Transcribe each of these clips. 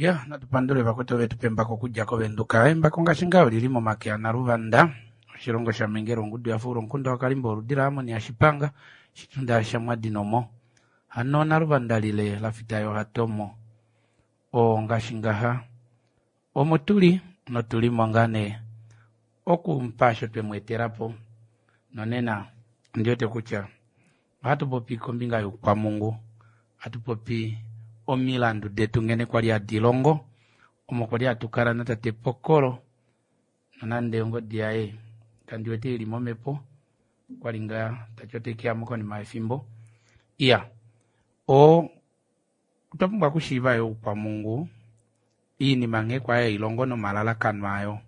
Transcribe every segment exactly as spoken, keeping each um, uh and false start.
Ya, natu pandule vakwetu vetu pembako okudja kovenduka. Embako ngaashi ngaho lili momake aNaluvanda, oshilongo shaMengele, ongudu yafuula omukunda waKalimba, oludi laAmoni yaShipanga, shitunda shaMwadinomo. Hano Naluvanda lile lafita yohatomo. Oo ngaashi ngaha omo tuli notuli mo ngaa nee okumupa osho twe mu etela po. Nonena ondi wete kutya ohatu popi kombinga youkwamungu, hatu popi omilandu detu nghene kwali hadi longo, omo kwali hatu kala natate Pokolo, nonande ongodi yaye kandi wete ili momhepo, kwali ngaa tati ote ke mo konima yefimbo. Iya, o otwa pumbwa okushiiva yo oukwamungu, iinima nghee kwali hai longo nomalalakano ayo.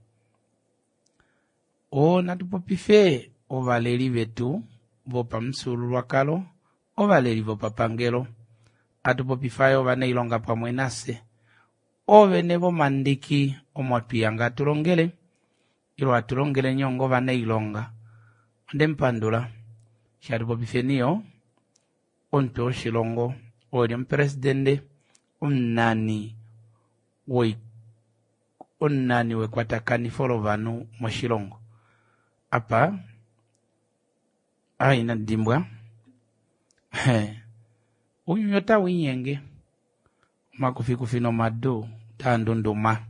O natu popife ovaleli vetu vopamufyuululwakalo, ovaleli vopapangelo, hatu popifa yo ovanailonga pamwe nafye, oovene vomandiki omo twihanga hatu longele, ile hatu longele nye onga ovanailonga. Onde mupandula eshi hatu popifeni yo omutwe woshilongo oo eli omupresidende, omunani woi omunani wekwatakanifo lovanhu moshilongo. Apa ah inandi dimbwa ounyuni otau linyenge, omakufikufi nomadu otaa ndunduma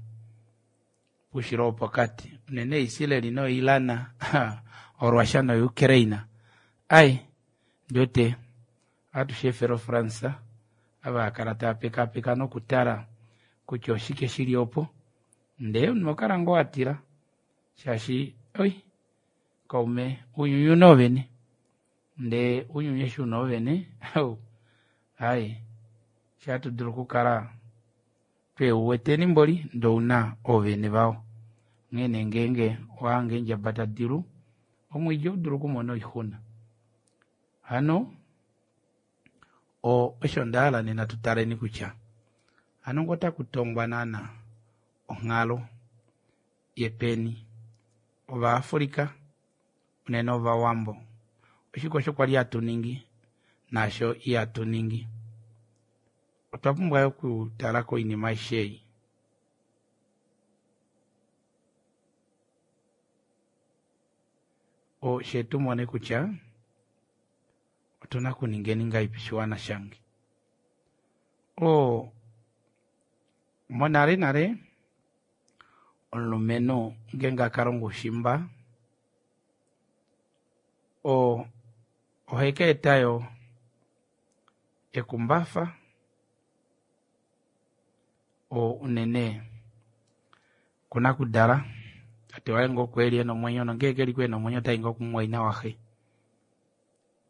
poushilo wopokati, unene Israel noIran, oRussia noUkraine. Ai ndiwete ohatu shi efele oFrance ava hakala tava pekaapeka nokutala kutya oshike shili opo, ndee omunhu oho kala ngoo watila shaashi oi kaume ounyuni ouna oovene, ndee ounyuni eshi una oovene ai shihatu dulu okukala tweuweteni mboli ndee ouna oovene vao. Onghee nee ngeenge owahange eendjaba tadi lu, omwiidi ohaudulu okumona oixuna. Hano osho ndahala nena tutaleni kutya hano ngee otaku tongwa naana onghalo yepeni, Ovaafrika unene Ovawambo, oshike osho kwali hatu ningi naasho ihatu ningi. Otwa pumbwa yo okutala koinima aishe ei. Fye tumone kutya otuna okuningeni ngahelipi oshiwana shange. Oo monale nale omulumenhu ngeenge akalonga oushimba oo oheka eta yo ekumbafa oo unene kunakudala tate waye ngee oko eli ena omwenyo nongee keliko ena omwenyo otai ngoo kumumwaina waxe.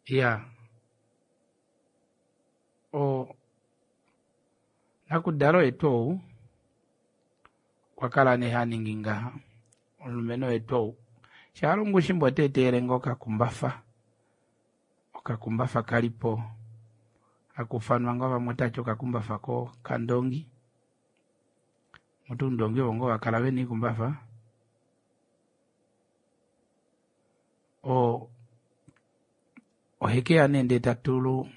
Iyaa oo nakudala oye tuu ou okwa kala nee haningi ngaha, omulumenhu oye tuu ou shaalongo oushimba ota etelele ngoo okakumbafa, okakumbafa kalipo hakuufanwa ngoo vamwe otavati okakumbafa kokandoongi, mutu oundongi ovo ngoo vakala vena oikumbafa, oo ohekeya nee ndee tatulu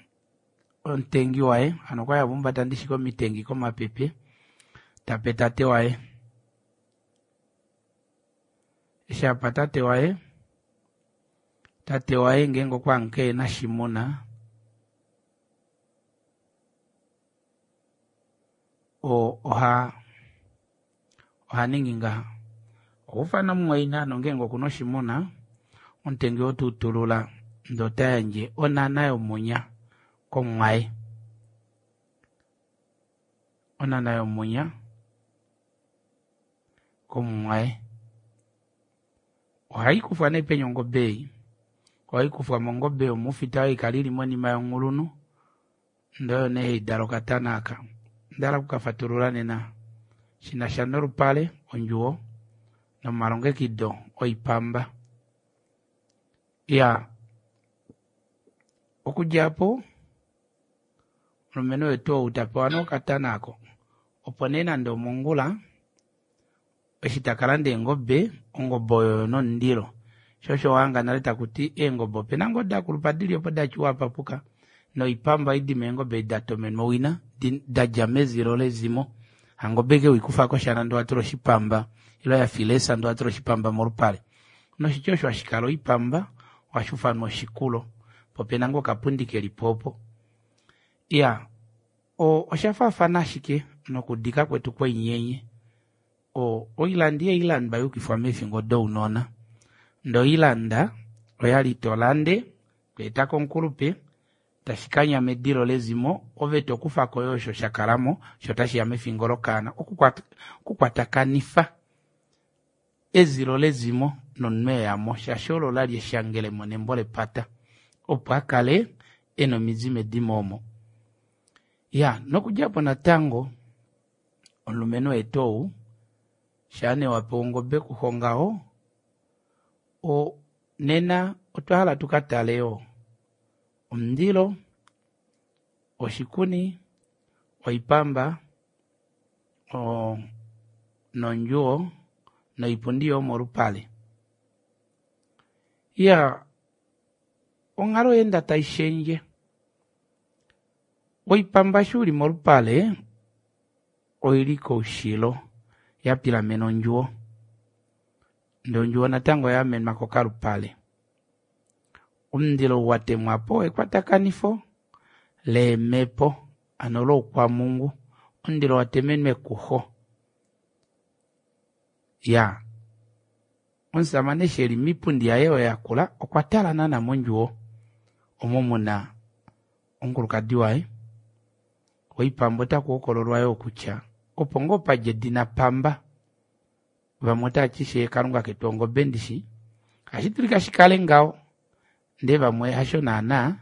omutengi waye, hano okwali hava humbata ndishi komitengi komapepe, tape tate waye. Eshi apa tate waye, tate waye ngeenge okwahangika ehena oshimuna oo oha ohaningi ngaha, ohaufana mumwaina nongeenge okuna oshimuna omutengi oo teutulula ndee otayandje onhana yomunya komumwaye, onhana yomunya komumwaye. Ohaikufwa nee peni ongobe ei, ohaikufwa mongobe yomuufita oyo haikala ili monima yonghulunhu ndee oyo nee haidala okatana aaka. Ondahala okukafatulula nena shinasha nolupale, ondjuwo nomalongekido oipamba. Iyaa okudja aapo omulumenhu oye tuu ou tapewa nee okatana aako opo nee nande omongula eshi takalanda eengobe, ongobe oyo oyina omundilo shoo osho wahanga nale takuti eengobe opena ngoo dakulupa dili opo datya uhapapuka noipamba ohaidi meengobe edi datomenwa owina dadja mezilo lezimo Hangobe ke wikufa koshana ndee watula oshipamba ile yafilesa ndee watula oshipamba molupale. Noshitya osho hashikala oipamba ohashuufanwa oshikulo poo opena ngoo okapundi kelipo opo. Iyaa oshafaafana ashike nokudika kwetu kwoinyenye oilanda ihailandwa yayukifwa meefingo dounona ndee oilanda oyali tolande tweeta komukulupe tashikanya medilo lezimo ove tokufako yoo osho shakalamo shoo otashiya mefingo lokaana okukwatakanifa ezilo lezimo nomunhu eyamo shaashi olo olali eshangelemo nembo lepata opo akale ena omidi medimo omo. Iyaa nokudjaapo natango omulumenhu oye tuu ou shaa nee wapewa ongobe kuxo ngaho nena otwahala tukatale yoo omundilo, oshikuni, oipamba oo nondjuwo noipundi yomolupale. Iyaa onghalo oyeenda taishendje oipamba eshi uli molupale oili koushilo yapilamena ondjuwo ndee ondjuwo natango oyaamenwa kokalupale. Omundilo ou watemwapo ekwatakanifo leemepo hano loukwamulungu omundilo watemenwa ekuxo. Iyaa omushamane eshi eli moipundi yaye oyo yakula okwatala naana mondjuwo omo muna omukulukadi waye oipamba otakuhokololwa yoo kutya opo ngoo padja edina pamba vamwe otavati fyee kalunga ketu ongobe ndishi ohashidulika shikale ngaho ndee vamwe hasho naana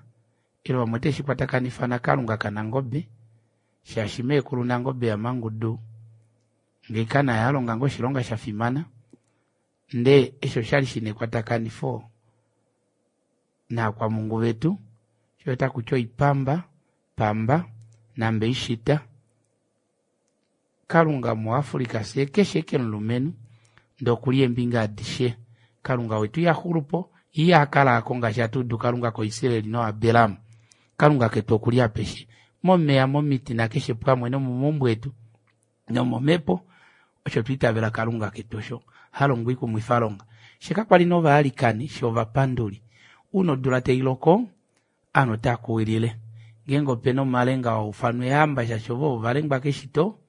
ile vamwe oteveshikwatakanifa nakalunga kanangobe shaashi meekulu nangobe yamangudu ngeika naye alonga ngoo oshilonga shafimana ndee eshi oshali shina ekwatakanifo naakwampungu vetu shoo otakuti oipamba pamba nambeishita kalunga mu africa fyee keshe ashike omulumenhu ndee okuli eembinga adishe kalunga wetu ihaxulupo yee ihakala aako ngaashi hatuudu kalunga kaIsrael noAbraham kalunga ketu okuli apeshe momeva momiti nakeshe pamwe nomomaumbo etu nomomepo osho twaitavela kalunga ketu osho halongo oikumwifalonga fyee kakwali nee ovailikani fyee ovapanduli ouna odula tailoko ovanhu otaakuwilile ngeenge opena omalenga haufanwa eehamba shaashi ovo ovalengwa keshito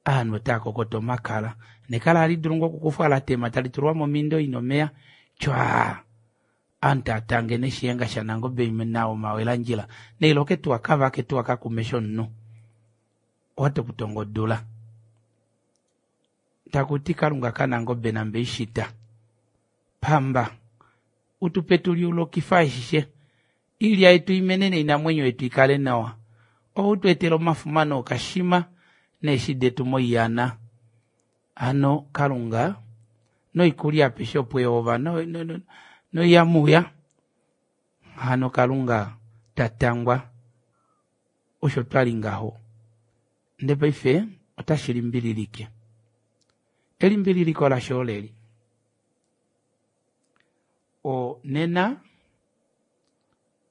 ovanhu otaakokota omakala nekala ohalidulu ngoo okukufwa latema talitulwa momindo ina omeva tywaaa ovanhu taatange neshiyenga shanangobe nawa omawelandjila nailoke tuu akavake tuu akakume shomunhu owati okutonga odula takuti kalunga kanangobe nambeishita pamba utupe tuliulokife ashishe oilya yetu imene noinamwenyo yetu ikale nawa ove utweetele omafuma nookashima neeshi detu moiyana hano kalunga noikulya apeshe opo ehova noiyamuya hano kalunga tatangwa osho twali ngaho ndee paife otashilimbililike elimbililiko lasho oleli nena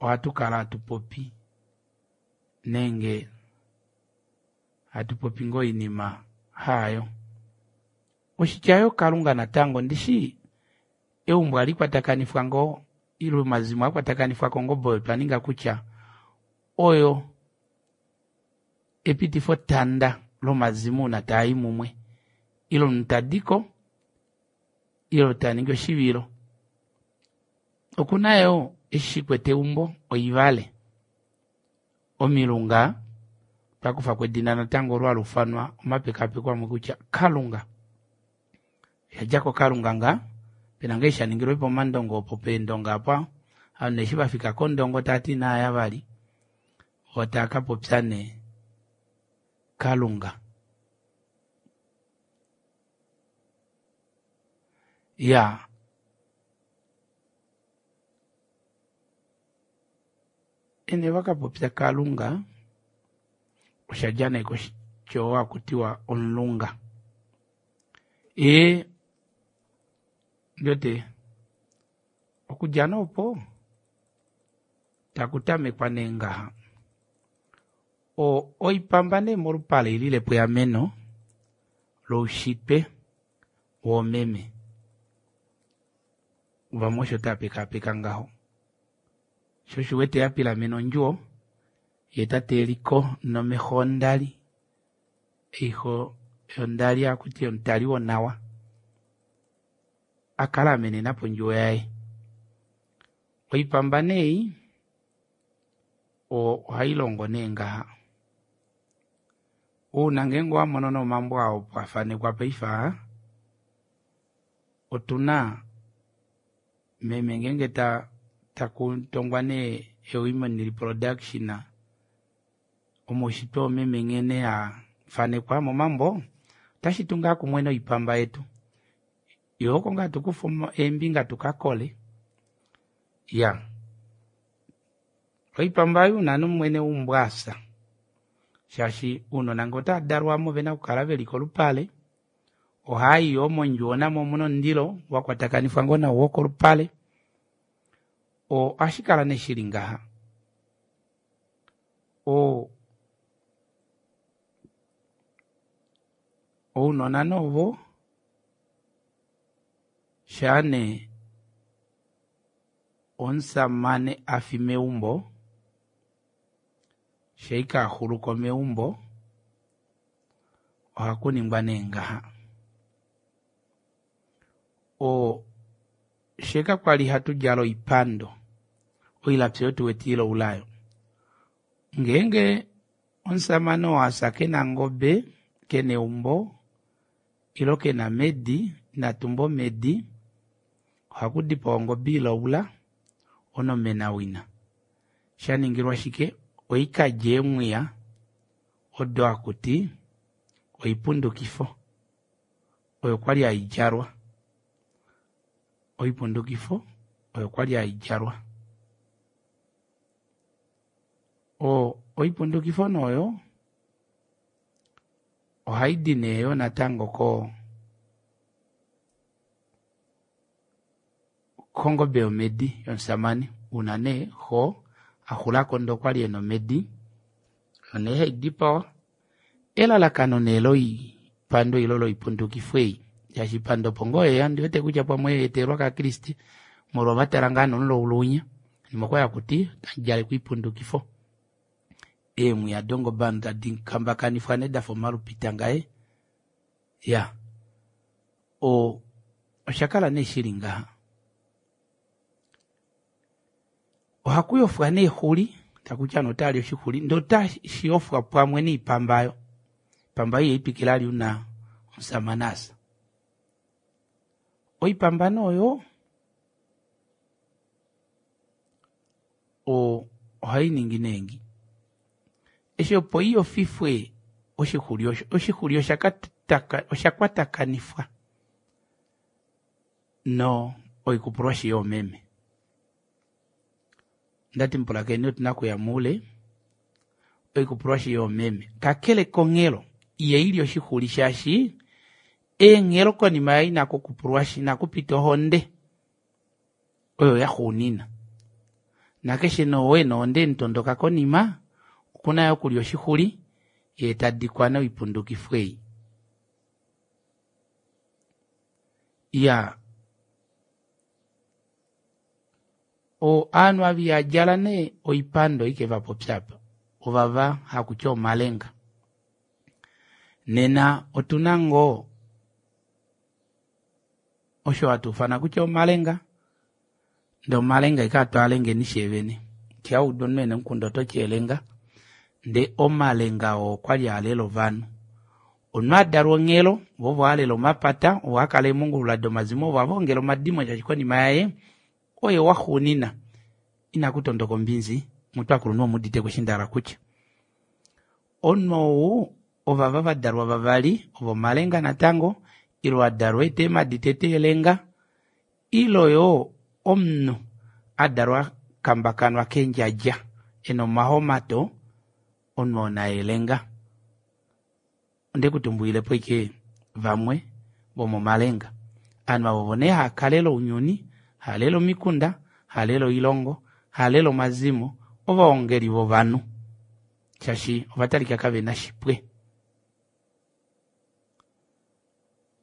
ohatukala hatupopi nenge hatupopi ngoo oinima haayo. Oshitya yoo kalunga natango ndishi eumbo ohalikwatakanifwa ngoo ile omazimo ohakwatakanifwa kongobe oyo twaninga kutya oyo epitifotanda lomazimo ouna taayi mumwe ile omunhu tadiko ile taningi oshivilo. Okuna yoo eshi shikwete eumbo oivale omilunga otwakufako edina natango olo haluufanwa omapekaapeko amwe kutya kalunga oshadja kokalunga ngaa pena ngoo eshi shaningilwe pomandongo opo peendonga aapa ovanhu eshi vafika kondongo tavati inaaya vali voo taakapopya nee kalunga. Iyaa ene vakapopya kalunga oshadja nee koshitya oo hakutiwa omulunga ee ondiwete okudja nee opo takutamekwa nee ngaha oipamba nee molupale oililepo eameno loushitwe woomeme. Vamwe osho tava pekaapeka ngaho. Sho osho uwete ya pilamena ondjuwo yee tate eliko nomesho ondali, oisho yondali hakuti omutali wonawa akala amenena pondjuwo yaye. Oipamba nee ei ohailongo nee ngaha, ouna ngeenge owamono nee omambo aa opo afanekwa paife aa, otuna meme ngeenge takutongwa nee women reproduction omaushitwe oomeme nghene afanekwa momambo otashitu ngaa kumwe noipamba yetu yoo oko ngaa hatukufa eembinga tukakole iyaa oipamba ei ouna nee mwene weumbo afya shaashi ounona ngee otavadalwamo ovena okukala veli kolupale ohaayi yoo mondjuwo namo omuna omundilo wakwatakanifwa ngoo nau wokolupale oo ohashikala nee shili ngaha oo ounona nee ovo shaanee omushamane afi meumbo shaike axuluko meumbo ohakuningwa nee ngaha oo fyee kakwali hatudjala oipando oilapi oyo tuwete ilaula aayo ngeenge omushamane oo afya kena ongobe kena eumbo ile kena medi inatumba omedi ohakudipawa ongobe ilaula onomenawina shaningilwa shike oikalye eemwiya odo hakuti oipundukifo oyo kwali haidjalwa oipundukifo oyo kwali haidjalwa oo oipundukifo nee oyo ohaidi nee yoo natango koo kongobe yomedi yomushamane una nee xoo axulako ndee okwali ena omedi oyo nee haidipawa elalakano nee loipando ile loipundukifo ei shaashi oipando opo ngoo yeya ondiwete kutya pamwe oyeetelelwa kaakriste molwo ovatala ngoo nee omulaulu winya konima okwali hakuti otamudjalekwa oipundukifo eemwiya dongobe hano tadi kambakanifwa nee dafa omalupita ngaye iyaa oo oshakala nee shili ngaha ohakuyofwa nee exuli takuti ovanhu otavali oshixuli ndee otashiyofwa pamwe noipamba aayo oipamba aayo ihaipikile vali ouna omushamane afya oipamba nee oyo ohainingi nee ngii eshi opo iyofifwe oshixuli osho oshixuli oshakwatakanifwa noikupulwashi yoomeme ondati mupulakeni otuna okuya moule oikupulwashi yoomeme kakele konghelo ihaili oshixuli shaashi eenghelo konima yainakukupulwashi inakupita ohonde oyo yaxuunina nakeshe nee oo ena ohonde yemutondoka konima okuna yoo okulya oshixuli yee tadikwa nee oipundukifo ei iyaa ovanhu ava ihadjala nee oipando haike vapopya aapa ovava hakuti omalenga nena otuna ngoo osho hatuufana kutya omalenga ndee omalenga ashike hatwaalengeni fyee shaa waudu omunhu ena omukunda ototi elenga ndee omalenga oo okwali alela ovanhu omunhu adalwa onghelo voo ovo havalele omapata ovo haakala eemungulula domazimo ovo havaongele omadimo shaashi konima yaye oye waxuunina inakutondoka ombinzi mutu ovakulunhu omuuditeko eshi ndahala okutya omunhu ou ovava vadalwa vavali ovo omalenga natango ile adalwa eta eemadi tete elenga ile yoo omunhu adalwa akambakanwa kendjadja ena omahomato omunhu oo naye elenga ondekutumbulilepo ashike vamwe vomomalenga ovanhu ava ovo nee haakalele ounyuni haalele omikunda haalele oilongo haalele omazimo ovaongeli vovanhu shaashi ovatalika kavena shipwe.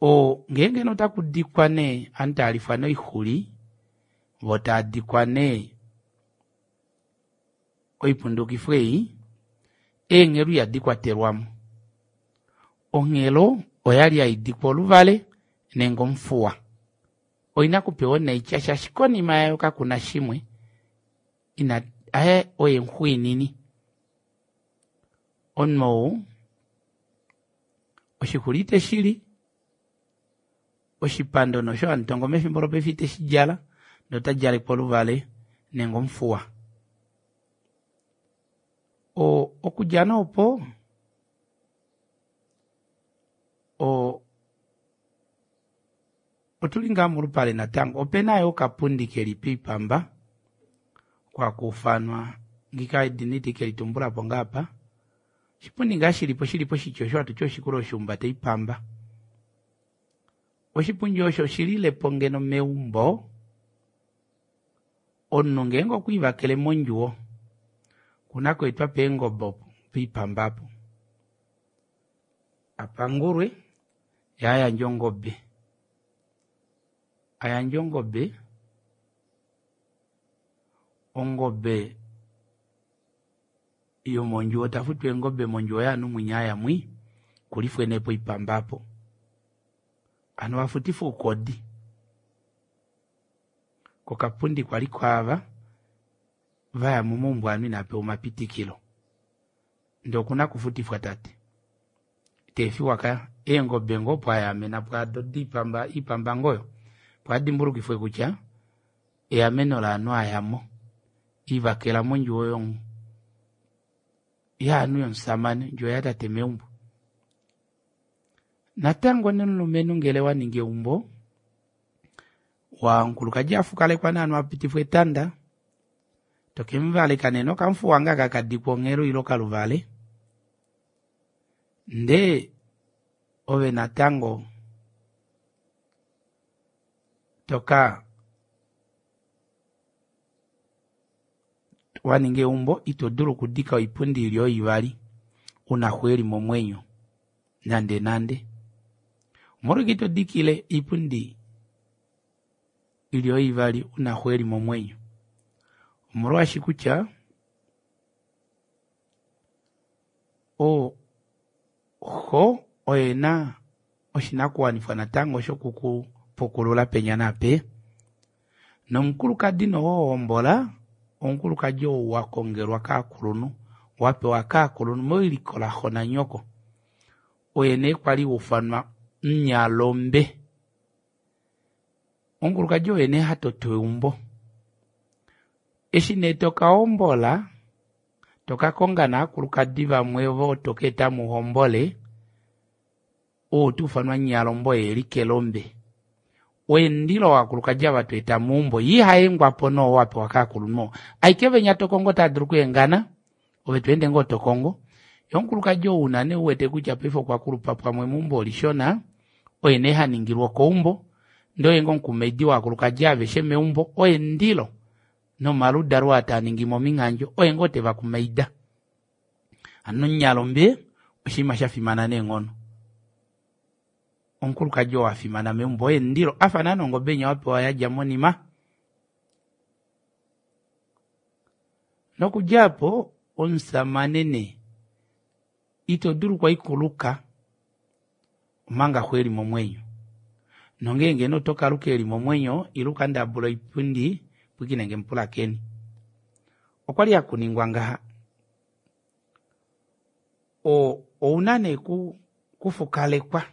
Oo ngeenge notakudikwa nee ovanhu taalifwa noixuli voo taadikwa nee oipundukifo ei eenghelo ihadi kwatelwamo. Onghelo oyali haidikwa oluvale nenge omufuwa. Oina okupewa onaitya shaashi konima yayo kakuna shimwe ina aye oye muxwiinini. Omunhu ou oshixuli iteshili, oshipando nosho hamutongo mefimbo lopaife iteshidjala ndee otadjalekwa oluvale nenge omufuwa. Oo okudja nee opo oo otuli ngaa molupale natango opena yoo okapundi keli poipamba oko hakuufanwa ngika edina ite kelitumbulapo ngaa apa oshipundi ngaa shilipo shili poshitya osho hatuti oshikulo shahumbata oipamba. Oshipundi osho oshililepo ngeno meumbo omunhu ngeenge okwiivakele mondjuwo okuna okweetwa peengobe opo poipamba aapo apangulwe yee ayandje ongobe ayandje ongobe ongobe yomondjuwo tafutu eengobe mondjuwo yovanhu mwinya aya mwii okulifwe nee poipamba aapo hano wafutifwa oukodi kokapundi kwali kwaava vaya momaumbo ovanhu inaapewa omapitikilo ndee okuna okufutifwa tate iteefiwa kaya eengobe ngoo opo ayaamena pwaado diipamba iipamba ngoo oyo opo adimbulukifwe kutya eameno lovanhu ayamo ivakela mondjuwo yaanhu yomusamane ondjuwo yatate meumbo. Natango nomulumenhu ngele waningi eumbo omukulukadi afukalekwa nee hano apitifwa etanda tokemuvaleka nee nokamufuwa ngoo aka kadikwa onghelo ile okaluvale ndee ove natango toka waninga eumbo ito dulu okudika oipundi ili ooivali una xo eli momwenyo nande nande. Omolwashike itodikile oipundi ili ooivali una xo eli momwenyo? Omolwaashi kutya oo xo oye ena oshinakuwanifwa natango shokukupukulula penya naapenya nomukulukadi nee oo wahombola omukulukadi ou wakongelwa kaakulunhu wapewa kaakulunhu mewiliko laxo nanyoko oye nee kwali haufanwa munyalombe. Omukulukadi oye nee hatoto eumbo eshi nee tokahombola tokakonga nee ovakulukadi vamwe ovo tokaeta muhombole ou otaufanwa munyalombe oye eli kelombe oye omundilo wovakulukadi ava tweeta meumbo yee ihaengwapo nee oo apewa kaakulunhu oo ashike venya tokongo otaadulu okuhengana ove tweende ngoo tokongo yee omukulukadi ou una nee uwete kutya paife okwakulupa pamwe meumbo olishona oye nee haningilwa okaumbo ndee oye ngoo omukumaidi wovakulukadi aveshe meumbo oye omundilo nomaludalo aa taaningi mominghandjo oye ngoo tevakumaida. Hano omunyalombe oshinima shafimana neenghono. Omukulukadi oo afimana meumbo oye omundilo afa naana ongobe inya wapewa yadja monima. Nokudja aapo omushamane nee ito dulu kwali okuluka omanga xo eli momwenyo nongeenge nee otokaluka eli momwenyo ile ukandabule oipundi pwilikinenge mupulakeni. Okwali hakuningwa ngaha oo ouna nee okufukalekwa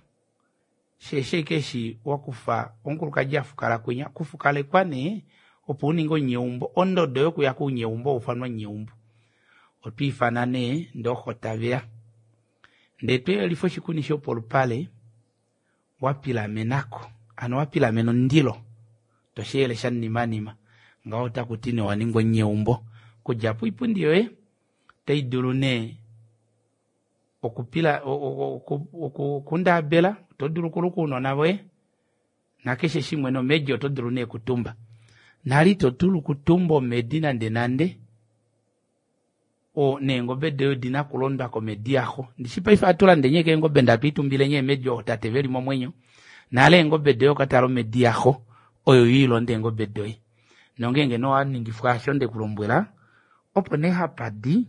shaashi ashike eshi wakufa omukulukadi afukala kwinya okufukalekwa nee opo uninge omunyeumbo ondodo yokuya kounyeumbo ohaufanwa omunyeumbo otwiifana nee ndee ooxo taveya ndee toyelifa oshikuni shopolupale wapilamenako hano wapilamena omundilo tosheyele shamunimanima ngaho otakuti nee owaninga omunyeumbo. Okudja aapo oipundi yoye otaidulu nee okupila okundaabela otodulu okuluka ounona voye nakeshe shimwe nomedi otodulu nee okutumba. Nale itodulu okutumba omedi nande nande oo neengobe doye odina okulondwa komedi yaxo. Ndishi paife ohatulandeni ashike eengobe ndee hatulitumbileni eemedi ootate veli momwenyo Nale eengobe doye okatala omedi yaxo oyo iilonda eengobe doye. Nongeenge nowaningifwa asho ndekulombwela opo nee hapadi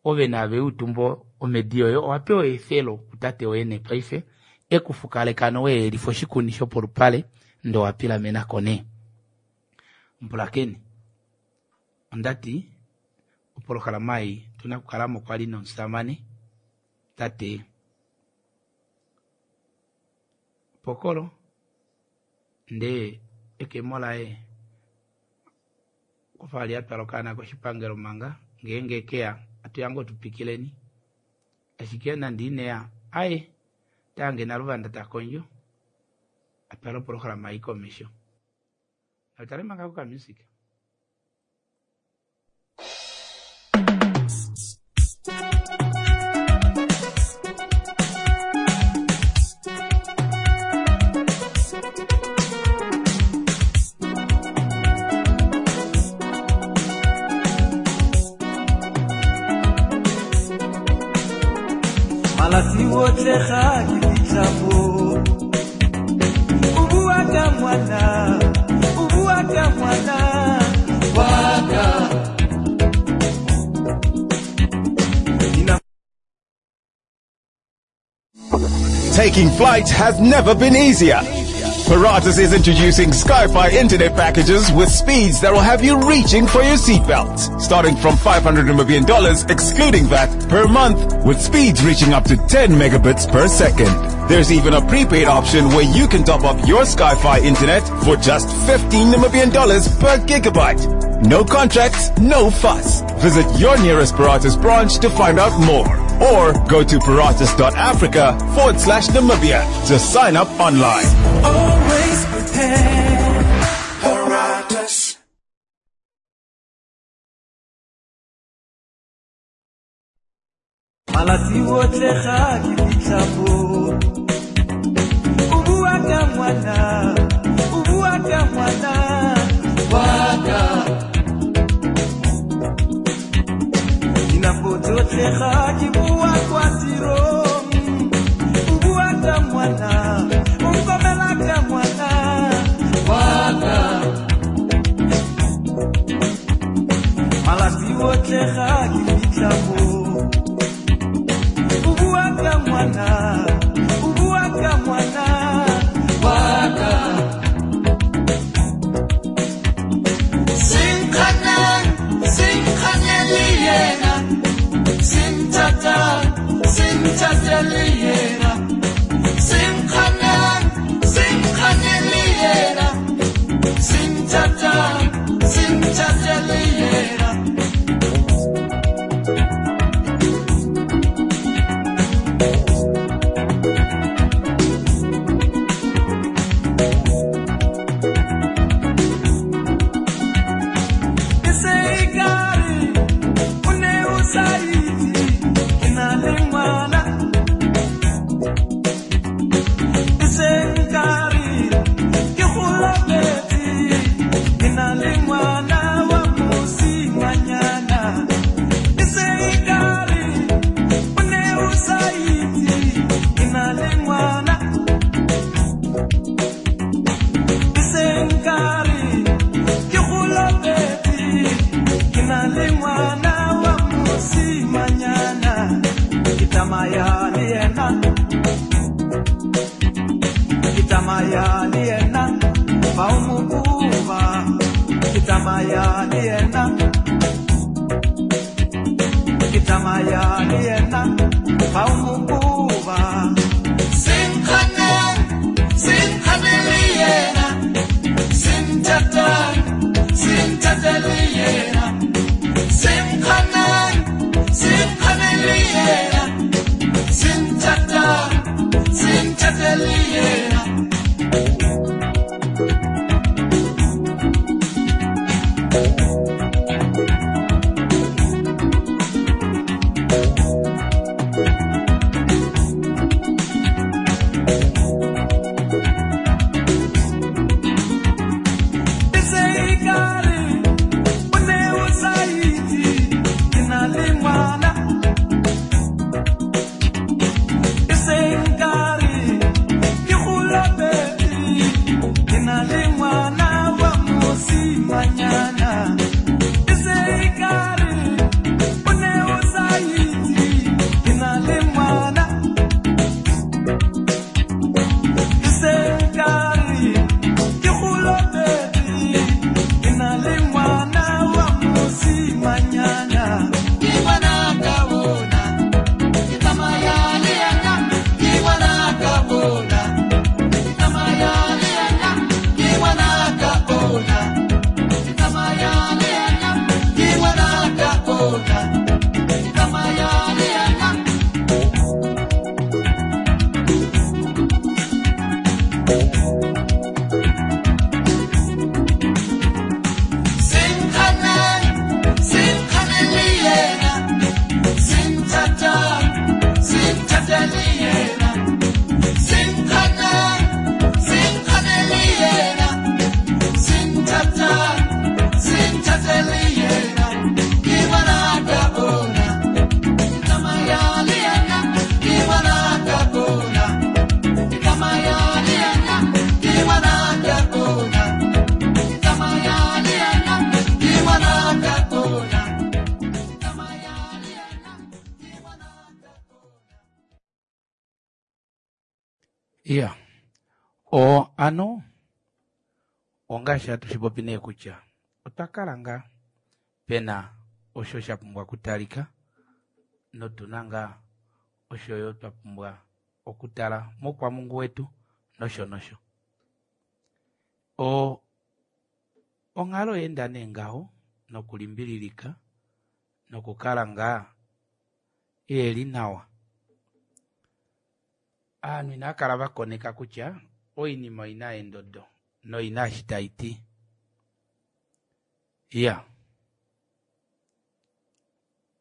ove naave utumbo omedi yoye owapewa eefelo kutate woye nepaife ekufukaleka noweelifa oshikuni shopolupale ndee owapilamenako nee. Mbulakeni ondati opolohalama ei otuna okukalamo kwali nomusamane tate Pokolo ndee ekemo laye okwafa ali atwala okaana koshipangelo manga ngeenge keya atuya ngoo tupikileni ashike nande ineya aye otahange Naluvanda takondjo atwale opolohalama ei komesho. Natale manga kokamusic. Malatsi otlhe ga ke fitlha mo o bua ka ngwana, o bua ka ngwana wa ka. Taking flight has never been easier. Paratus is introducing Skyfi internet packages with speeds that will have you reaching for your seatbelts. Starting from five hundred Namibian dollars, excluding V A T, per month, with speeds reaching up to ten megabits per second. There's even a prepaid option where you can top up your Skyfi internet for just fifteen Namibian dollars per gigabyte. No contracts, no fuss. Visit your nearest Paratus branch to find out more. Or go to paratus.africa forward slash Namibia to sign up online. Always prepare. Paratus. Malatsi otlhe ga ke fitlha mo o bua ka ngwana, o bua ka ngwana wa ka. Dinako tsotlhe ga ke bua kwa tirong, o bua ka ngwana, o nkomela ka ngwana wa ka. Malatsi otlhe ga ke fitlha mo o bua ka ngwana, o bua ka ngwana wa ka. Senkganeng, senkganeng le yena, senthata, senthata le yena. Senkganeng, senkganeng le yena, senthata, senthata le yena. Iya, o ano ongaashi hatu shipopi nee kutya otwa kala ngaa pena osho sha pumbwa okutalika notuna ngaa osho yo twa pumbwa okutala moukwamungu wetu nosho nosho. O onghalo oyeenda nee ngaho nokulimbililika nokukala ngaa iheli nawa. Aanhu inaa kala vakoneka kutya oinima oina eendodo noina eshi taiti. Iya,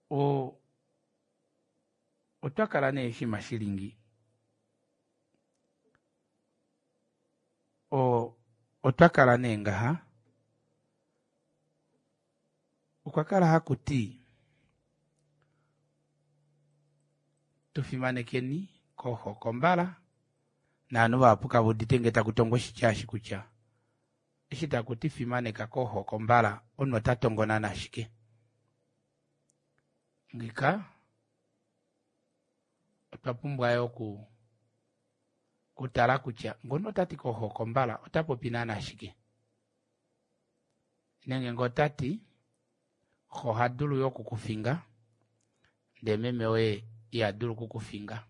o otwa kala nee oshinima shilingi o otwa kala nee ngaha okwa kala hakuti tufimanekeni koohokombala naanhu vahapu kave udite ngee taku tongwa oshitya eshi kutya eshi takuti fimaneka koohokombala omunhu ota tongonana ashike. Ngika otwa pumbwa yo oku kutala kutya ngono otati koohokombala ota popi naana ashike. Nenge ngee otati xo oha dulu yo okukufinga ndee meme woye iha dulu okukufinga.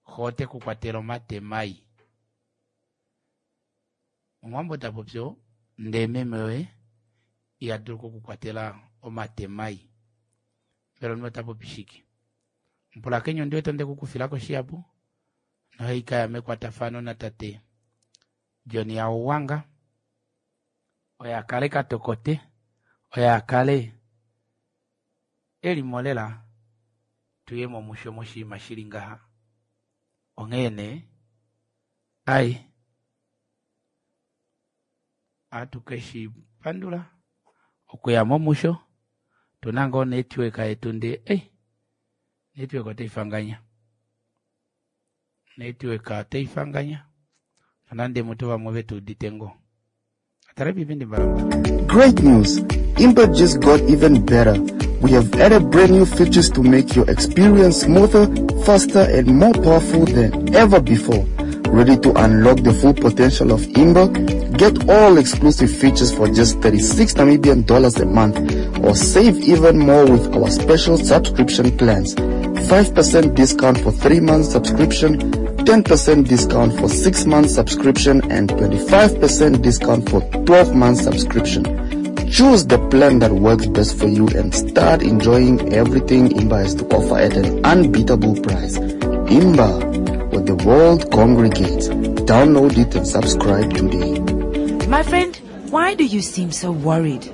Xo ote ku kwatele omate mai. Omuwambo tapopi oo ndee meme woye iha dulu okukukwatela omate mai. Mbela omunhu ota popi shike? Mupulakeni ondi wete onde kukufilako shihapu nohaikaya mekwatafano natate John Hauwanga oye akale katokote oye akale elimo lela tuye momusho moshinima shili ngaha. Onghee nee ai ohatu keshi pandula okuya momusho tuna ngoo network yetu ndee ei network otaifanganya network otaifanganya nonande mutu vamwe vetu udite ngoo. Atale pipindi mbalambala. Great news! Imba just got even better. We have added brand new features to make your experience smoother, faster, and more powerful than ever before. Ready to unlock the full potential of Imba? Get all exclusive features for just thirty-six Namibian dollars a month, or save even more with our special subscription plans. five percent discount for three months subscription, ten percent discount for six months subscription, and twenty-five percent discount for twelve months subscription. Choose the plan that works best for you and start enjoying everything Imba has to offer at an unbeatable price. Imba, where the world congregates. Download it and subscribe today. My friend, why do you seem so worried?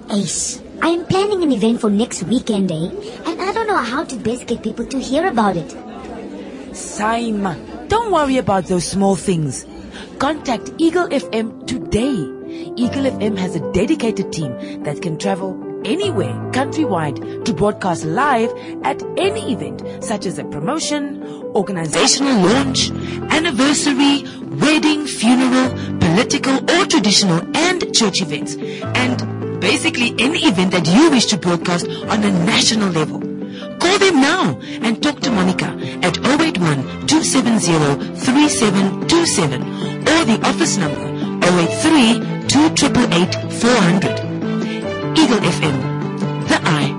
Ace, I am planning an event for next weekend, eh? And I don't know how to best get people to hear about it. Saima, don't worry about those small things. Contact Eagle F M today. Eagle F M has a dedicated team that can travel anywhere countrywide to broadcast live at any event, such as a promotion, organizational launch, anniversary, wedding, funeral, political or traditional and church events, and basically any event that you wish to broadcast on a national level. Call them now and talk to Monica at oh eight one, two seven zero, three seven two seven or the office number oh eight three, two triple eight, four hundred. Eagle F M, the eye.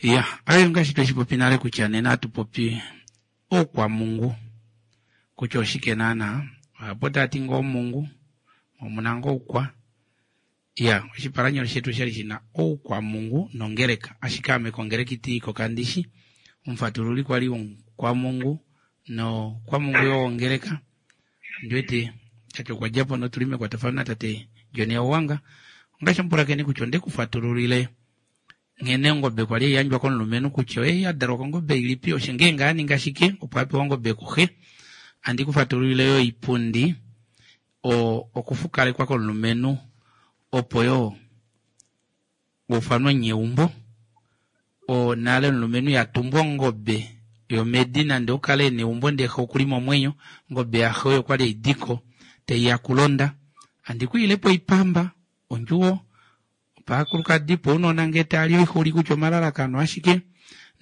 Yeah, ayo ngaashi tweshi nale kutya nena hatu popi oukwamungu kutya oshike naana ohapo tati ngoo mungu omuna ngoo oukwa. Ya, oshipalanyolo shetu oshali shina oukwamungu nongeleka, ashike ame kongeleka itiiko kandishi omufatululi kwali womukwamungu nokwamungu yo wongeleka. Ndiwete tate okwa djapo notuli mekwatafano natate John Hauwanga. Ongaashi omupulakeni kutya onde kufatululile nghene ongobe kwali yandjwa komulumenhu kutya oye ya dalwa kongobe ilipi, osho ngeenge a ninga shike opo a pewa ongobe kuxe. Andi kufatululile yo oipundi o okufukalekwa komulumenhu opo yo ufanwe nyeumbo o nale omulumenhu ya tumbwa ongobe yomedi nande okale neumbo ndee xe okuli momwenyo, ongobe yaxe oyo kwali eidiko teiya kulonda. Andi kuilepo oipamba ondjuwo paakulukadi po ounona ngee tali oixuli kutya omalalakano ashike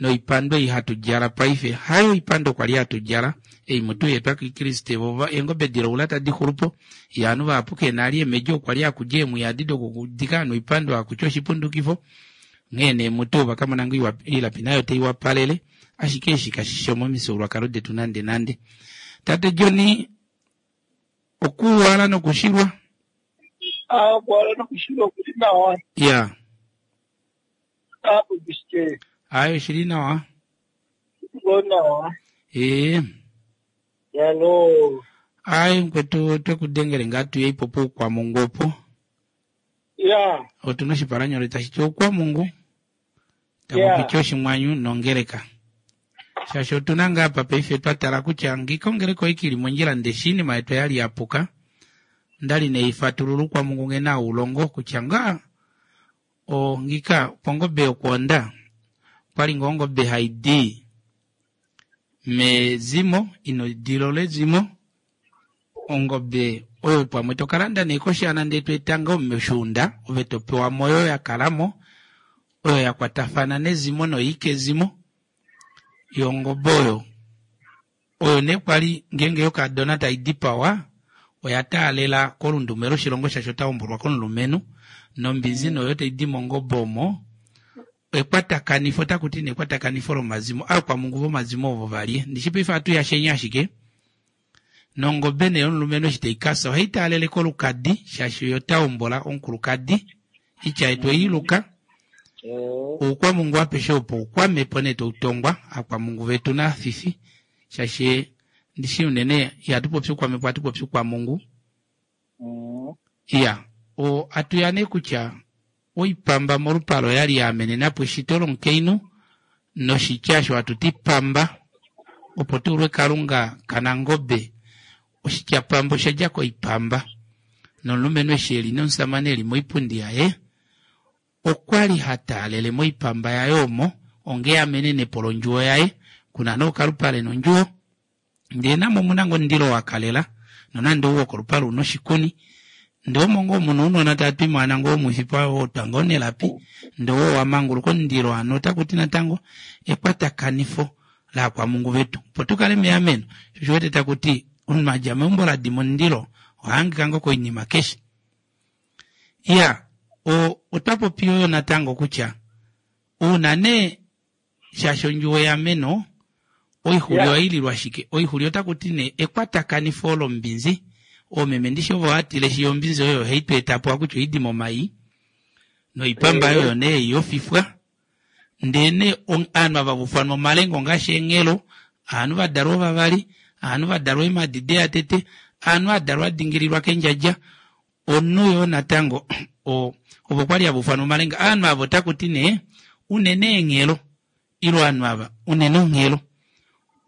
Noipando ei hatu djala paife hayo oipando kwali hatu djala ei mutu yeetwa kikriste vova eengobe dilaula tadi xulupo yaanhu vahapu kena ali eemedji okwa li hakudja eemwiya adi dokudika ovanhu oipando hakutya oshipundukifo nghee nee mutu vakamona ngoo oilapi nayo taiwapalele ashike eshi kashishi momifyuululwakalo detu nande nande. Tate John okuwala nokushilwa ah okuwala nokushilwa okuli nawa ya apo bishike ayo oshili nawa ngo nawa ee yalo ayi mukwetu twekudengele ngaa tuye ipo poukwamungu opo ya otuna oshipalanyole tashi ti oukwamungu taku Ya. piti oshimwanyu nongeleka shaashi otuna ngaa apa paife twa tala kutya ngika ongeleka oiki ili mondjila ndeshi iinima yetu oyali yapuka ondali neifatulula oukwamungu nghene haulongo kutya ngaa o ngika pongobe yokwoonda okwali ngoo ongobe haidi mezimo ina edilo lezimo ongobe oyo pamwe tokalanda nee koshana ndee toeta ngoo meshuunda ove topewa oyo yakalamo oyo yakwatafana nezimo noikezimo yongobe oyo oyo nee kwali ngeenge yokadona taidipawa oya taalela kolundume loshilongo shaashi otahombolwa komulumenhu nombinzi noyo taidi mongobe omo ekwatakanifo otakuti nee ekwatakanifo lomazimo aakwamungu vomazimo ovo valye ndishi paife ohatu yashenya ashike nongobe nee yomulumenhu eshi taikasa ohai taalele kolukadi shaashi oyo tahombola omukulukadi itya yetu oiluka oukwamungu apeshe opo oukwamepo nee toutongwa aakwamungu vetu naafifi shaashi ndishi unene ihatu popi oukwamepo ohatu popi oukwamungu iya o atuya nee kutya oipamba molupalo oyali yaamenenapo eshito lomukainhu noshitya osho hatuti pamba opo tuulwe kalunga kanangobe oshitya pamba oshadja koipamba nomulumenhu eshi eli nomusamane eli moipundi yaye okwali hataalele moipamba yaye omo onge amenenepo londjuwo yaye kuna nookalupale nondjuwo ndee namo omuna ngoo omundilo wakalela nonande ou wokolupale una oshikuni ndee omo ngoo muna ounona tava twimwana ngoo omwifi wotwa ngoo nelapi ndee oo wamanguluka omundilo hano otakuti natango ekwatakanifo laakwamungu vetu opo tukale meameno sho oshiwete takuti omunhu adja meumbo ladima omundilo ohahangika ngoo koinima keshe. Iya o otwapopi yo natango kutya uuna nee shaashi ondjuwo yeameno oixuli Ya. ohaililwa shike oixuli otakuti nee ekwatakanifo lombinzi oomeme ndishi ovo hatile shi ombinzi oyo haitweetapo akutya oidi momai noipamba Eh. oyo nee yofifwa ndee nee ovanhu ava vofanwa omalenga ongaashi eenghelo ovanhu vadalwa ovavali ovanhu vadalwa eemadi deyatete ovanhu adalwa adingililwa kendjadja omunhu yoo natango o ovo kwali hava ufanwa omalenga ovanhu ava otakuti nee unene eenghelo ile ovanhu ava unene onghelo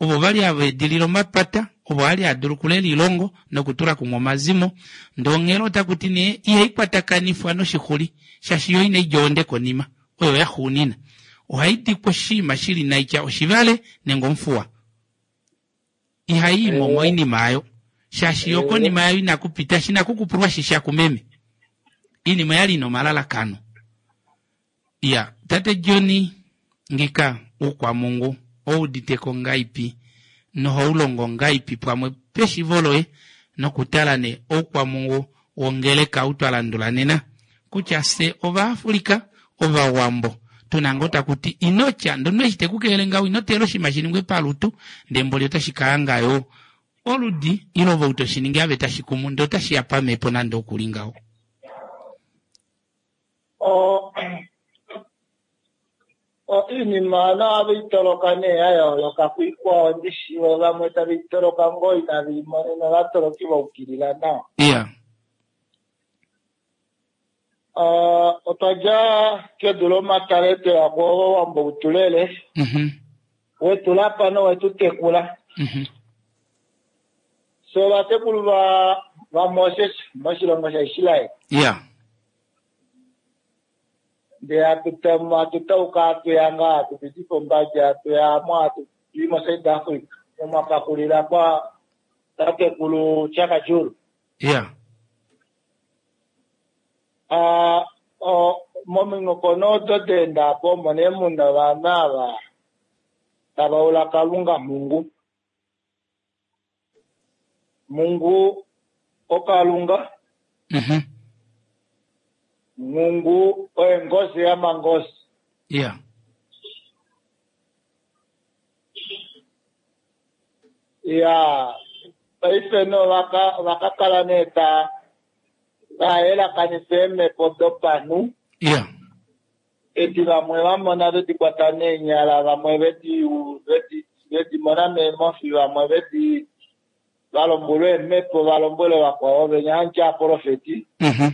ovo vali hava edilile omapata ovo ali hadulu okulela oilongo nokutula kumwe omazimo ndee onghelo otakuti nee ihaikwatakanifwa noshixuli shaashi yo inaidja ohonde konima oyo yaxuunina ohaidikwa oshinima shili naitya oshivale nenge omufuwa ihayiimo moinima ayo shaashi yo konima yayo inakupita shinakukupulwa shisha kumeme iinima yali ina omalalakano iya tate John ngika oukwamungu ouditeko ngaipi nohaulongo ngaipi pamwe peshivo loye nokutala nee oukwamungu wongeleka ou twalandula nena kutya fye ovaafrika ovawambo tuna ngoo takuti inotya ndono eshi tekukelele ngaho inoteela oshinima shiningwe palutu ndee mboli otashi kahanga yo oludi ile ove ou toshiningi ave tashi kumu ndee otashiya pamhepo nande okuli ngaho. O o iinima naave itoloka nee ya yooloka kwiikwao ndishi vamwe tave itoloka ngoo inave imonena ovatoloki vaukilila nawa. Iya Uh, otwa dja kedu lomatale tweya kowambo utulele mhm wetulapa nowetu tekula mhm so ovatekulu va vaMoses moshilongo shaIsrael iya ndee hatu hatutauka hatuya ngaa hatupiti pombadi hatuya mo hatuyi moSouth Africa momakakulila kwa tatekulu Chaka Julu. iya Uh, o mominghoko odo daendapo omo nee muna ovanhu ava tava ula Kalunga Mungu. Mungu oKalunga. Mhm. Mungu oye ngozi yamangozi. Yeah. Ya paife no vaka vakakala nee ta vayelakanifa eemhepo dopanhu. Yeah. Edi vamwe vamona vedi kwata neenyala, vamwe vedi vedi vedi mona meemofi, vamwe vedi valombwelwa eemhepo, valombwele vakwao venya hanti aprofeti. Mhm.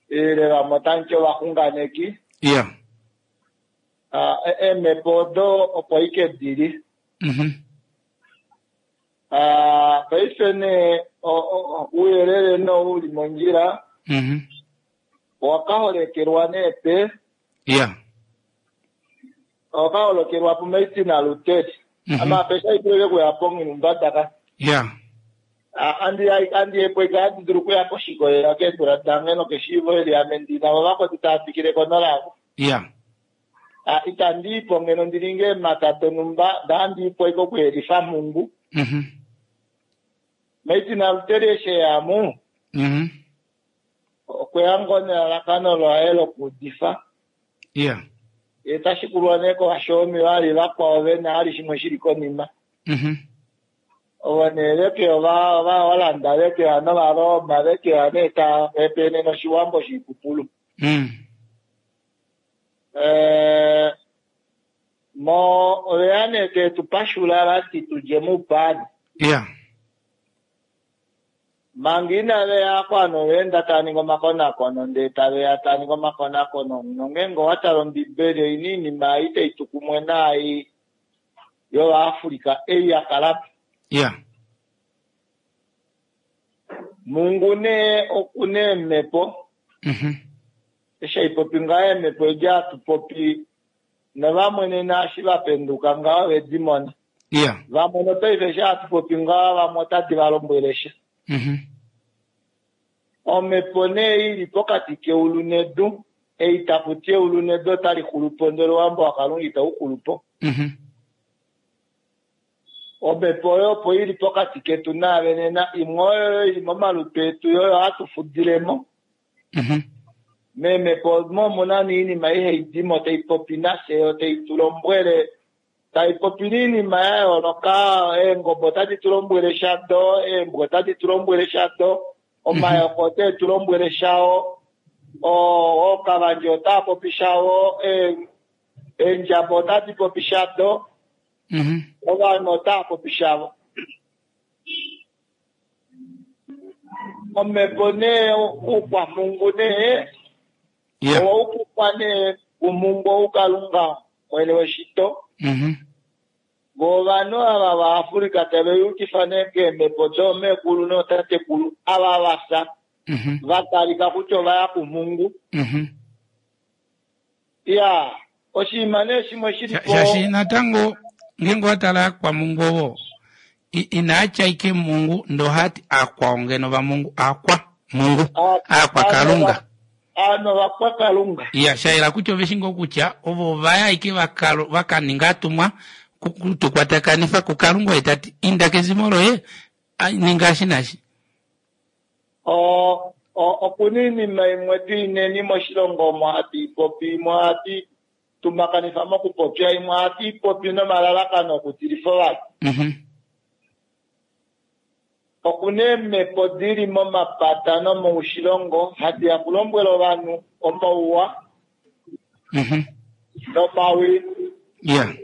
Ile vamwe otanti ovaxunganeki. Yeah. Ah, eemhepo odo opo ike dili. Mhm. Ah, paife nee ouyelele no uli mondjila. Mhm. Owakaholekelwa nee pe. Yeah. Owakaholokelwa puMartin Luther. Mhm. Ama pesha ituleke kuya pongilumbataka. Yeah. Andi andi epweka andi dulu kuya koshikolela keedula dange nokeshiivo eli ame ndina vo vakwetu tava fikile ko nolavo. Yeah. Ah, itandi ipo ngeno ndilinge eemhata donhumba ndaandiipo ike okuyelifa Mungu. Mhm. Martin Luther eshi eyamu. Mhm. Okweya ngoo nelalakano laye lokuudifa. Yeah. Ye tashikulwa nee kovashomi vali vakwao vena ali shimwe shili konima. Mhm. Ovo nee veke ova Ovaholanda vekeya nOvaroma vekeya nee tava hepenene oshiwambo shiipupulu. Mm. Eh, mo oveya nee tetu pashula vati tudje moupani. Yeah. Manga inaveya kwano oveenda tava ningi omakonakono ndee taveya tava ningi omakonakono nongeenge owatala ombibeli oina oinima ei tai tu kumwe naai yovaAfrica ei yakalapo. Yeah. Mungu nee okuna eemhepo. Mhm. Eshi haipopi ngaho eemhepo edi hatupopi novamwe nena eshi vapenduka ngaho vedi mona. Yeah. Vamwe nopaife eshi hatupopi ngaho vamwe otadi valombwele sha. Mhm. Omhepo nee ili pokati keulu nedu, ei takuti eulu nedu otali xulupo ndele owambo waKalunga itau xulupo. Mhm. Omhepo oyo opo ili pokati ketu naave nena, imwe oyo ili momalutu etu oyo hatu fudilemo. Mhm. Meemhepo omo omuna noinima ihai dimo tai popi nafye yo tai tu lombwele, tai popi noinima ya yooloka. Eengobe otadi tu lombwele shado, eembwa otadi tu lombwele shado, omayoko otae tu lombwele shao, ookavandje otaa popi shao, eendjaba otadi popi shado, Mhm. ovanhu otava popi shavo. Omhepo nee oukwamungu nee Yeah. owaukukwa nee kumungu oukalunga mwene weshito. Mhm. Vo ovanhu ava vaAfrica tave yukifa nee keemhepo doomekulu nootatekulu ava vafya Mhm. vatalika kutya ovaya kumungu. Mhm. Ya oshinima nee shimwe shili po Shashi natango ngeenge owatala akwamungu ovo inaatya ike mungu ndohati akwao ngeno vamungu akwa mungu akwa Kalunga. Ano vakwa Kalunga. Ya shayela kutya ove shingo kutya ovo vaya ike vakaninga atumwa kutukwatakanifa kuKalunga oye tati inda kezimo loye ninga eshi naashi. O okuna oinima imwe tuineni moshilongo omo hatu ipopi, imwe ohatu tumakanifa mokupopya, imwe ohatu ipopi nomalalakano okutilifa ovanhu. Mhm. Okuna eemhepo dili momapata nomoushilongo hadi ya kulombwela ovanhu omauwa Mhm. nomawi. Yeah.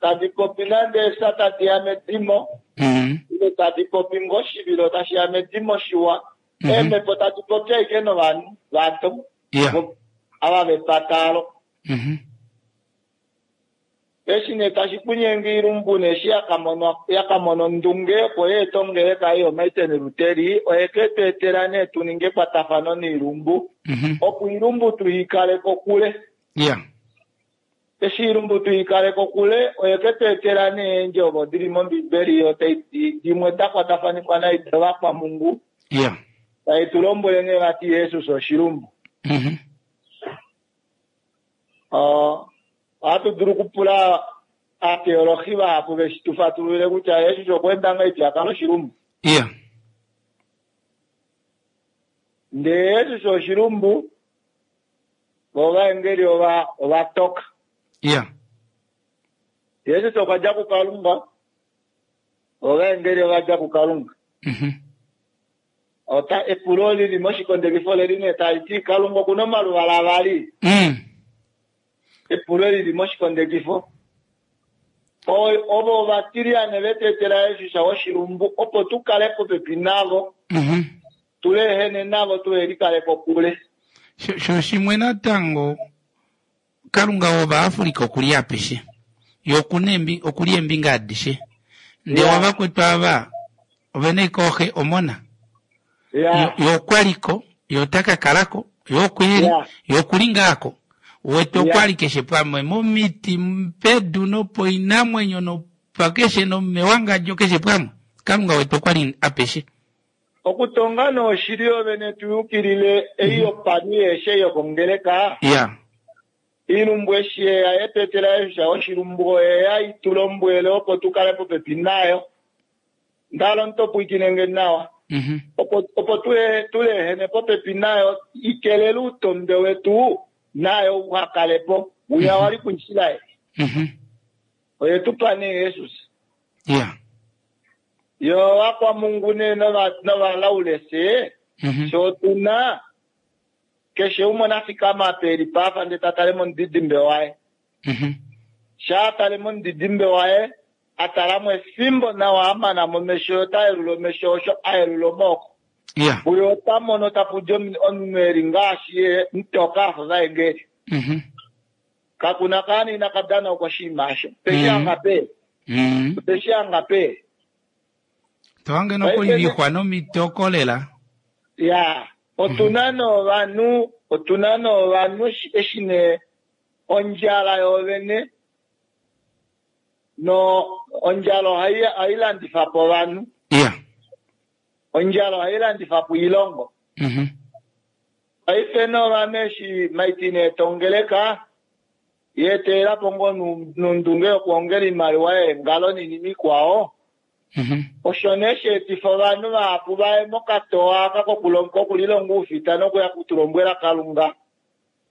Tadi popi nande efya tadi ya medimo. Mhm. Ile tadi popi ngoo oshivilo tashi ya medimo shiwa. Mhm. Eemhepo tadi popi ashike novanhu vado. Yeah. Ava vepatalo. Mhm. Eshi nee tashi kunyenge oilumbu nee eshi yakamona ondunge opo yeeta ongeleka ei yoMartin Luther, oye ke tu etela nee tu ninge ekwatafano noilumbu. Mhm. Opo oilumbu tuikale kokule. Yeah. Eshi oilumbu tuikale kokule, oye ke tu etela nee eendjovo dili mOmbibeli yo tai dimwe da kwatafanifwa naido vakwamungu. Yeah. Tai tu lombwele nee vati Jesus oshilumbu. Mhm. Ohatu dulu okupula Aateolohi vahapu veshi tu fatululile kutya Jesus okwa enda ngahelipi a kala oshilumbu. Iya. Ndele Jesus oshilumbu, vo ovaengeli ova ova toka. Iya. Jesus okwa dja kuKalunga, ovaengeli ova dja kuKalunga. Mhm. Ota epulo lili moshikondekifo leli nee tali ti Kalunga okuna omaluvala avali. Mm. Epulo lili moshikondekifo. O- Ovo ovatiliyane vetu etela Jesus oshilumbu opo tu kale popepi navo, Mhm. tulehene navo tuhelikale kokule. Sho sho shimwe natango Kalunga wOvaafrika okuli apeshe. Ye okuna embi okuli eembinga adishe. Ndele Ya. ovakwetu ava ovena ashike oxe omona. Ya. Ye okwaliko, ye ota ka kalako, ye okweli, Ya. ye okuli ngaako. Wete Ya. okwali keshe pamwe momiti, pedu nopoinamwenyo nopakeshe nomewangadjo keshe pamwe. Kalunga wetu okwali apeshe. Okutonga noshili yovene tuyukilile ei yopanhu yeeshe yokongeleka. Ya. Iilumbu eshi yeya yetu etela Jesus oshilumbu oyeya itulombwele opo tukale popepi nayo. Ndalo ntopwikinenge nawa. Mhm. Opo opo tule tulehene popepi nayo ikelele uutombe wetu nayo uhakalepo wiya wali kuIsraeli. Mhm. Oye tupa nee Jesus. Ya. Yo vakwamungu nee nova novalaulese Mhm. sho tuna keshe umwe nafikama apa eli pafa ndele ta tale momudidimbe waye. Mhm. Shaa tale momudidimbe waye a talamo efimbo nawa a mana momesho ota yelula omesho osho a yelula omaoko. Ya. Uyo ota mono tapu di omu- omunhu eli ngaashi ye mutoka afa ovaengeli. Mhm. Kakuna kaana ina ka dana oshinima osho. Peshi Mhm. anga pe. Mhm. Peshi anga pe. Tohange nokulivixwa nomitoko lela. Ya. Otuna novanhu, otuna novanhu eshi- eshi nee ondjala yoovene no ondjala ohai ohai landifa po ovanhu. Ya. Ondjala ohai landifa po oilongo. Mhm. Paife novanhu eshi maitine etongeleka yeetela po ngoo nu- nondunge yokuongela oimaliwa yeengalo noinima ikwao. Mhm. Osho nee sheetifa ovanhu vahapu vaye mokatowa aka kokulonga kokulilonga oufita nokuya kutulombwela Kalunga.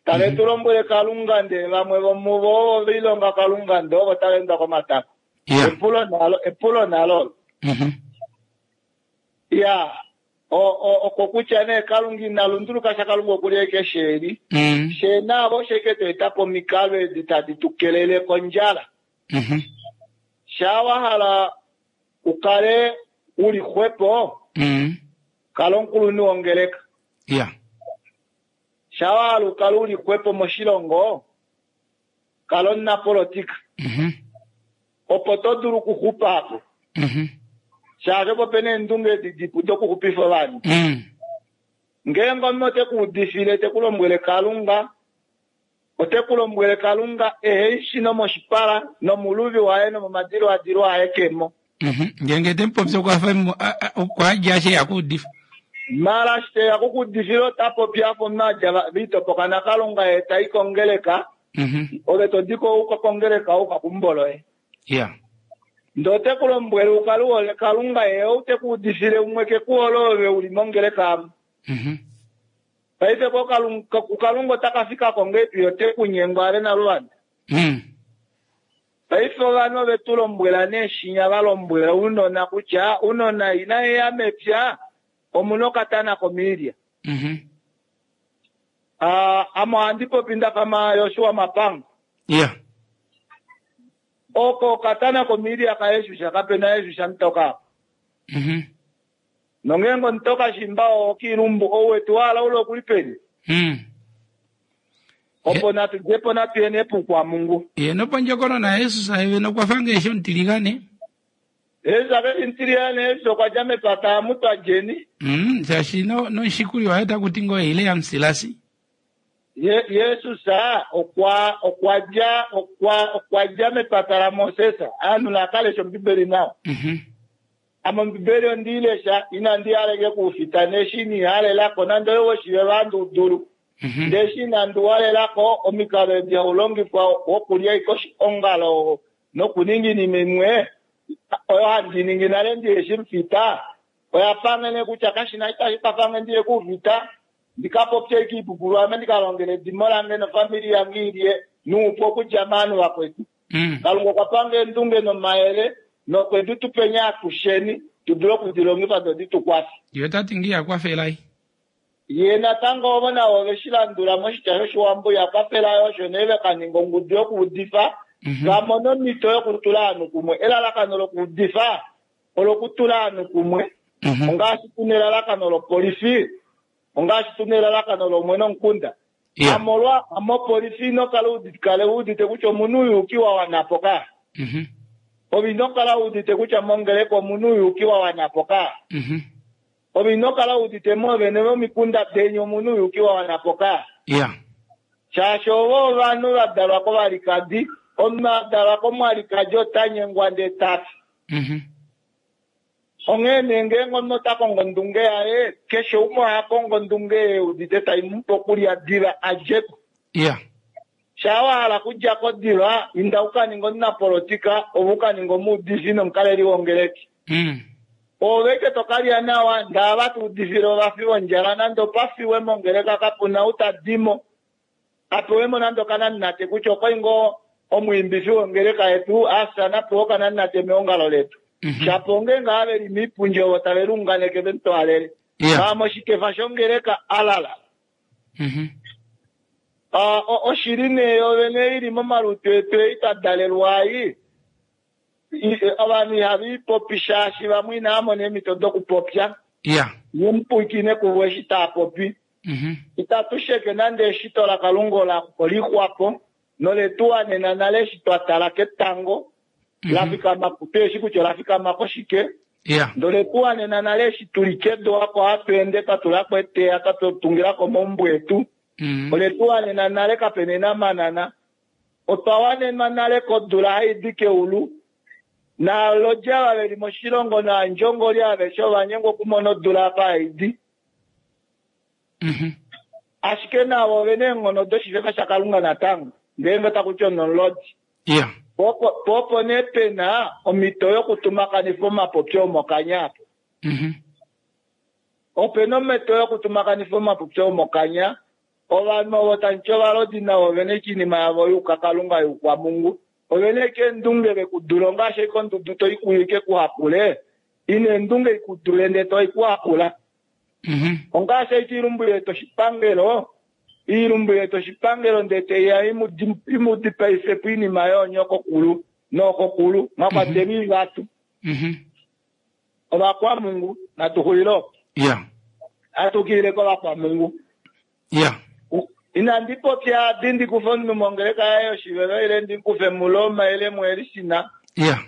Tave tu lombwele Kalunga ndele vamwe vomuvo ovo velilonga Kalunga ndee ovo tava endwa komatako. Ya. Epulo nalo epulo nalo. Mhm. Ya. O- o- oko kutya nee Kalunga ina lunduluka sha Kalunga okuli ashike sheli. Mm. She navo sheke to eta po omikalo edi tadi tu kelele kondjala. Mhm. Shaa wa hala ukale uli xwepo, Mm. kala omukulunhu wongeleka. Ya. Shaa wa hala ukale uli xwepo moshilongo, kala omunapolitika. Mhm. Opo to dulu okuxupa apo. Mhm. Shaashi opo pena eendunge edi dipu dokuxupifa ovanhu. Mm. Ngeenge omunhu ote ku udifile te ku lombwele Kalunga, ote ku lombwele Kalunga ehe shi nomoshipala nomuluvi waye nomomadiladilo aye kemo. Mhm. Ngeenge temupopi okwafa mu- a- a- okwa dja ashe yakuudifa. Mara shi teya kukuudifila ota popi afa omunhu adja va- vitopoka naKalunga ye tai kongeleka, Mhm. ove todiko uka kongeleka uka kumboloye. Ya. Ndee ote ku lombwele ukale uhole Kalunga ye ou te ku udifile umwe ke ku hole ove uli mongeleka amu. Mhm. Paife ko Kalunga kuKalunga ota ka fika ko ngeipi ote ku nyengwa ale naluvanda. Mm. Paife ovanhu ove tu lombwela nee shinya va lombwela ounona kutya ounona ina eya mepya omuna okatana komiilya. Mhm. Ah, ame ohandi popi ndafa Yoshua Mapanga. Ya. Oko okatana komiilya kaYesus kapena Jesus mutoka apa. Mhm. Nongeenge omutoka shimba okiilumbu ouwetu wahala ule okuli peni. Mm. Opo natu djepo natu yeni epukwamungu. Ye nopondjokonona Jesus eve nokwafa ngeeshi omutiligane. Jesus akeshi mutiliyane Jesus okwa dja mepata amutwa djeni. Mm, shaashi no nomushikuli waye takuti ngoo ile yamusilasi. Ye, Jesus okwa okwa dja okwa okwa dja mepata laMoses. Aanhu nakalesha ombibeli nawa. Mhm. Ame ombibeli ondiilesha inandi haleke kuufita neshi inihalelako nande oyo vandu dulu. Mhm. Ndee eshi inandi walelako omikalo edi haulongifwa wokulya iko ongalo Nokuninga oinima imwe oyo handi ningi nale ndiheshi mufita, oya pangene kutya kashina itashi kwafange ndiye kuufita, ndikapopye ashike oipupulu ame ndikalongele edimo lange nofamili yange ilye nuupu okudja movanhu vakwetu. Mm. Kalunga okwa panga eendunge nomayele nokwe di tu penya atusheni tu dule okudilongifa do di tu kwafe. Ye ota ti ngiya kwafelai. Ye natango ovo navo ove shi landula moshitya shOshiwambo ya kwafela osho nee ve ka ninga ongudu yokuudifa Mhm. va mone omhito yokutula ovanhu kumwe. Elalakano lokuudifa olokutula ovanhu kumwe. Mhm. Ongaashi tuna elalakano lopolifi, ongaashi tuna elalakano lomwene omukunda. Yeah. Amolwa amopolifi ino kala udite kale udite kutya omunhu uyuki wa wanapo ka. Mhm. Ove ino kala udite kutya mongeleka omunhu uyuki wa wanapo ka. Mhm. Ove ino kala udite moovene vomikunda deni omunhu uyuki wa wanapo ka. Yeah. Shaashi ovo ovanhu va dalwa kovalikadi, omunhu a dalwa komwalikadi ota nyengwa ndee tafi. Mhm. Onghee nee ngeenge omunhu ota kongo ondunge yaye, keshe umwe oha kongo ondunge ye udite tai mu pe okulya diva a dje ko. Yeah. Shaa wa hala okudja ko diva, inda u ka ninge omunapolitika, ove u ka ninge omuudifi nomukaleli wongeleki. Mm. Ove eke to kalya nawa, ndee ava tuudifile ovafi vondjala, nande opa fiwe mongeleka kapuna ou ta dimo, apewemo nande okananate kutya okwali ngoo omwiimbifi wongeleka yetu, afya napewe okananate meongalo letu. Mhm. Shapo ngeenge ava veli miipundi ovo tave liunganeke vemutwaalele. Yeah. Maa moshikefa shongeleka alala. Mhm. Ah, o- oshili nee yovene ili momalutu etu ei twa dalelwa ai, I- ovanhu ihava ipopi shaashi vamwe inava mona eemhito dokupopya. Yeah. Ye mupwiikine kuvo eshi taa popi. Mhm. Itatu sheke nande eshito laKalunga ola olixwapo noletu wanena nale eshi twa tala ketango la fikama tueshi kutya ola fikama koshike. Yeah. Ndele tu wanena nale eshi tuli kedu oko hatu ende twa tulako eteya twa tungilako omaumbo etu. Mm. Ole tu wanena nale kapena enamanana. Otwa wanenwa nale kodula hai di keulu. Naalodji ava veli moshilongo naandjongoli aveshe ova nyengwa okumona odula apa hai di. Mhm. Ashike navo ovena eenghono doshifefa shaKalunga natango ngeenge taku ti onomulodi. Yeah. Po opo nee pena omhito yokutumakanifa omapopyo omokanya apo. Mhm. Opena omhito yokutumakanifa omapopyo omokanya. Ovanhu ovo tamuti ovalodi navo ovena ashike oinima yavo youkakalunga youkwamungu. Ovena ashike eendunge vekudula ongaashi ashike ondudu toikuwike kuhapule, ina eendunge ikudule ndee toikuhapula. Mhm. Ongaashi ashike oilumbu yetu oshipangelo, oilumbu yetu oshipangelo ndee teiya imu dipaife po oinima yoonyokokulu nookokulu mwa kwatelwa oivatu. Mhm. Ovakwamungu natu xulile opo. Yeah. Atukilile kovakwamungu. Yeah. Inandi popya adi ndi kufe omunhu mongeleka yaye yoshivelo ile ndi kufe muRoma ile muElisina. Yeah.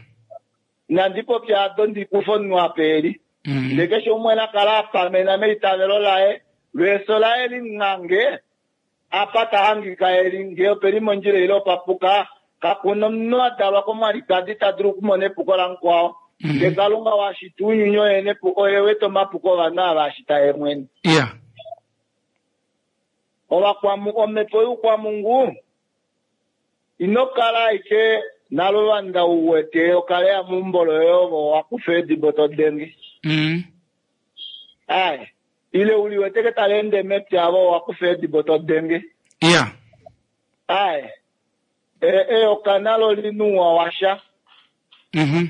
Inandi popya ado ndi kufe omunhu apa eli. Mm. Ndee keshe umwe nakala apamena meitavelo laye, lweeso laye linghange, apa ta hangika eli, ngee opeli mondjila ile opapuka, kakuna omunhu a dalwa komwalikadi ta dulu okumona epuko lamukwao. Mhm. Ndee Kalunga washita ounyuni oye nepuko, oye wete omapuko ovanhu ava ashita ye mwene. Yeah. Ovakwamu omhepo youkwamungu ino kala ashike naluvanda u wete okale ya meumbo loye ovo wakufa eedibo to denge. Mm. Aye. Ile uli wete ke tali ende mepya avo wakufa eedibo to denge. Yeah. Aye. E- eyoka nalo linuwa washa. Mhm.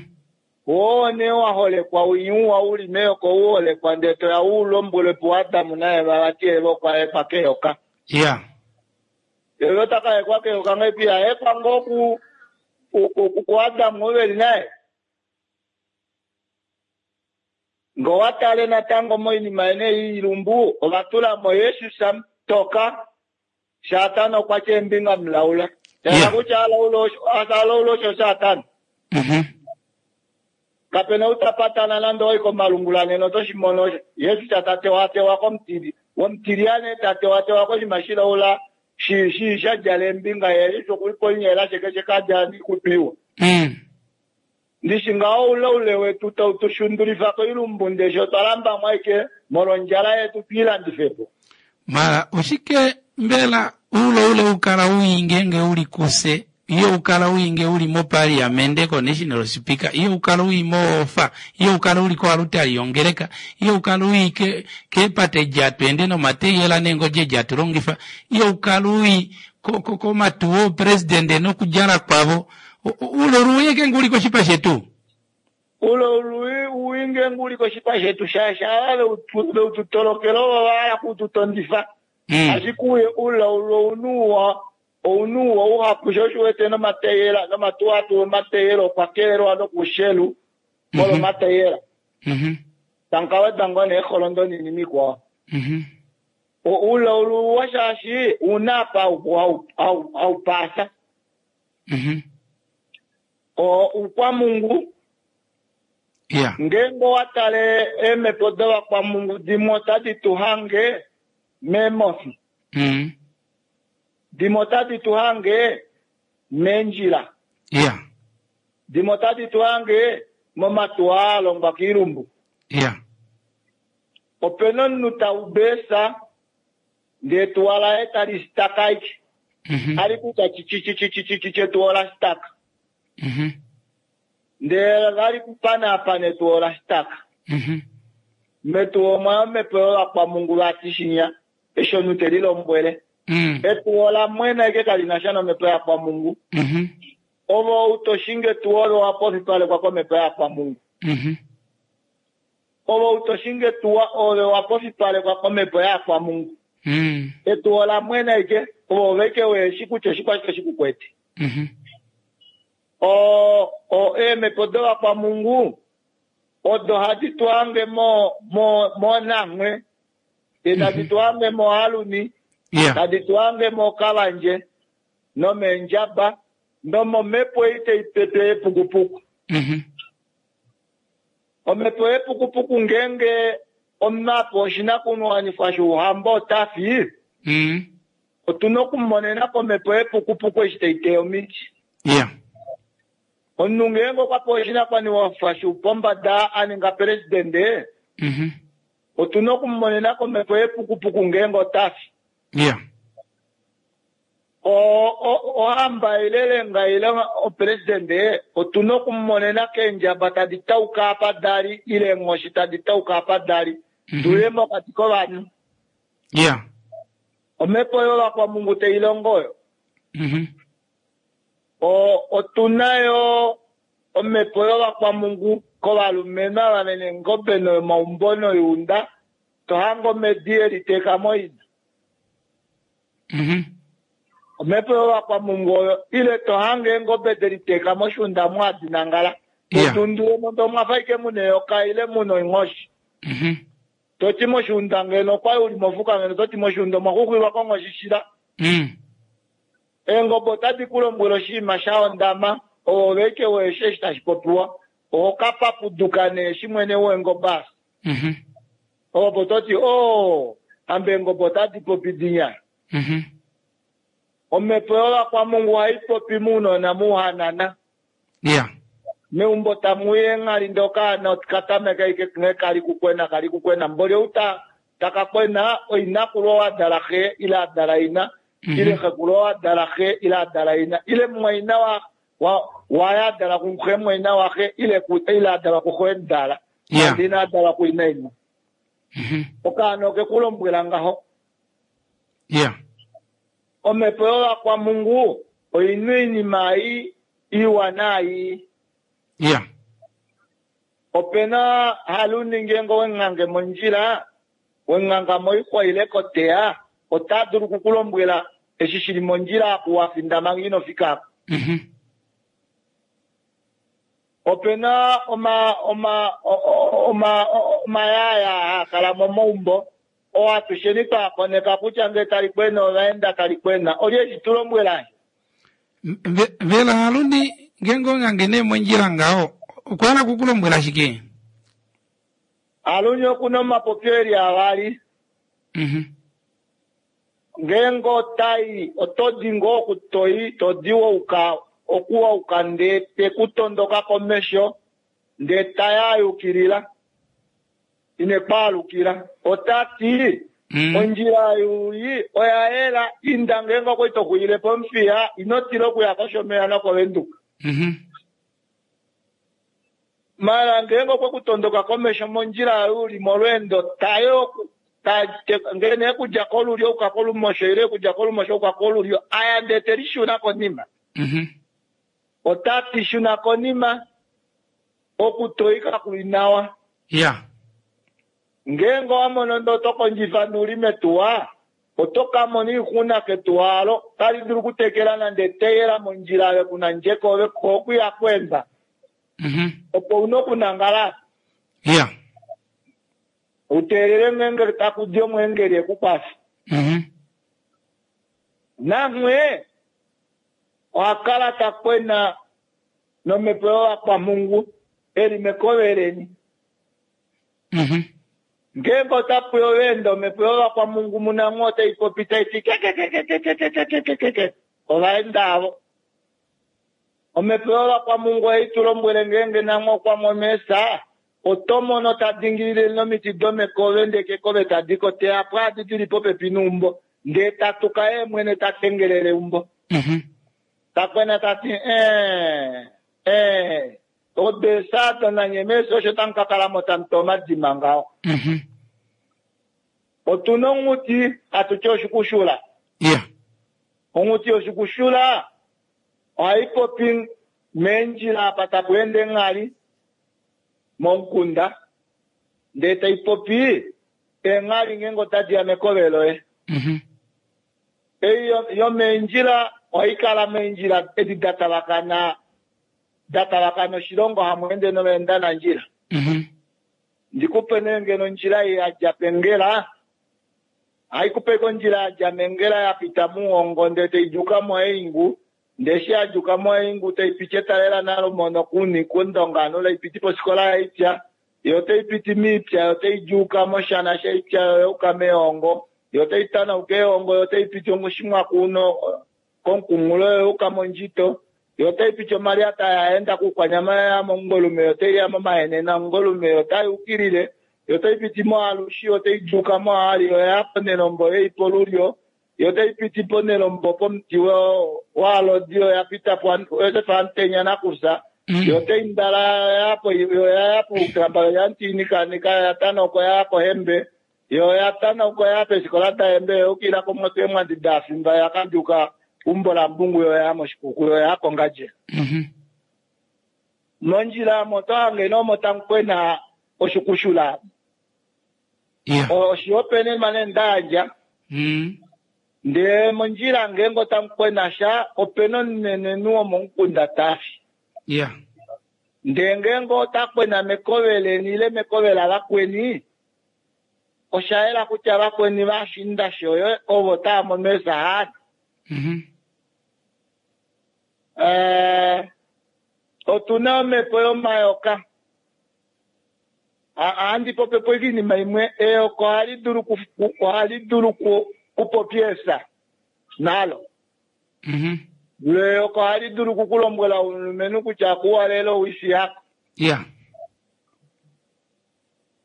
Woo nee wa holekwa winyuwa uli meyoka u holekwa ndee toya u lombwelwe puAdamu naEva vati Eva okwa hekwa keyoka. Yeah. Eva ota ka hekwa keyoka ngahelipi? Ahekwa ngoo ku ku- ku- kuAdamu oo veli naye. Ngee owa tale natango moinima yene yoilumbu, ova tula mo Jesus toka, Satana okwa tya eembinga mulaula. Tala Yeah. kutya alaula osho alaula osho Satana. Mhm. Kapena ou ta patana nande owai komalungula nena oto shi mono osho. Jesus ta tewatewa komutili. Womutilyane ta tewatewa koshinima shilaula shi shi sha djala eembinga ye Jesus okuli poinyeela sheke shekadja ndikupiwa. Mm. Ndishi ngaho oule wetu tau tu shundulifa koilumbu ndeshe otwa lambamo ashike molwondjala yetu twiilandife po. Mara oshike mbela uloule ukala uyi ngeenge uli kuse Iyo ukala uinge uli mopaliamende ko-national speaker, iyo ukala ui moofa, iyo ukala uli koalutali yongeleka, iyo ukala ui ke- keepate jatwende nomateyela neengodje jatulongifa, iyo ukala ui ko- ko- komatuwo opresidende nokudjala kwavo. O- o- ulo luye nguli koshipa shetu. Ulo lui uinge nguli koshipa shetu shaashi ava veututolokela ovo vahala kututondifa. Mm. Ashike uye ulaulu ounuwa ounuwa uhapu sho oshiwete nomateyela nomatuwa atu omateyela okwa kelelwa nokushelu molwa omateyela. Mhm. Tankaweda ngoo nee eholondo ninima ikwao. Mhm. Ulaulu wa shaashi una apa hau- hau- haupasa. Mhm. O ukwamungu Yeah. ngeenge owatale eemhepo dovakwamungu dimwe otadi tu hange meemofi, Mm. dimwe otadi tu hange meendjila, Yeah. dimwe otadi tu hange momatuwa a longwa koilumbu. Yeah. Opena omunhu taubesa ndee etuwa laye tali staka aike, Mhm. ali kutya chichichichichichi etuwa ola staka, Mhm. ndee vali kupanaapana etuwa ola staka. Mhm. Metuwa omwa omhepo yovakwamungu vati shinya eshi omunhu te lilombwele. Mm. Etuwa ola mwena aike kalina sha nomhepo yakwamungu. Mhm. Ovo utoshinga etuwa olo wa pofipalekwa komhepo yakwamungu. Mhm. Ovo utoshinga etuwa ove wa pofipalekwa komhepo yakwamungu. Mm. Etuwa ola mwena aike ovo oveke weeshi kutya oshikwashike shikukwete. Mhm. O o eemhepo dovakwamungu odo hadi tu hange mo mo monamwe, ndee tadi tu hange mohaluni, Yeah. tadi tu hange mokavandje nomeendjaba nomomhepo ei tai pepe yepukupuku. Mhm. Omhepo yepukupuku ngeenge omunhu apewa oshinakuwanifwa shouhamba ota fi, Mm. otuna okumonena komhepo yepukupuku eshi tai teya omiti. Yeah. Omunhu ngeenge okwa pewa oshinakuwanifwa shoupombada a ninga pelesidente, Mhm. otuna okumonena komhepo yepukupuku ngeenge ota fi. Yeah. O- o- ohamba ile lenga ile opelesidente otuna okumonena keendjaba tadi tauka apa dali ile eenghoshi tadi tauka apa dali, tuye mokati kovanhu. Yeah. Omhepo yovakwamungu tai longo oyo. Mhm. O- otuna yo omhepo yovakwamungu kovalumenhu ava vena eengobe nomaumbo noyuunda, tohange omedi eliteeka moina. Mhm. Omhepo yovakwamungu oyo ile tohange eengobe deliteeka moshuunda mu hadi nangala. Yeah. Totundule mo ndee omwafa ashike muna eyoka ile muna oinghoshi. Mhm. Toti moshuunda ngeno okwali uli mofuka ngeno toti moshuunda omwa xuxwilwa konghoshi shila. Mm. Eengobe otadi ku lombwele oshinima sha hondama, ovo veke weeshi eshi tashi popiwa. Oho ka papuduka nee eshi mwene weengobe asa. Mhm. Opo toti oo hamba eengobe otadi popi dinya. Mhm. Omhepo yovakwamungu ohai popi mounona mouhanana. Yeah. Meumbo tamu i eenghali ndee okaana okatameka ashike nghee kali kukwena kali kukwena. Mboli ou ta taka kwena oinakulu oo adala xe ile adala ina, Mhm. ile xekulu oo adala xe ile adala ina, ile mumwaina wa wa waye adala kuxe mumwaina waxe ile ku ile adalwa kuxe mudala. Yeah. Nande ina adalwa kuina ina. Mhm. Okaana oke ku lombwela ngaho. Yeah. Omhepo yovakwamungu oina oinima ei iwa naai. Yeah. Opena haluni ngeenge wenghange mondjila, wenghanga moixwa ile koteya, ota dulu okukulombwela eshi shili mondjila aku wafinda manga ino fika apa. Mhm. Opena oma oma o- o- oma o- omayaya haa kala momaumbo oo atusheni twakoneka kutya ngee tali kwena ovaenda kali kwena. Olye eshi tu lombwela? Mbe- Mbela haluni ngeenge onghange nee mondjila ngaho okwa hala okukulombwela shike? Haluni okuna omapopyo eli avali. Mhm. Ngeenge otai oto di ngoo okutoi todi wouka okuwauka ndee tekutondoka komesho ndee taya ayukilila ine kwaalukila. Otati Mm. Ondjila yuuyi oya yela inda ngeenge okwali toxulile pOmuthiya ino tila okuya kOshomeya nokOvenduka. Mhm. Mala ngeenge okwe kutondoka komesho mondjila uli molweendo taye oku ngee nee kudja kolulyo uka kolumosho ile kudja kolumosho uka kolulyo aya ndee telishuna konima. Mhm. Ota tishuna konima okutoika kuli nawa. Ya. Ngeenge owa mono ndee oto kondjifa nuli metuwa oto ka mona oixuna ketuwa alo tali dulu okutekela nande eteyela mondjila ove kuna ndjeko ove okuya kwemba. Mhm. Opo una okunangala Ya. uteelele mwengeli takudi omwengeli ekukwafe. Mhm. Namwe oha kala takwena nomhepo yovakwamhungu eli mekoveleni. Mhm. Ngeenge otapuya oveenda omhepo yovakwamhungu munamwe otai popi tai ti kekekekekekekekeke ovaenda avo. Omhepo yovakwamhungu ohai tu lombwele ngeenge namwe okwa mono eesa oto mono ta dingilile nomiti domekove ndee kekove tadi koteya po adi dili popepi neumbo ndee tatuka ye mwene ta tengelele eumbo. Mhm. Takwena tati ee ee odeesa donanye meesa osho tamu ka kalamo tamu tu omadima ngaho. Mhm. Otuna onghuti hatu ti oshikushula. Ya. Onghuti yoshikushula ohai popi meendjila apa tapu ende enghali momukunda ndee tai popi eenghali ngeenge otadi ya mekove loye. Mhm. Ei yomeendjila ohai kala meendjila edi da tavakana da tavakana oshilongo hamu ende noveendanandjila. Mhm. Ndikupe nee ngeno ondjila ei yadja pEngela haikupe kondjila yadja mEngela yapita muHongo ndee taijuka moEingu ndee eshi yajuka moEingu taipiti etalela nalomono kuni kundonga taipiti pofikola yaIpya yo taipiti miipya yo taijuka moshana shaIpya yo yauka mEhongo yo taitanauka Ehongo yo taipiti Oshimwaku uno komukunghulo yo yauka mondjito yo taipiti omaliata yaenda kuukwanyama ya mOmungwelume yo taiya momahenene Omungwelume yo tayukilile yo taipiti moAlushi yo taijuka moali yo yaya pOnelombo yei polulyo yo taipiti pOnelombo pomuti waalodi yo yapita Josef Amutenya nakusa yo taindala yapo yo yaya puukamba yo yantiinikanika yatanauka yaya kohembe yo yatanauka yaya peefikola dahembe yoyukilila komwoto eemwandi dafimba yakaduka umbo lambungu yo yaya moshikuku yo yaya kongandjera. Mhm. Mondjila omo oto hange nee omo tamu kwena oshikushula. Ya. Oshihopaenenwa nee ndayandja Mm. ndee mondjila ngeenge otamu kwena sha opena omunenenhu womomukunda tafi. Ya. Ndee ngeenge ota kwena mekove leni ile mekove lavakweni osha yela kutya vakweni vashinda shoye ovo tava mono eesahani. Mhm. Eh, otuna omhepo yomayoka. Ohandi popi po oinima imwe eyoka ohali dulu ohali dulu kupopya eesa nalo. Mhm. Eyoka ohali dulu okukulombwela omulumenhu kutya kuwalele owifi yako. Ya.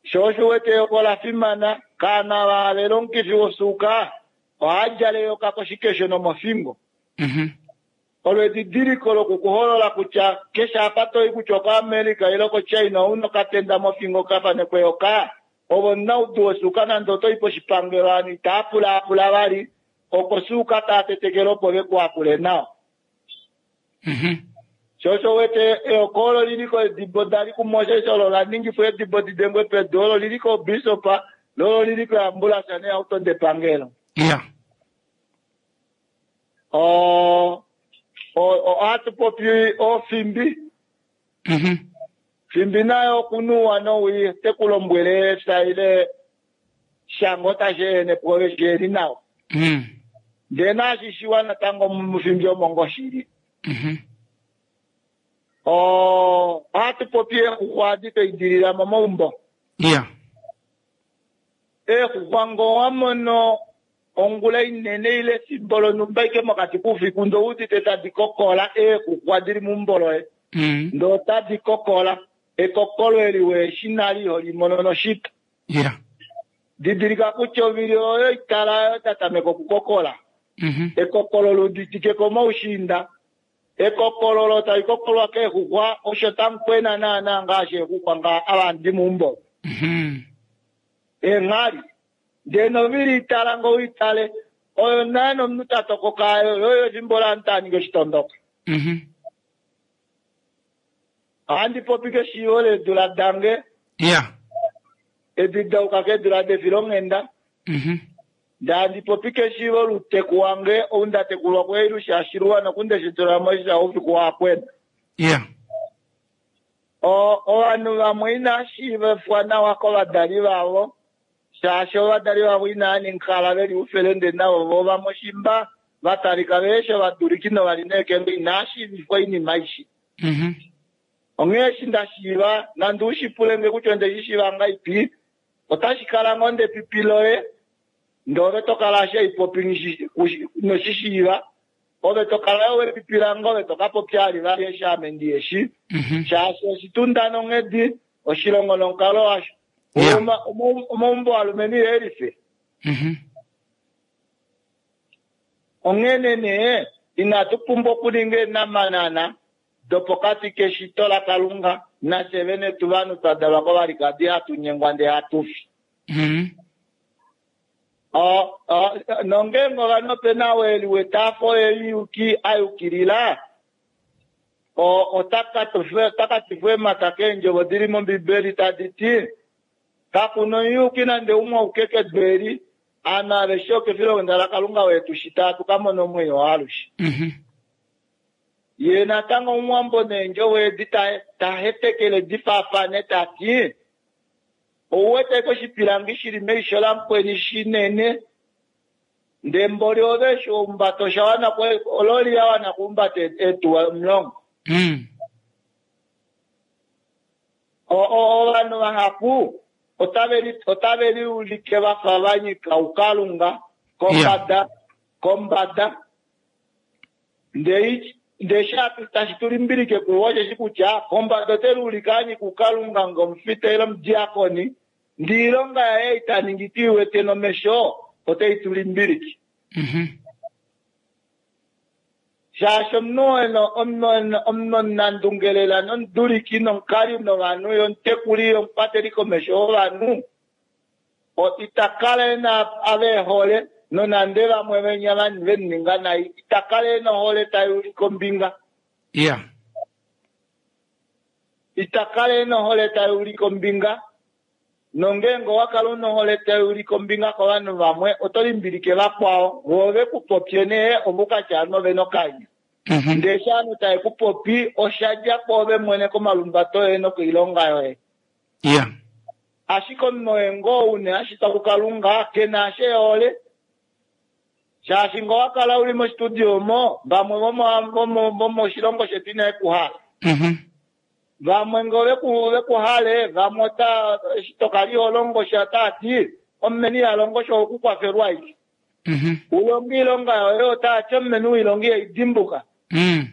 Sho osho uwete eyoka ola fimana kaana vahalela omukifi wosuuka ohadjala eyoka koshikesho nomofingo. Mhm. Olo edidiliko lokukuholola kutya keshe apa toyi kutya okoAmerica ile koChina ouna okatenda mofingo kafanekwa eyoka ovo omunaudu wosuuka nande otoyi poshipangelo ovanhu itaa pulaapula vali okosuuka taa tetekele opo vekuhakule nawa. Mhm. Sho osho uwete eyoka olo lili kedibo dali kuMoses olo la ningifwa edibo didengwe pedu olo lili kobishop lolo lili koambulance neehauto depangelo. Ya. O ohatu popi ofimbi Mhm. fimbi nayo okunuwa nowii tekulombwele efya ile shango tashi ehene pwoove shiheli nawa. Mm. Ndee naashi shiwa natango mufimbi omo ngoo shili. Mhm. O ohatu popi eexuxwa adi twaidilila momaumbo. Ya. Eexuxwa ngee owa mono ongula inene ile efimbo lonhumba ashike mokati koufiku ndee ouudite tadi kokola eexuxwa dili meumbo loye. Mm. Ndee otadi kokola ekokolo eli weeshi nale iho limono noshito. Ya. Didilika kutya ovili oyo itala oyo tatameka okukokola. Mhm. Ekokolo luditike komaushinda. Ekokololo tali kokolwa keexuxwa osho tamukwena naana ngaashi eexuxwa nga avandi muumbo. Mhm. Eenghali. Ndee novili itala ngo uitale oyo naye nomunhu ta tokoka ayo yoyo efimbo laanhu taa ningi oshitondoka. Mhm. Ohandi popi keshiivo leedula dange Ya. edi dauka keedula defilonghenda. Mhm. Ndee handi popi keshiivo louteku wange ou nda tekulwa kuEilusha Shiluwa nokundeshitula moisha oufiku waakwena. Ya. O- ovanhu vamwe inaa shiivifwa nawa kovadali vavo shaashi ovadali vavo inaa ninkala veli ufelende navo vo vamwe shimba vatalika veesho vaduliki novalineekelwa inaa shiivifwa oinima aishi. Mhm. Onghee eshi nda shiiva nande ushipule nge kutya onde shi shiiva ngaipi otashi kala ngoo ndepipi loye ndee ove tokala ashike haipopi inoshishiiva ove tokala yo wepipi lange ove tokapopya alivali eshi ame ndiyeshi. Mhm. Shaashi oshitunda nonghedi oshilongo nomukalo washo. Yeah. Oma- oma- omaumbo alumenhu ihelife. Mhm. Onghene nee inatu pumbwa okuninga eenamanana dopokati keshito laKalunga nafye vene tu vanhu twa dalwa kovalikadi hatu nyengwa ndee hatu fi. Mhm. O- o- nongeenge ovanhu opena ou e liwete afa oye muyuki a yukilila o- ota ka tifwa eemhata keendjovo dili mOmbibeli tadi ti kakuna omuyuki nande umwe auke kedu eli ame aveshe okefilonghenda laKalunga wetu shita hatu ka mona omwenyo waalushe. Mhm. Ye natango omuwambo neendjovo edi ta- ta hetekele difaafane tati ouwete koshipilangi shili meisho lamukweni shinene ndee mboli ove eshi ohumbata osha wana ku- ololi ya wana okuhumbata eetuwa omulongo. Mm. O- o- ovanhu vahapu otave li- otave liulike vafa vanyika ukalunga kombada kombada ndee ndee sha tashi tulimbilike kuvo osheshi kutya kombada ote liulike anyika ukalunga ngomufita ile omudiakoni ndee oilonga yaye itaningi tuiwete nomesho otei tulimbilike. Mhm. Shaashi omunhu eno omunhu omunhu omunandungelela nomuduliki nomukali novanhu yomutekuli yomukwateli komesho wovanhu ita kala ena ave ehole nonande vamwe venya vemuninga nai ita kala ena ohole tai ulike ombinga. Ya. Ita kala ena ohole tai ulike ombinga nongeenge owa kala una ohole tai ulike ombinga kovanhu vamwe oto limbilike vakwao vo vekupopye nee ovukatya ovanhu ovena okanya. Mhm. Ndee eshi ovanhu tave kupopi oshadja kwoove mwene komalumbato oye nokoilonga yoye. Ya. Ashike omunhu oye ngoo une ashitwa kuKalunga kena ashe ehole shaashi ngoo wakala uli mostudio omo vamwe vomoshilongo shetu inave kuhala. Mhm. Vamwe ngoo veku vekuhale vamwe ota eshi tokali holongo sha otaati omumeni ihalongo sha okukwafelwa aike. Mhm. Ulonge oilonga yoye otaati omumeni oilonga ihaidimbuka. Mm.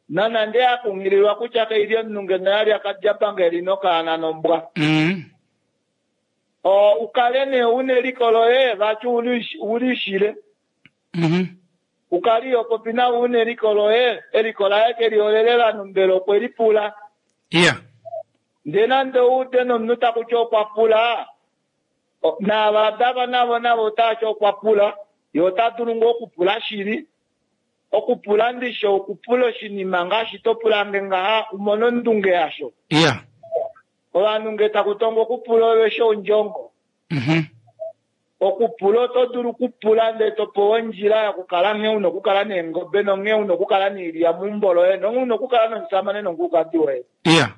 Nonande akunghililwa kutya kaili omunhu ngeno yali akadjapanga eli nokaana nombwa. Mm. O ukale nee una eliko loye vati ulishile. Mhm. Ukali yopopi nawe una eliko loye eliko laye keliholele ovanhu mbela okwe lipula. Ya. Ndee nande oude nomunhu takuti okwa pula naava dava navo navo otaati okwa pula ye ota dulu ngoo okupula shili. Okupula ndisho okupula oshinima ngaashi to pulange ngaha umone ondunge yasho. Ya. Ovanhu nge taku tongo okupula oveshe ondjongo. Mhm. Okupula oto dulu okupula ndee topewa ondjila yokukala nghee una okukala neengobe nonghee una okukala noilya meumbo loye nonghee una okukala nomusamane nomukulukadi woye. Ya.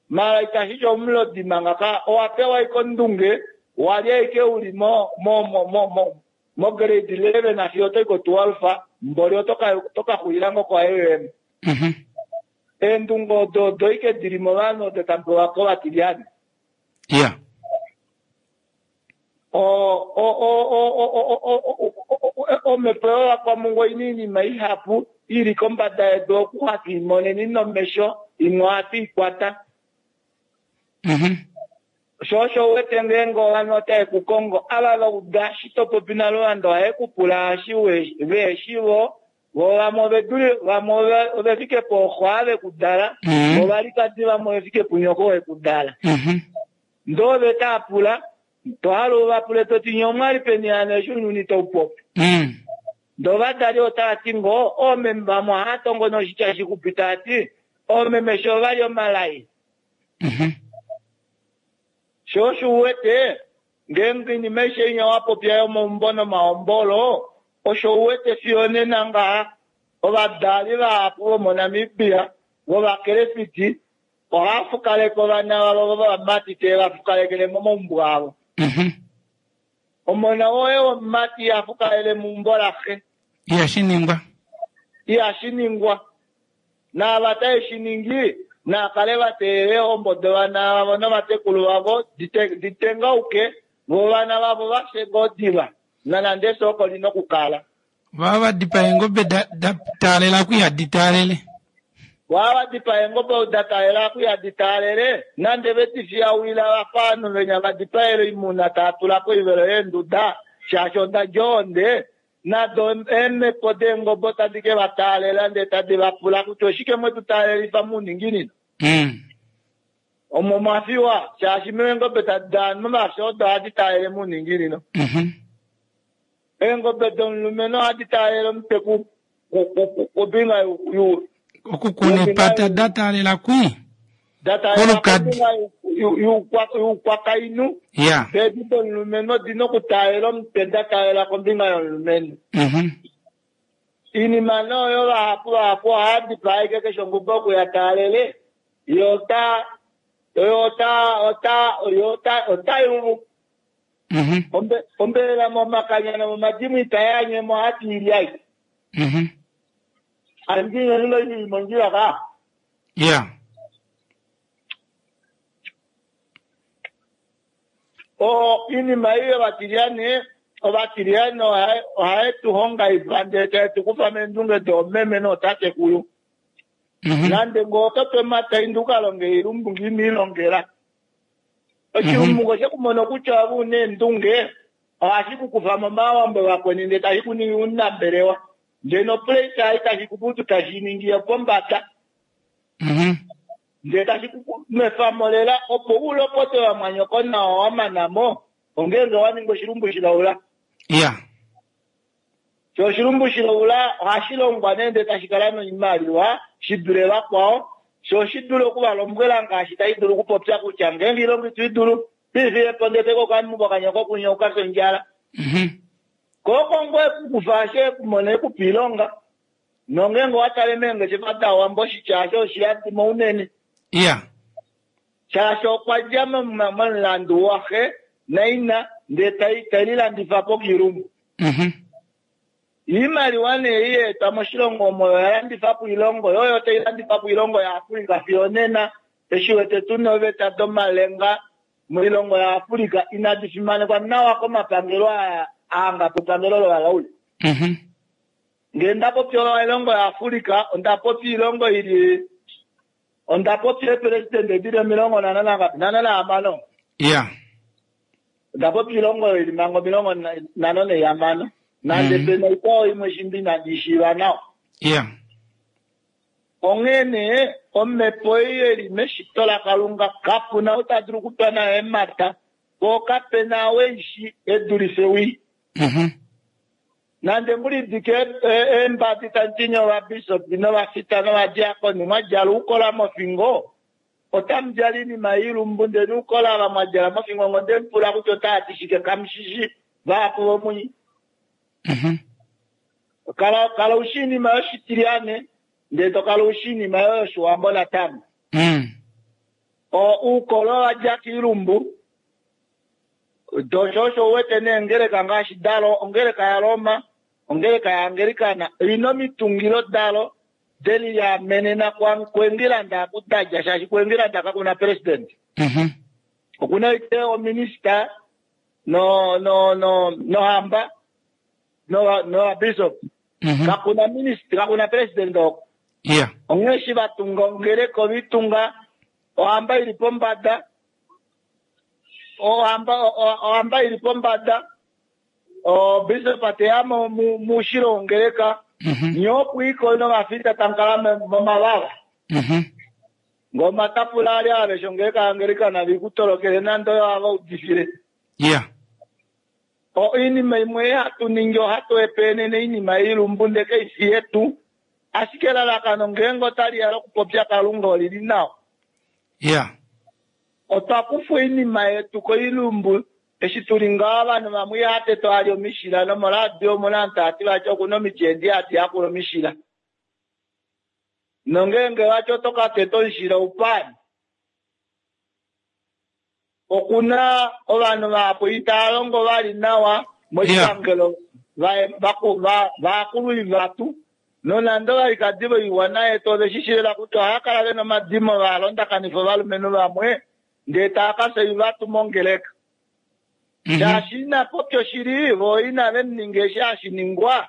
Mala itashi ti omulodi manga ka owa pewa ashike ondunge wali ashike uli mo mo mo mo mo mo grade eleven fiyo otoyi ko twelve mboli otoka otoka xulila ngoo ko A M. Mhm. Eendunge odo odo ashike dili movanhu odo tapewa kovatilyane. Ya. O o o o o o o omhepo yovakwamungwa oina oinima ihapu ili kombada yedu oku hatu imoneni nomesho imwe ohatu ikwata. Mhm. Sho osho u wete ngeenge ovanhu otave ku kongo ava va uda shi to popi naLuvanda ohaye ku pula eshi veheshi vo vo vamwe ove dule vamwe ove- ove fike pooxo ave ku dala Mhm. vo valikadi vamwe ove fike punyoko we ku dala Mhm. ndee ove taa pula to hala u va pule toti nye omwali peni hano eshi ounyuni tau popi Mm. ndee ovadali otava ti ngoo oomeme vamwe ohava tongo noshitya shixupi tava ti oomeme sho ovali omalai Mhm. sho osho u wete ngeenge oinima aishe inya wa popya yomaumbo nomahombolo osho u wete fiyo nena ngaha ovadali vahapu vomoNamibia vovakelefiti ohava fukaleke ovana vavo vovamati tee va fukalekele momaumbo avo Mhm. omona woye womumati iha fukalele meumbo laxe Ihashi ningwa. ihashi ningwa naava taye shi ningi naakale va teelela eehombo dovana vavo novatekulu vavo dite- ditengauke vo vana vavo vafye ngoo diva nanande efyo oko lina okukala Vava va dipaa eengobe da da taalela ku ihadi taalele. Wava dipaa eengobe da taalela ku ihadi taalele nande vedi fiyawila vafa ovanhu venya va dipaele oimuna taa tula koivelo yeenduda shaashi oda dja ohonde nado eemhepo deengobe otadi ke va taalela ndee tadi va pula kutya oshike mwetu taalelifa mouninginino Mm. omo mwafiwa shaashi meengobe momafyo odo ohadi taalele mouninginino Mhm. eengobe domulumenhu ohadi taalele omutwe ku- ku- ku- ku- kombinga yu- yu- Okukuna epata da taalela kwi. da taalela Kolukadi. kombinga yu- yu- yuukwakainhu Ya. edi domulumenhu odina okutaalela omutwe da taalela kombinga yomulumenhu Mhm. iinima noyo vahapu vahapu ohaya dipaa ashike keshe ongobe oku ya taalele yo ota yo ota ota yo ota ota yuvu Mhm. Ombe- ombelela momakanya nomomadimo itayanyemo hati ilyai Mhm. andingenilo ili mondjila ka Ya. o iinima ei yovatilyane ovatilyane ohaye- ohaye tu hongaifa ndele taye tu kufa meendunge doomeme nootatekulu Mhm. nande ngoo oto pe omataindu u ka longe oilumbu ngimiilongela oshilumbu ngo sheku mono kutya ove una eendunge ohashi ku kufa momawambo vakweni ndele tashi ku ningi omunambelewa ndele nopressure ei tashi kuputu tashi ningi yopombada Mhm. ndele tashi ku nwefa mo lela opo u lopote vamwanyoko nawa wa mana mo ongeenge wa ninga oshilumbu shilaula Ya. sho oshilumbu shilaula ohashi longwa nee ndele tashi kala noimaliwa shi dule vakwao sho shi dule okuvalombwela ngaashi tashi dulu okupopya kutya ngeenge ilongo itu idulu piifilepo ndele tekokamumbo kanyoko kunya ukafye ondjala Mhm. koko ngoo ekukufa ashe ekumona ekupa ilonga nongeenge owa tale meengeshefa dawambo oshitya asho oshiyadimo unene Ya. shaashi okwa dja mo- momulandu waxe naina ndee tai- telilandifa po kiilumbu Mhm. iimaliwa nee iyeetwa moshilongo omo oya landifa po oilongo yoyo tai landifa po oilongo yaAfrica fiyo nena eshi wete tuna oveta domalenga moilongo yaAfrica inadi fimanekwa nawa komapangelo aa aanga pepangelo lovalaule Mhm. ngee nda popya oilongo yaAfrica onda popya oilongo ili onda popya eepelesidente dili omilongo nhano nangapi nhano nahamano Ya. onda popya oilongo ili manga omilongo nhano naihamano nande Mhm. pena ikwao imwe shimbi inandi ishiiva nawa Ya. onghee nee omhepo ei eli meshito lakalunga kapuna ou ta dulu okutwa nayo eemhata poo kapena weishi edulife wii Mhm. nande ngulidike eembadi tandi ovabishopi novafita novadiakoni mwadjala oukola mofingo otamu djala oinima yoilumbu ndele oukola ava mwadjala mofingo ngo ndemupula kutya otaati shike kamushishi vahapu vomunyi Mhm. kala kala ushi iinima yoshitilyane ndele to kala ushi iinima yo yoshiwambo natango Mm. o uukolo wa dja kiilumbu dosho osho uwete neengeleka ngaashi dalo ongeleka yaRoma ongeleka yaAngelikana ina omitungilo dalo deliamenena kuEngilanda aku dadja shaashi kuEngilanda kakuna president Mhm. okuna ite ominista no no no nohamba no no bishop Mhm. kakuna minista kakuna president oko Ya. onghee eshi vatunga ongeleka ovitunga ohamba ili pombada ohamba ohamba ili pombada obishop teya muushilo wongeleka nyokwiko novafita tankala momavava ngoma tapula ali aveshe ongeleka angelikana vikutolokele nando yo ava udifile. Yeah. O inima imwe hatu ningi ohatu epenene inima ilumbu ndeke isi yetu ashike elalakano ngeenge otali ya lokupopya Kalunga olili nawa. Yeah. Otwa kufa inima yetu koilumbu eshi tuli nga ovanhu vamwe ihateto ali omishila nomoradio omuna antu ati vati okuna omityendi ati yakula omishila. Nongeenge vati oto kateta omushila upani. Okuna ovanhu vahapu itava longo vali nawa moshipangelo vaakulu vatu nonando valikadi voiwana yetu oveshishila kutya ohaya kala vena omadimo valondakanifa ovalumenhu vamwe ndee tava kafya ivatu mongeleka. Shaashi ina popya oshili vo inave muninga eshi hashi ningwa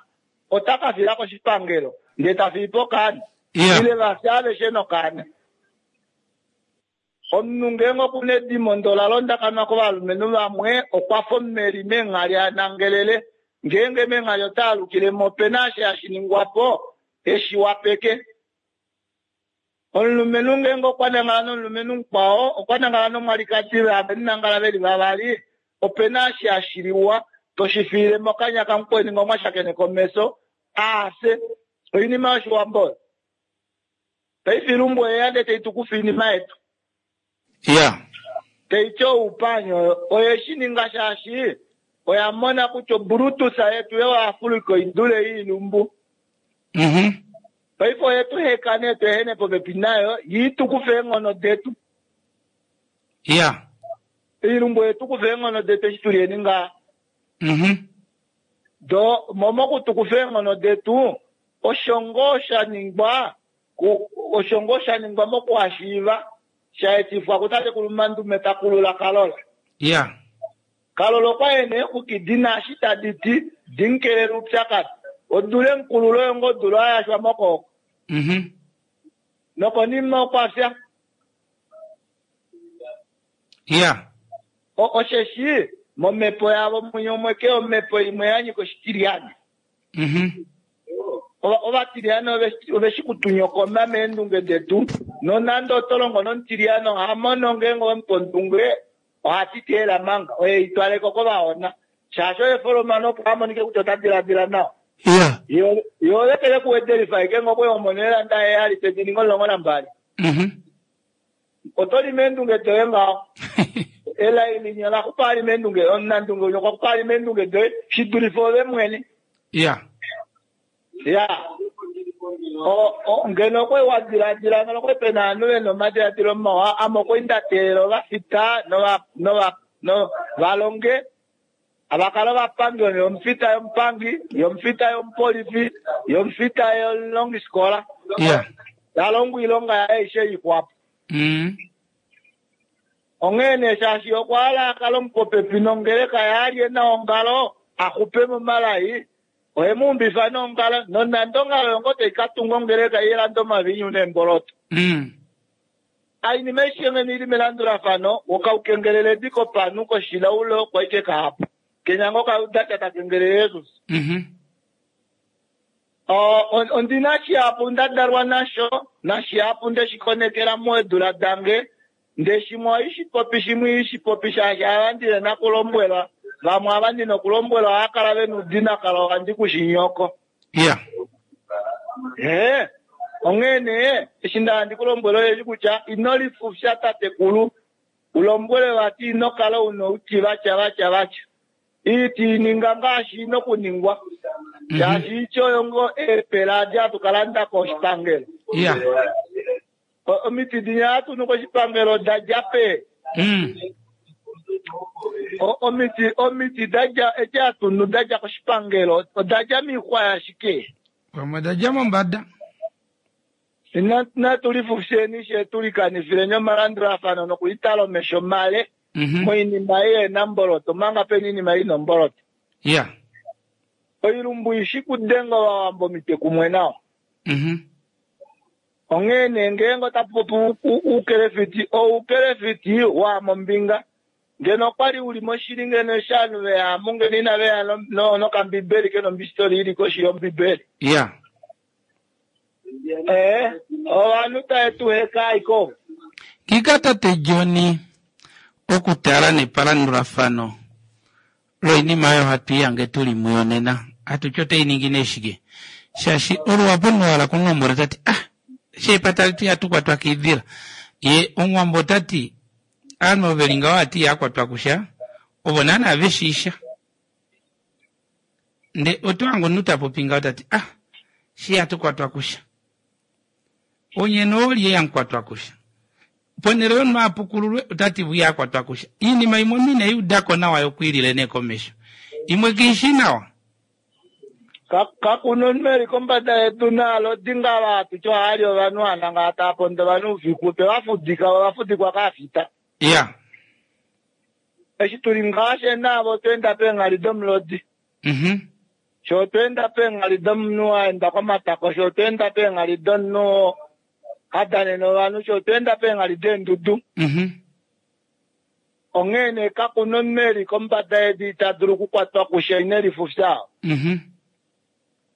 ota ka fila koshipangelo ndee ta fiipo okaana ile vafya aveshe nokaana. Omunhu ngeenge okuna edimo ndo la londakanwa kovalumenhu vamwe okwa fa omumeli meenghali anangelele ngeenge meenghali ota alukilemo opena eshi hashi ningwapo eshi wapeke. Omulumenhu ngeenge okwa nangala nomulumenhu mukwao okwa nangala nomwalikadi ave veli vavali opena eshi hashi liwa toshi fiile mokanya kamukweni ngomwa shakene komeso aase oinima yoshiwambo. Paife ilumbu oyeya ndee taitukufa iinima yetu. Yeah. Taiti oupanyo oye shi ninga shaashi oya mona kutya Brutus yetu yoAfrika oidule iilumbu. Mhm. Paife oye tu heka nee tu ehene popepi nayo yiitukufe eenghono detu. Yeah. Iilumbu oye tukufa eenghono detu eshi tuli eni ngaha. Mhm. Do momokutukufa eenghono detu osho ngoo sha ningwa osho ngoo sha ningwa mokuhashiiva shaetifwa kutatekulu Mandume takulula Kalola. Yeah. Kalola okwa ene eexuki dina eshi tadi ti dinkelele oupyakadi odule mukululo oyo ngoo odula ayashwa mokooko. Mhm. Nokonima okwa fya. Yeah. Osheshi momhepo yavo munyomweke omhepo imwe ya nyika oshitiliyane. Mhm. Ovatiliyane oveshi kutunyokoma meendunge detu nonande oto longo nomutiliyane oha mono ngeenge owemupa ondunge ohati teela manga oye itwaleko kovahona shaashi oye folomano opo amonike kutya ota diladila nawa. Yeah. Yo olekele kuwedelifa ashike ngokwe omono elanda heyali tedi ninga omulongo nambali. Mhm. Oto li meendunge doye ngaho. Elai linya laxupa ali meendunge omunandunge unya okwa xupa ali meendunge doye shi dulife ove mwene. Yeah. Ya. O ngeno okwe wa diladila ngeno okwe pena ovanhu vena omadiladilo mawa ame okwe nda teelela ovafita nova nova no valonge avakala ovapangi yomufita yomupangi yomufita yomupolifi yomufita yomulongifikola. Yeah. Talongo oilonga yaye aishe ixwapo. Mm. Onghee nee shaashi okwa hala akale omupopepi nongeleka yaalye naongalo axupe momalai oye muumbifa nongalo nonande ongalo yongo taikatunga ongeleka ilande omavinyu neemboloto. Mm. Ainima aishe ngeno ili melandulafano wokaukengelele edi kopanhu koshilaulo kwaike kahapu kenya ngo kaudacha takengelele Jesus. Mhm. Ondina shihapu nda dalwa nasho nashihapu ndeshikonekela moedula dange nde shimwe ohashi shimwe ishi popi shaashi ava ndine nakulombwelwa vamwe ava ndina okulombwelwa ohava kala vena oudinakala ohandi kushinyoko. Yeah. Ee onghee nee eshi nda handi kulombwela oyeshi kutya ino lifufya tatekulu ulombwele vati ino kala una outi vatya vatya vatya iiti ininga ngaashi ina okuningwa shaashi ityo oyo ngoo eepela adi hatu kalanda koshipangelo. Yeah. Omiti dinya hatu nu koshipangelo dadja pe. Mm. Omiti omiti dadja edi hatu nu dadja koshipangelo odadja miixwa yashike. Pamwe dadja mombada. Natu lifufyeni she tulikanifileni omalandulafano nokulitala omesho male moinima ei ena mboloto omanga pena iinima ina omboloto. Yeah. Oilumbu ishi kudenga ovawambo omitwe kumwe nawa. Mhm. Onghee nee ngeenge otapu popi uukelefiti oukelefiti waamombinga Ngeno okwali uli moshili ngeno eshi ovanhu veya mu ngeno inaveya nokambibeli ke nombistoli ili koshi yombibeli. Ya. Eh, ovanhu tae tu heka aiko. Ngika tate John okutala nepalandulafano loinima oyo hatu iyange tuli muyo nena hatu ti otai ningi nee shike shaashi oluwapo nuwala kunombwela tati ah sheepata letu ihatu kwatwa kiidila ye omuwambo otati aanhu ove li ngaho ati ihakwatwa kusha ovo naana veshiisha nde oto hange omunhu tapopi ngaho tati ah shi ihatu kwatwa kusha onye noolye yamukwatwa kusha ponhele yomunhu apukululwe otati vu ihakwatwa kusha iinima imwe omunhu ineyi udako nawa yokwiilile nee komesho imwe kiishi nawa. Kakuna omunhu eli kombada yedu nalo dinga vatu tyo hali ovanhu ananga tava pondo ovanhu ufiku tevafudika vafudikwa kaafita. Ya. Eshi tuli ngaashe navo otweenda peenghali domulodi. Mhm. Sho otweenda peenghali domunhu aenda komatako, sho otweenda peenghali domunhu hadanene ovanhu, sho otweenda peenghali deendudu. Mhm. Onghee nee kakuna omunhu eli kombada yedu ita dulu okukwatwa kusha ine lifufya. Mhm.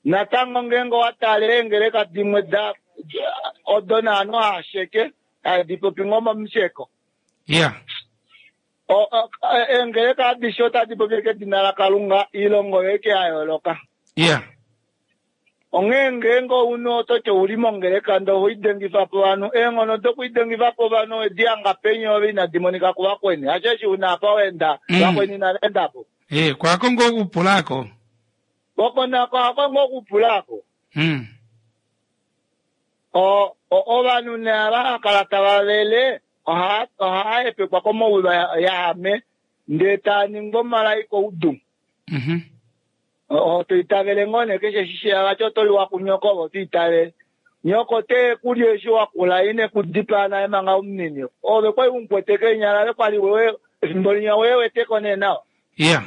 Natango ngeenge owatale eengeleka dimwe da odo naanhu haasheke hadi popi ngoo momusheko. Ya. Eengeleka adishe otadi popi kedina laKalunga, ilongo yoike ya yooloka. Ya. Onghee ngeenge ounhu ototi ouli mongeleka ndee ohoidengifa po ovanhu, eenghono dokuidengifa po ovanhu owedi hanga peni ove inadi monika kuvakweni. Hasheshi una apa wenda, vakweni inava enda po. Eh, kwako ngoo okupulaako. Oko nako hako ngoo okupulaako. Mm. O ovanhu nee ava hakala tava vele ohaa hepekwa komaulwa yahame ndee taa ningwa omalai koudu. Mhm. Otoitavele ngoo nee keshe eshi sheya vati otoliwa kunyoko ove otoitavele. Nyoko te kulya eshi wakula ine kudipaa naye manga omunini. Ove kwali umukwete keenyala ove kwali wewe efimbo linya weeweteko nee nawa. Ya.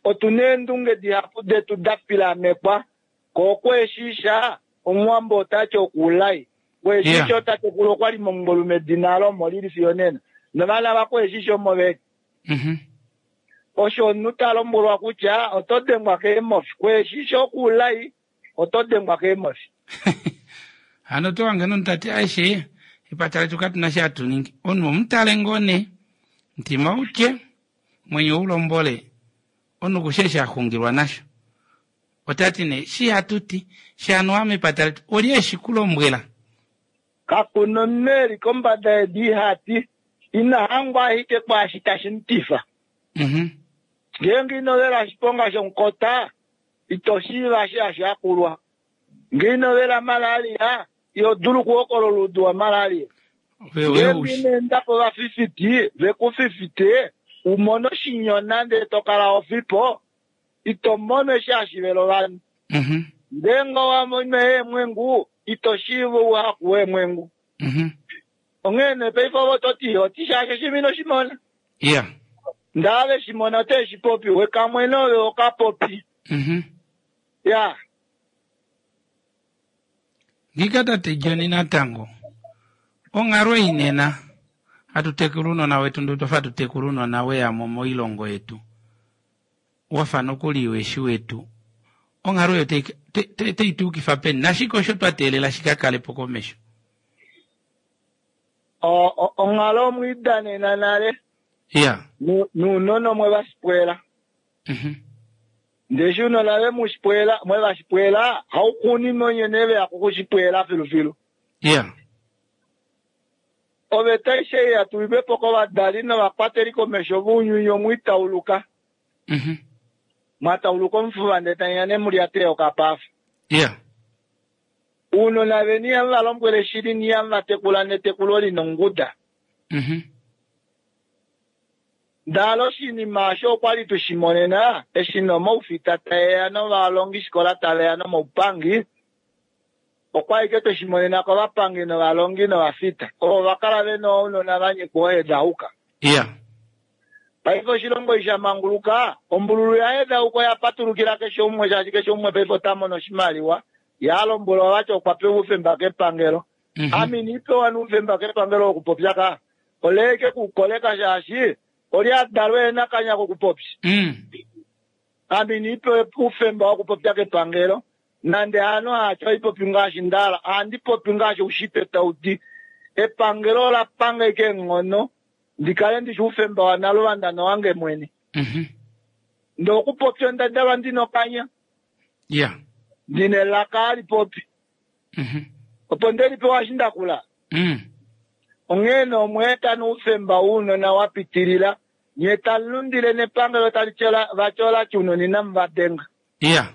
Otuna eendunge dihapu detu da pilamekwa ko okweshisha omuwambo otati okuulai. Kweshisha otatekulu okwali momungolume edina alo lili fiyo nena. Novana vakweshisha omo veli. Mhm. Osho omunhu ta lombwelwa kutya oto dengwa keemofi. Kweshisha okuulai oto dengwa keemofi. Hano oto hange nomunhu tati aishe epata letu katuna shi hatu ningi. Omunhu omutale ngoo nee mutima utye mwenyo ulombole omunhu kushe eshi axungilwa nasho. Otati nee shi hatuti shanuwa mepata letu olye eshi kulombwela. Kakuna omunhu eli kombada yedu ihati ina hangwa ashike kwaashi tashi mutifa. Mhm. Ngeenge ino vela oshiponga shomukota ito shiiva eshi hashi hakulwa. Ngee ino vela malaria iho dulu okuhokolola oudu wa malaria. Ngeenge ino enda povafifiti vekufifite umone oshinyona ndee tokala ofipo ito mono eshi hashi vele ovanhu. Mhm. Ngeenge owamono eemwengu ito shiiva ouhaku weemwengu. Mhm. Onghee nee paife ove ototi oti shaashi oshinima inoshimona. Ya. Ndee veshimona ote shi popi wekamwene ove okapopi. Mhm. Ya. Ngika tate John natango onghalo inena hatu tekula ounona wetu ndee otwafa hatu tekula ounona weyamo moilongo yetu wafa nokuli weshi wetu onghalo oyo otai tuukifa peni nashike osho twa teelela shikakalepo komesho. Onghalo omwiidanena nale. Ya. Nounona omwe vashipwela. Mhm. Ndee eshi ounona vemushipwela mwe vashipwela hauxuuninwa onye nee veya kukushipwela filufilu. Ya. Oveta aishe ei yatulilwepo kovadali novakwateli komesho vounyuni omwiitauluka. Mhm. Mwatauluka omufuva ndee tamuya nee mulyate okapafa. Ya. Ounona veni ihamu va lombwele shili niihamu va tekula netekulo lina onguda. Mhm. Ndale oshinima osho okwali tushimonena eshi nomaufita taeya novalongifikola taveya nomaupangi okwali ke tweshimonena kovapangi novalongi novafita ovo vakala vena ounona vanyikwa ohedauka. Ya. Paife oshilongo eshi shamanguluka ombululu yahedauka oya patulukila keshe umwe shaashi keshe umwe paife ota mono oshimaliwa yalombwelwa vati okwa pewa oufemba kepangelo. Mhm. Ame iniipewa noufemba kepangelo wokupopya ka. Oleke kukoleka shaashi oli adalwe nakanya kokupopya. Mm. Ame iniipewe oufemba wokupopya kepangelo nande hano hacho ipopi ngaashi ndala ohandi popi ngaashi ushitwe tau ti epangelo ola panga ike eenghono ndikale ndishi oufemba wanaluvanda nowange mwene. Mhm. Ndee okupopya onda dalwa ndina okanya Yeah. ndina elaka hali popi Mhm. opo ndelipewa eshi ndakula. Mm. Onghee nee omweeta noufemba wounona wa pitilila nye talundile nepangelo tali tyola vatyola tyunoni inamuvadenga. Yeah.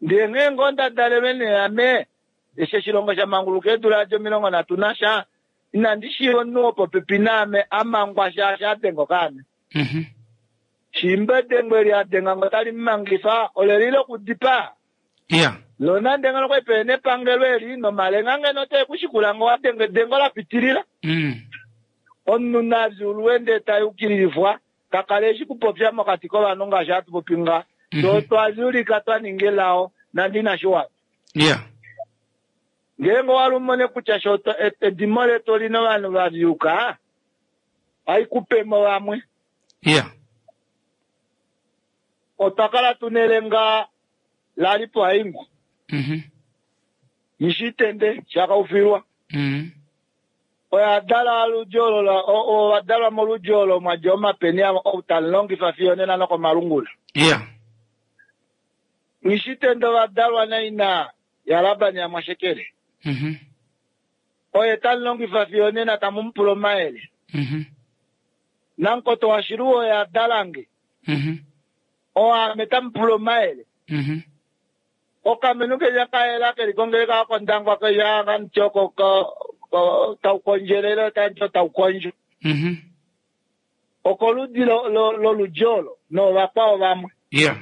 Ndee nghee ngoo ndadalelwe nee ame eshi oshilongo sha manguluka eedula adi omilongo nhatu nasha inandi shiiva omunhu wopopepi naame amangwa shaashi adenga okaana. Mhm. Shimba edengo eli adenga ngo tali mumangifa ole lile okudipaa. Yeah. Lonande ngeno okwali pena epangelo eli nomalenga ngeno otae kushikula ngo wadenga edengo la pitilila. Mm. Omunhu navyulwe ndee tayukililifwa kakale eshi kupopya mokati kovanhu ngaashi hatu popi nga. Mhm. So twavyulika twaninga elao nande inashi wana. Yeah. Ngeenge owali umone kutya sho to- e- edimo letu olina ovanhu vavyuka haikupemo vamwe. Yeah. Otwa kala tuna elenga lalipo haingwa. Mhm. Nishitende shakaufilwa. Mm. Oya dala oludji olo la- o- o- ovadalwa moludji olo mwadja omapeni avo ou talilongifa fiyo nena nokomalungula. Yeah. Nishitende ovadalwa naina yaLaban yaMwashekele. Mhm. Oye talilongifa fiyo nena tamumupula omayele. Mhm. Nankoto washiluwo oye adalange. Mhm. Oame tamupula omayele. Mhm. Okamenu keja kayela keli kongeleka kondangwa keja kamutyo taukondjelele tanto taukondjo. Mhm. Okoludi lo- lo- loludji olo novakwao vamwe. Yeah.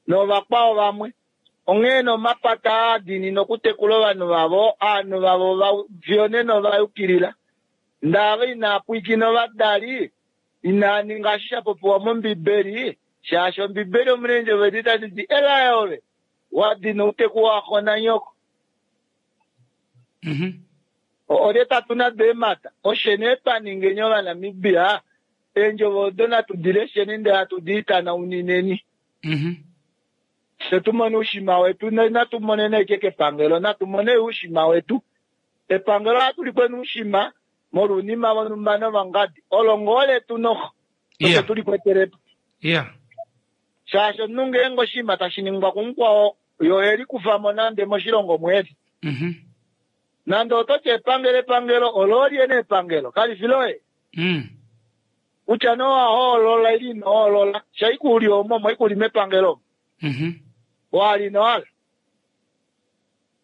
Novakwao vamwe. Onghee nee omapata aadinina okutekula ovanhu vavo, ovanhu vavo va- fiyo nena ovayukilila. Ndava inaa pwiikina ovadali, inaa ninga eshi sha popiwa mOmbibeli, shaashi Ombibeli omuna eendjovo edi tadi ti elaya ove, wadina outeku waxo nanyoko. Mhm. O- Olye tatu nado eemhata. Oshe nee twa ningeni Ovanamibia, eendjovo odo natu di lesheni ndele hatu di itanaunineni. Mhm. Fye tumone oushima wetu, natu monene ashike kepangelo, natu mone oushima wetu. Epangelo ohatu likweni oushima molwa ounima vonhumba novangadi. Olo ngoo letu noxo, osho Yeah. tulikwetelepo. Yeah. Shaashi omunhu ngeenge oshinima tashi ningwa kumukwao, ye ohelikufa mo nande moshilongo mweli. Mhm. Nande ototi epangelo epangelo, olo olyene epangelo, kali fi loye. Mm. Kutya nee owahoolola ile ino hoolola, shaikuli omo moikuli mepangelo omo. Mhm. Wali nowala.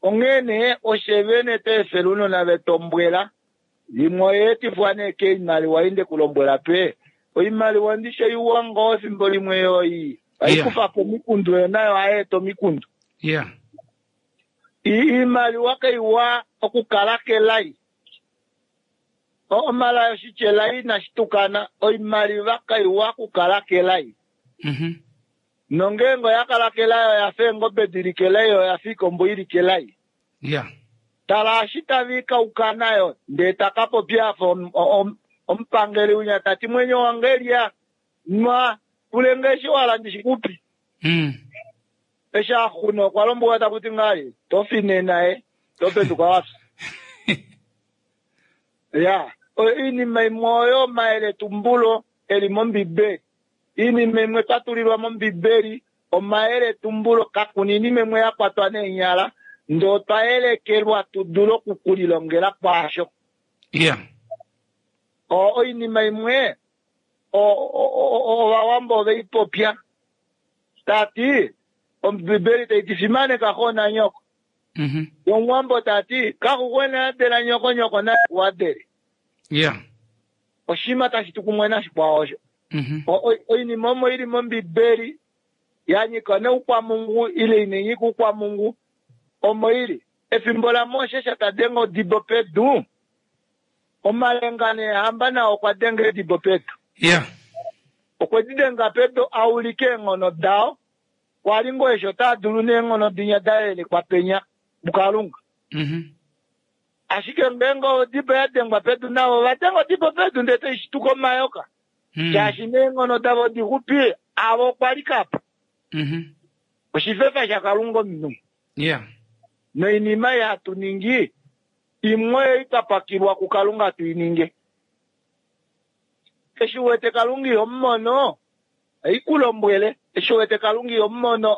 Onghee nee oshe vene tweefela ounona vetombwela imwe oyeetifwa nee keimaliwa inde kulombwela pe oimaliwa ndishe iwa ngoo efimbo limwe yoyi haikufa po omikundu yo nayo ohayeeta omikundu. Yeah. I- Iimaliwa kaiwa okukala kelai. O- Omalai oshitya elai inashi tukana oimaliwa kaiwa okukala kelai. Mhm. Nongeenge oya kala kelai oyafa eengobe dili kelai oyafa iikombo ili kelai. Yeah. Tala eshi taviikauka nayo ndee takapopya afa om- om- omupangeli unya tati mwenyo wange lya nwa pulenge eshi wala ndishikupi. Mm. Eshi axuna okwa lombwelwa takuti ngali tofi nena topeduka wafya. Ya, oinima imwe oyo omayeletumbulo eli mOmbibeli. Iinima imwe twa tulilwa mOmbibeli omayeletumbulo kakuna iinima imwe ya kwatwa neenyala ndee otwa yelekelwa tu dule okukulilongela kwaasho. Yeah. O- Oinima imwe o- o- o- Ovawambo oveipopya tati Ombibeli taiti fimaneka xo nanyoko. Mhm. Omuwambo tati kaxuxwena adela nyoko nyoko naye kuadele. Yeah. Oshinima tashi tu kumwe nashikwao osho. Mhm. O- o- Oinima omo ili mOmbibeli ya nyika noukwamungu ile ina nyika oukwamungu omo ili. Efimbo laMoses tadenga odibo pedu, omalenga neehamba nao okwa denga edibo pedu. Yeah. Okwe di denga pedu aulike eenghono dao, kwali ngoo eshi otaa dulu neenghono dinya da yelekwa penya muKalunga. Mhm. Ashike ngeenge odibo ya dengwa pedu navo ova denga odibo pedu ndele tai shituka omayoka. Mm. Shaashi neenghono davo dixupi avo okwa likapo. Mhm. Oshifefa shaKalunga omunhu. Yeah. Noinima ei hatu ningi imwe ei twa pakilwa kuKalunga tu i ninge. Eshi u wete Kalunga iho mu mono, ei ku lombwele. Eshi u wete Kalunga iho mu mono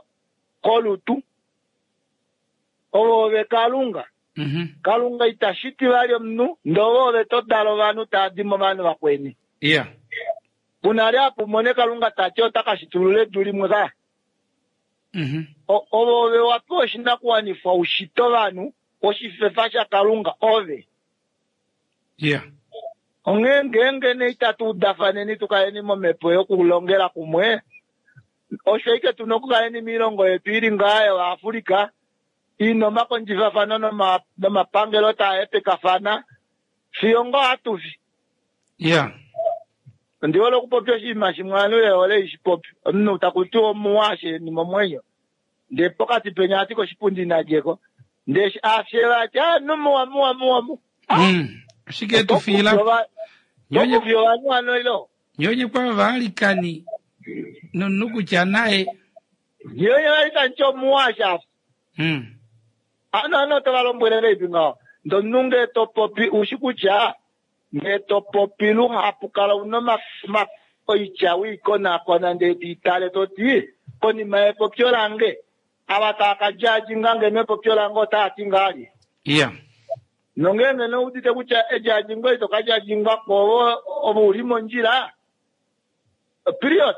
kolutu. Ovo ove Kalunga. Mhm. Kalunga ita shiti vali omunhu, ndele ove to dala ovanhu tava di movanhu vakweni. Yeah. Kuna li apa umone Kalunga tati ota ka shitulula edu limwe ka. Mhm. O- Ovo ove wa pewa oshinakuwanifwa u shite ovanhu, oshifefa shaKalunga ove. Yeah. Onghee ngeenge nee itatu udafaneni tu kaleni momhepo yokulongela kumwe, osho ashike tuna okukaleni miilongo yetu ili ngaa yoAfrika, ina omakondjifafano noma- nomapangelo taa hepekafana, fiyo ngoo hatu fi. Yeah. Ondi hole okupopya oshinima shimwe ovanhu ve hole ishi popi. Omunhu taku tiwa omuwa sheni momwenyo. Ndee pokati penya ati koshipundi nadjeko. Ndee eshi afye vati, ah, nu muwa, muwa, muwa, muwa. Mm. Ashike tu fiila. Nyonye Tokufi ovanhu hano ilo. nyonye kwa vaalikani nomunhu kutya naye. Nyonye valikani chomuwa shafa. Mm. Ano ano tova lombwele ngeipi ngaho. Ndee omunhu ngee to popi ushi kutya ngee to popi luhapu kala una oma- oma- oitya wiikonakona ndee tiitale toti konima yepopyo lange ava tava ka judginga nge mepopyo lange otava ti ngaali. Yeah. Nongeenge noudite kutya ejudgingo ito ka judgingwa ko ovo ovo uli mondjila period.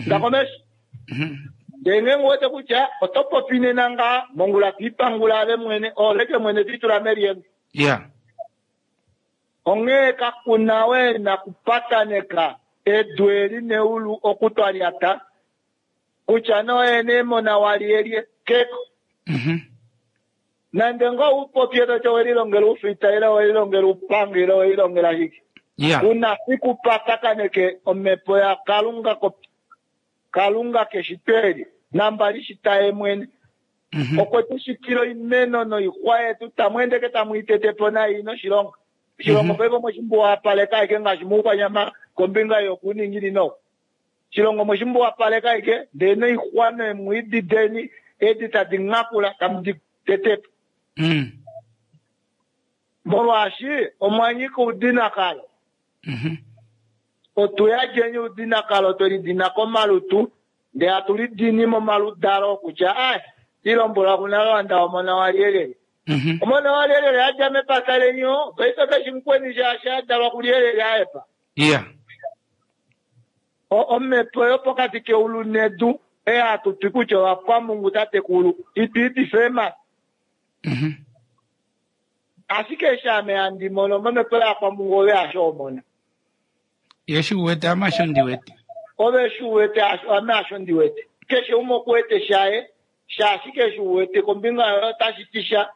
Ndakomesho. Mhm. Ndee ngeenge uwete kutya oto popi nena ngaa mongula twiipangula ave mwene oleke mwene twiitula melienge. Yeah. Onghee kakuna we nakupataneka edu eli neulu okutwalyata kutya noye neemona waliyelye keko. Mhm. Nande ngoo upopye toti owelilongela oufita ile owelilongela oupango ile owelilongela shike. Yeah. Kuna fiku patakaneke omhepo yaKalunga ko Kalunga keshito eli nambali shita ye mwene. Mhm. Okwe tu shitila oimeno noixwa yetu tamu endeke tamu i tete po nai noshilongo. Oshilongo Mhm. paife omweshimbuwapaleka ashike ngaashi moukwanyama kombinga yokuuninginino. Oshilongo omweshimbuwapaleka ashike ndee noixwa neemwiidi deni edi tadi nhakula tamu di tete po. Mm. Molwaashi omwa nyika oudinakalo. Mhm. Otu yadjeni oudinakalo twe lidina komalutu ndee hatu lidini momaludalo kutya ai ilombwelwa kunalwanda omona walyelele. Mhm. Omona walyelele adja mepata leni oo, paife keshi mukweni shaashi adalwa kulyelele aepa. Yeah. O- Omhepo yopokati keulu nedu ei hatu ti kutya ovakwamungu tatekulu itwiitife eemhata. Mhm. Ashike eshi ame handi mono momhepo yakwamungu ove hasho omona. Ye shi uwete ame hasho ndi wete. Ove shi uwete hasho- ame hasho ndi wete. Keshe umwe okuwete shaye, shaashi keshe uwete kombinga yoye otashi ti sha.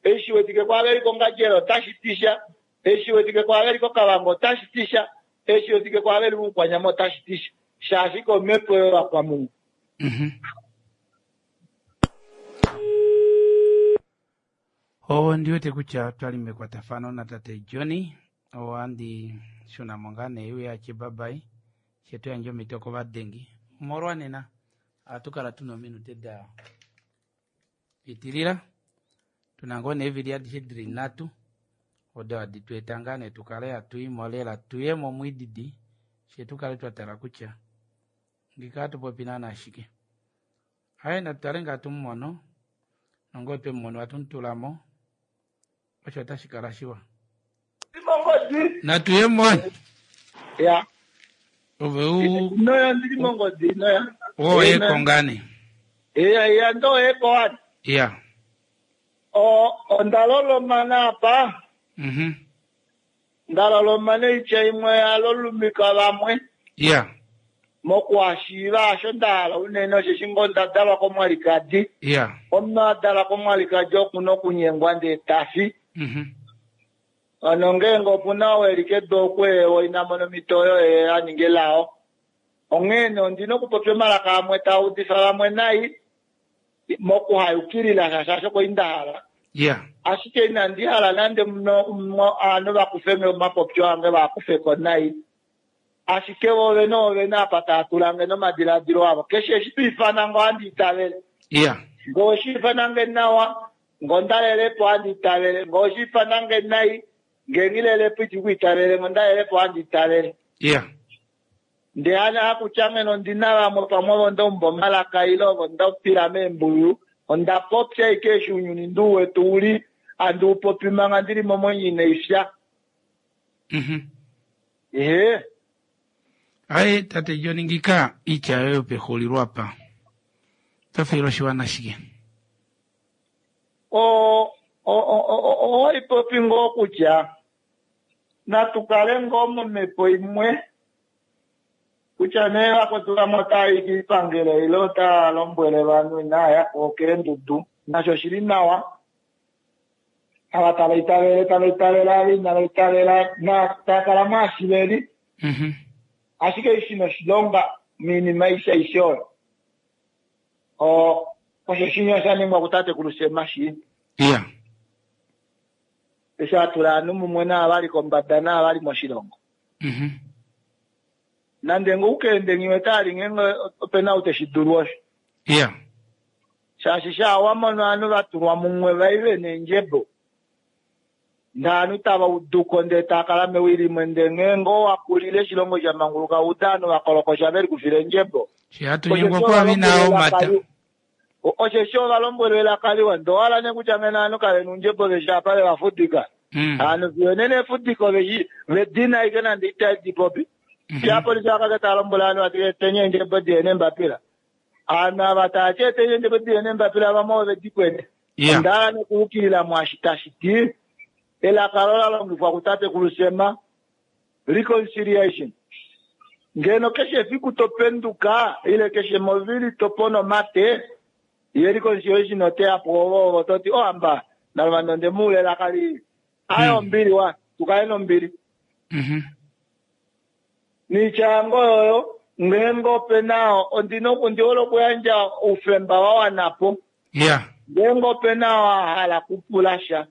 Eshi wetike kwaave li kOngandjera otashi ti sha. Eshi wetike kwaave li kOkavango otashi ti sha. Eshi wetike kwaave li mOukwanyama otashi ti sha. Shaashi komhepo yovakwamungu. Mhm. Ondi wete kutya twali mekwatafano natate Johnny ohandi shuna mo ngaa nee uye atye babai she to yandje omhito kovadengi omolwa nena ohatu kala tuna ominute da pitilila tuna ngoo nee eevili adishe dili nhatu odo hadi tu eta ngaa nee tukale hatu imo lela tuye momwiididi she tukale twa tala kutya ngika hatu popi naana shike. Aye natutale ngaa tumumono nongee otwe mumono ohatu mutula mo osho otashi kala shiwa. Mongodi. Natuye moni. Ya. Ove u Noya ndili mongodi noya. woye kongane. Iya iya ndo eko wani. Yeah. O onda lolomana apa. Mhm. Ndaloloma neitya imwe yalolumika vamwe. Yeah. Mokuhashiiva asho ndahala unene osheshi ngoo onda dalwa komwalikadi. Yeah. Omunhu adalwa komwalikadi okuna okunyengwa ndee tafi. Mhm. Ano ngeenge opuna ou eli kedu okweewa ina mona omhito oyo ye a ninga elao. Onghee nee ondina okupopya omalaka amwe taa udifa vamwe nai mokuhayukilila sha shaashi oko inda hala. Ya. Ashike inandi hala nande ovanhu va kufe omapopyo ange va kufe ko nai. Ashike vo vene ovene apa tava tulange nomadiladilo avo. Keshe eshi to ifana ngo handi itavele. Ya. Ngo oshi ifanange nawa, ngo ndalelepo handi itavele. Ngo oshi ifanange nai, nge ngilelepo iti kuitavele, ngo ndalelepo handi itavele. Ya. Ndee hana hakutya ngeno ndina vamwe pamwe ovo ndaumba omalaka ile ovo ndapila meembuyu, onda popya ashike eshi ounyuni ndu wetu uli, handi upopi manga ndili momwenyo inaifya. Mhm. Ehe. Aye tate John ngika itya yoyo pexulilo apa. Tofiila oshiwana shike? O owaipopi ngoo kutya natu kale ngoo momhepo imwe kutya nee vakwetu vamwe otava i kiipangelo ile otava lombwele ovanhu inaya ko keendudu nasho oshili nawa. Ava tava itavele tava itavele ava inava itavela tava kala mwaashi veli. Mhm. Ashike eshi noshilonga miinima aishe aishe oyo osho shinya sha ningwa kutatekulu Sem shi. Ya. Eshi atula ovanhu mumwe naava vali kombada naava vali moshilongo. Mhm. Nande ngoo ukaende nghiwe tali ngeenge opena ou teshi dulu osho. Ya. Shaashi sha wamono ovanhu vatulwa mumwe vaive neendjebo. Ndee ovanhu tava uduko ndee tava kala mewi limwe ndee ngeenge owakulile oshilongo sha manguluka uda ovanhu vakolokosha veli kufila eendjebo. Shi hatunyengwa kwavi nao mata. Osheshi ovalombwelwa elaka liwa ndee owahala nee kutya ngeno ovanhu kavena oundjebo veshi apa vevafudika. Mm. Ovanhu fiyo nena efudiko veshi vedina ashike nande itadi popi. Shapolisi vakake tava lombwele ovanhu vati etenye eendjebo diye neembapila. Ovanhu ava tavati etenye eendjebo diye neembapila vamwe ove di kwete. Ya. Onda hala nekuukilila mwaashi tashi ti elaka lo la longifwa kutatekulu Sem reconciliation. Ngeno keshe efiku topenduka ile keshe movili topono omate ye reconciliation oteya po ovo toti ohamba naluvanda ondemuula elaka lii. Aye ombili wa tukale nombili. Mhm. Niitya yange oyoyo ngeenge opena ondina ondi hole okuyandja oufemba wa wanapo. Ya. Ngeenge opena wa hala kupula sha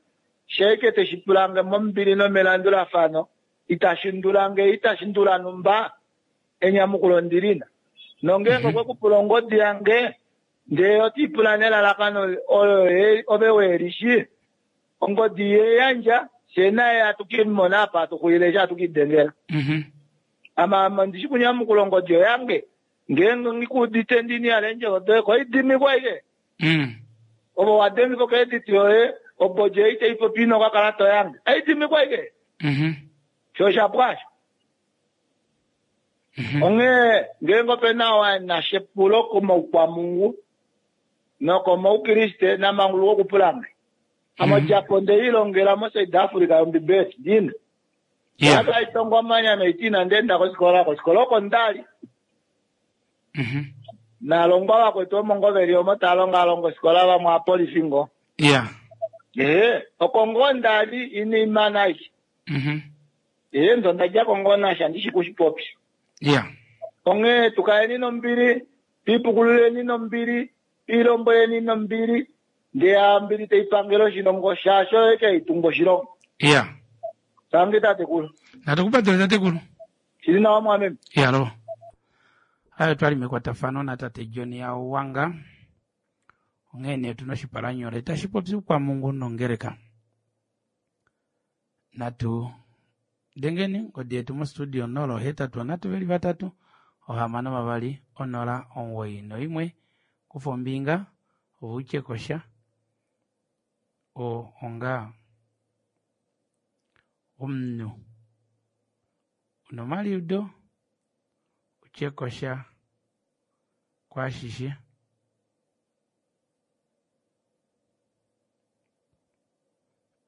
sheike teshi pulange mombili nomelandulafano itashi ndulange itashi ndula numba enyamukulo ndilina. Nongeenge okwe kupula ongodi yange ndee otiipula nelalakano oyo ove welishi ongodi yeyandja fyee naye hatukimona apa hatuxulile eshi hatukidengela. Mhm. Ama ama ndishi kunyamukula ongodi oyange ngeenge ngikuudite ndini yala eendjovo doye koidimikwa ashike. Mm. Ove wadengifwa ocredit yoye obodje ei taipopi ino okakalata oyange aidimikwa ashike. Mhm. Sho oshapwa asho. Mhm. Onghee ngeenge opena oo ena epulo komaukwampungu nokomaukriste namanguluka okupulange. Ame odjapo ndeilongela moSouth Africa yombibeli ndina. Ya. Akaitongwa omanya noiti inandi enda kofikola kofikola oko ndali. Mhm. Naalongwa vakwetu omo ngoo veli omo tava longalonga ofikola vamwe aapolifi ngoo. Ya. Ee, oko ngoo ndali ina imana aishe. Mhm. Ee, ndo ndadjako ngoo nasha ndishi kushipopya. Ya. Onghee tukaleni nombili, twiipukululeni nombili, twiilombweleni nombili, ndee ombili taipangele oshilongo shaashi oyo ashike haitungu oshilongo. Ya. Tangi tatekulu. Natukupatule tatekulu. Shili nawa mwameme. Yalo. Ayo twali mekwatafano natate John Yawanga. Onghee nee tuna oshipalanyole tashi popi oukwamungu nongeleka. Natu dengeni ongodi yetu mostudio nola ohetatu onhatu veli vatatu ohamano vavali onola omugoyi noimwe. Kufa ombinga ove utye kosha o onga omunhu una omaliudo utye kosha kwaashishe.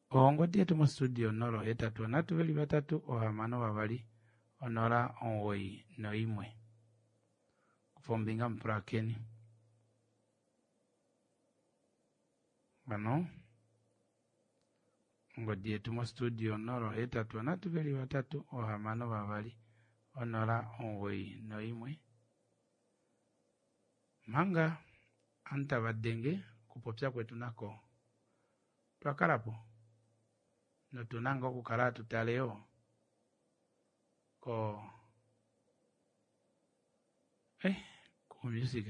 Ongodi yetu mostudio nola ohetatu onhatu veli vatatu ohamano vavali onola omugoyi noimwe. Kufa ombinga mupulakeni. Hano ongodi yetu mostudio nola ohetatu onhatu veli vatatu ohamano vavali onola omugoyi noimwe. Manga ovanhu tava denge okupopya kwetu nako Otwa kala po notuna ngoo okukala hatu tale yoo ko eh ko music.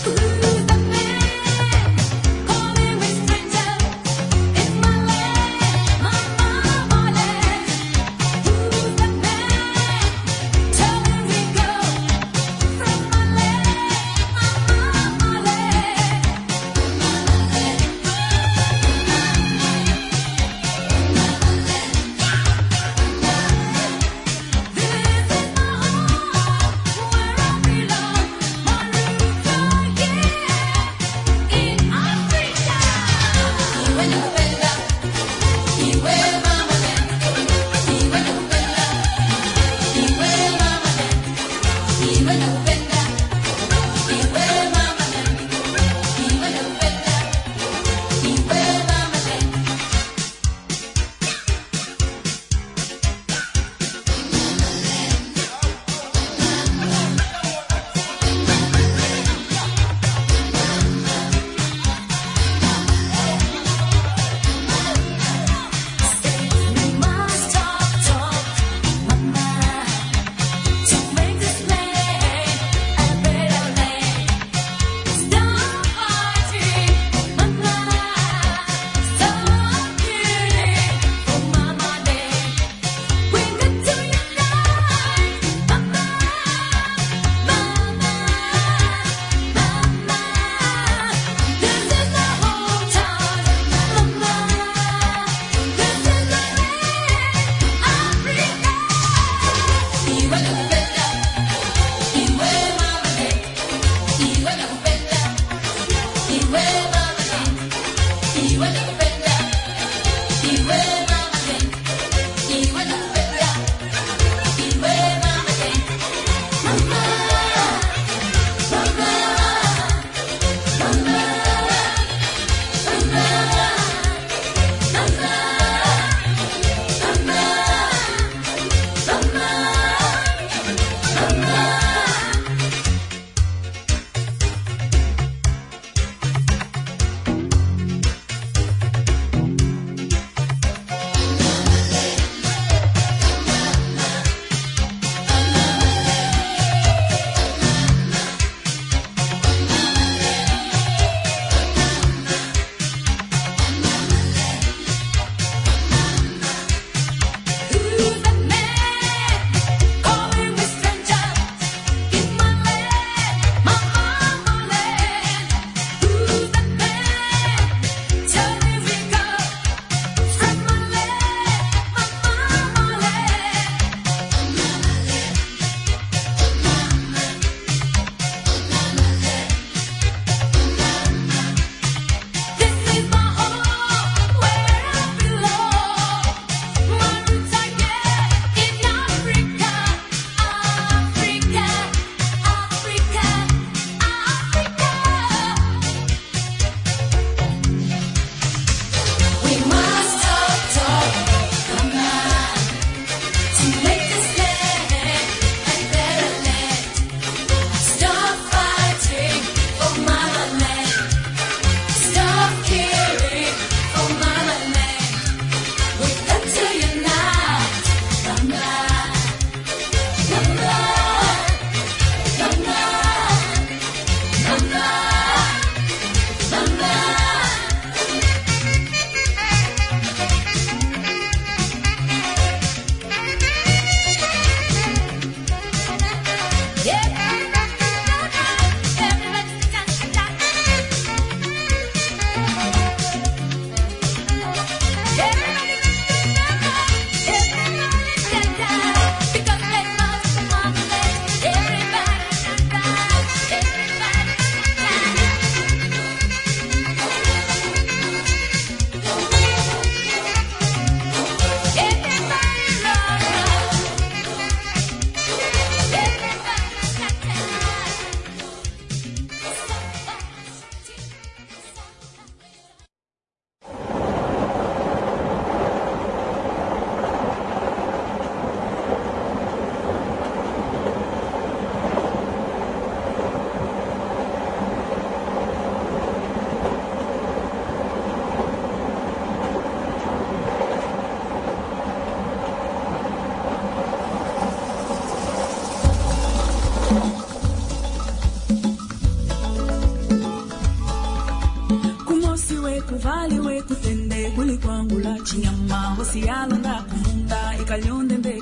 Who's the man calling me stranger in my land, my my land? Who's the man telling me go?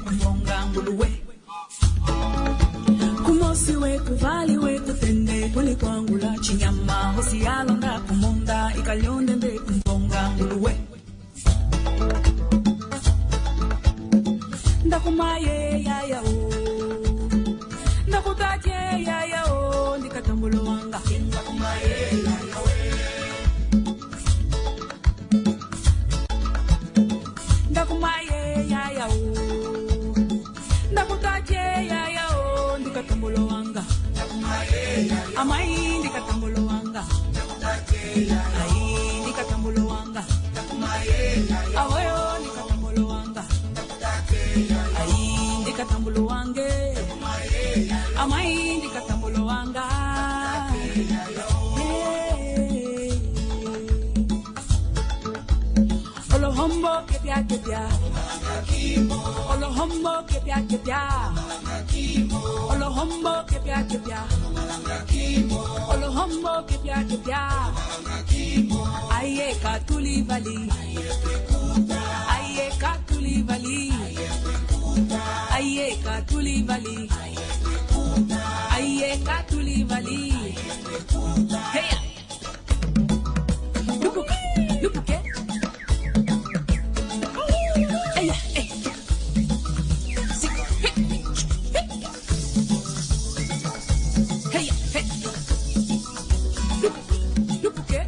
kumbonga nguluwe Kumosi wetu vali wetu tende kulikwangula chinyama hosi yalonda kumonda ikalyonde mbe kumbonga nguluwe Ndakumaye ya ya o Ndakutaje ya ya o ndikatambulo wanga Ndakumaye ya ya we Ndakumaye ya ya o Ndakutaje ya ya o ndikatambulo wanga Ndakumaye ya ya Amai ndikatambulo wanga Ndakutaje ya ya Ai ndikatambulo wanga Ndakumaye ya ya Awoyo ndikatambulo wanga Ai ndikatambulo wange Amai ndikatambulo wanga Hey. Olohombo kepia kepia Olohombo kepia kepia Olohombo kepia kepia Olohombo kepia kepia Aye katuli vali Aye katuli vali Aye katuli vali Aye katuli vali Hey Lupuka lupuke Hey hey Sik hey Hey hey Lupuke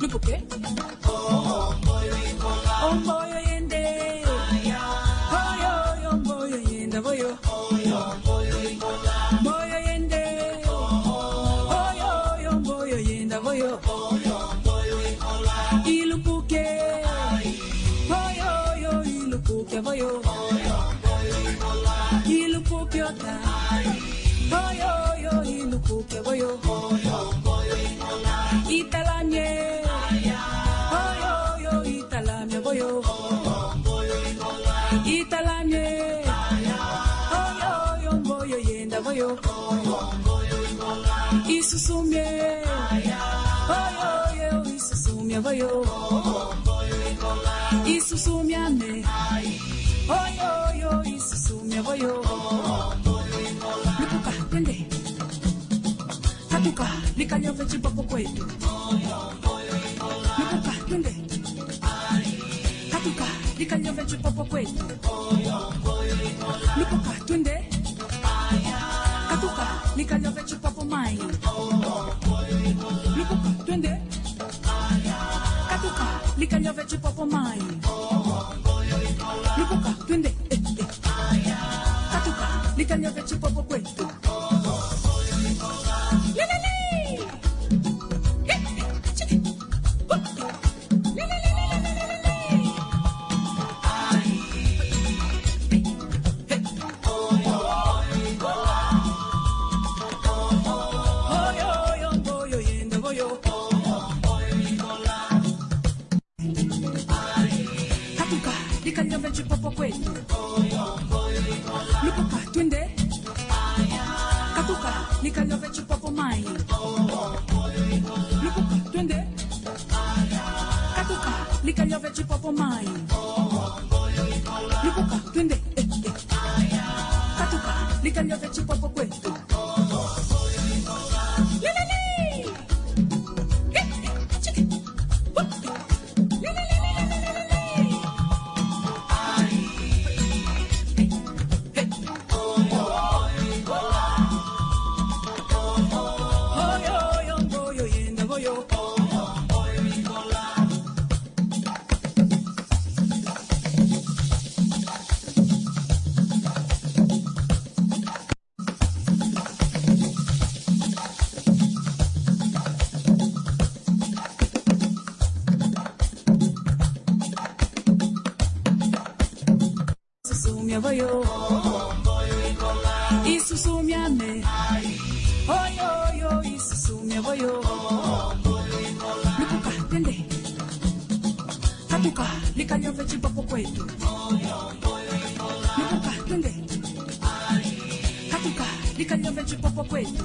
Lupuke Omboyo yende Oyo omboyo yenda boyo Boyo yende Oyo omboyo yenda boyo Ilupuke Oyo oyo ilupuke boyo Ilupuke ota Oyo oyo ilupuke boyo Italamye Oyo oyo italamye boyo Italamye Oyo oyo mboyo yenda boyo Isusumye Oyo oyo isusumye boyo Isusumyane Oyo oyo isusumye boyo Lupuka twende Katuka likanyove chipopo kwetu Lupuka twende Katuka likanyove chipopo kwetu Lupuka twende Katuka likanyove chipopo mai Lupuka twende Katuka likanyove chipopo mai Lupuka twende eh, eh. Katuka likanyove chipopo kwetu Lelele Eh, eh, chiki. Hup. Lelelelelelelele. Oyo, oyo, mboyo, yenda, boyo. Katuka likanyove chipopo kwetu Lupuka twende Katuka likanyove chipopo mai Lupuka twende Katuka likanyove chipopo mai Lupuka twende eh, eh. Katuka likanyove chipopo kwetu Lelele Eh, eh, chiki. Hup. Lelelelelelelele. Oyo, oyo, mboyo, yenda, boyo. Isusumya boyo. Isusumyane. Oyo, oyo, isusumya boyo. Lupuka, twende. Katuka, likanyove chipopo kwetu. Lupuka, twende. Katuka, likanyove Likalove chipopo kwetu.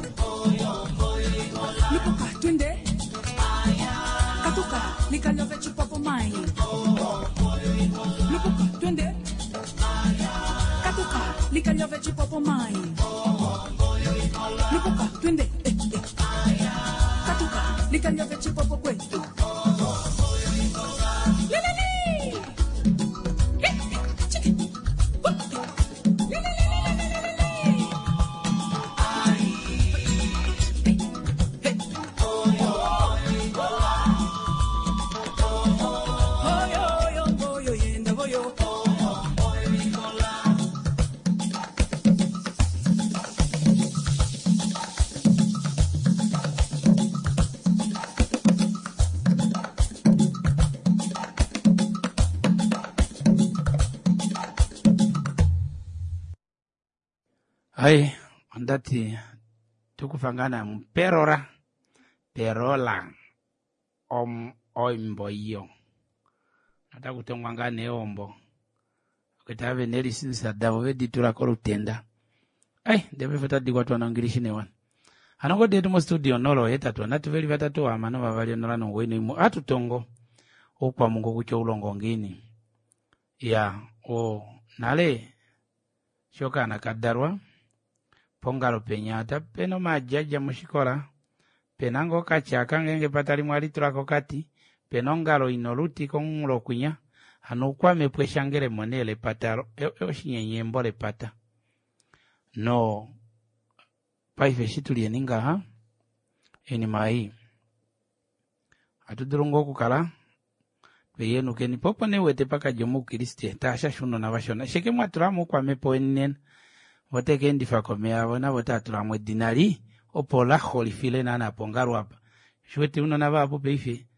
Lupuka twende. Katuka likalove chipopo mai. Lupuka twende. Katuka likalove chipopo mai. Lupuka twende. Eh, eh. Katuka likalove chipopo kwetu. Hai, ondati tukufa ngaa na muperora perola om oimbo iyo otakutongwa ngaa neombo oketa ave nelisinisa davo veditula kolutenda. Ai, ndeve otadi kwatwa nongilishi newana. Hano ngodi yetu mostudio nolo hetatu anatu veli vatatu hamano vavali onola nongoyi noimwe atutongo oukwamungu kutya oulongo ngiini. Ya, o nale shokaana kadalwa pongalo penya ata pena omaadjadja moshikola pena ngoo okatyaka ngeenge pata limwe alitulako okati pena ongalo ina oluti komunghulo kwinya hano oukwamepo eshangelemo nee lepata oshinyenyembo lepata. No paife eshi tulyeni ngaha oinima ei ohatu dulu ngoo okukala tweyenukeni po opo nee uwete pakadja omoukriste taashasha ounona vashona sheke mwatulamo oukwamepo weni nena vo tekeendifa komeya avo navo otaatulamo edina li opo laxolifile naana pongalo apa. Shiwete ounona vahapu paife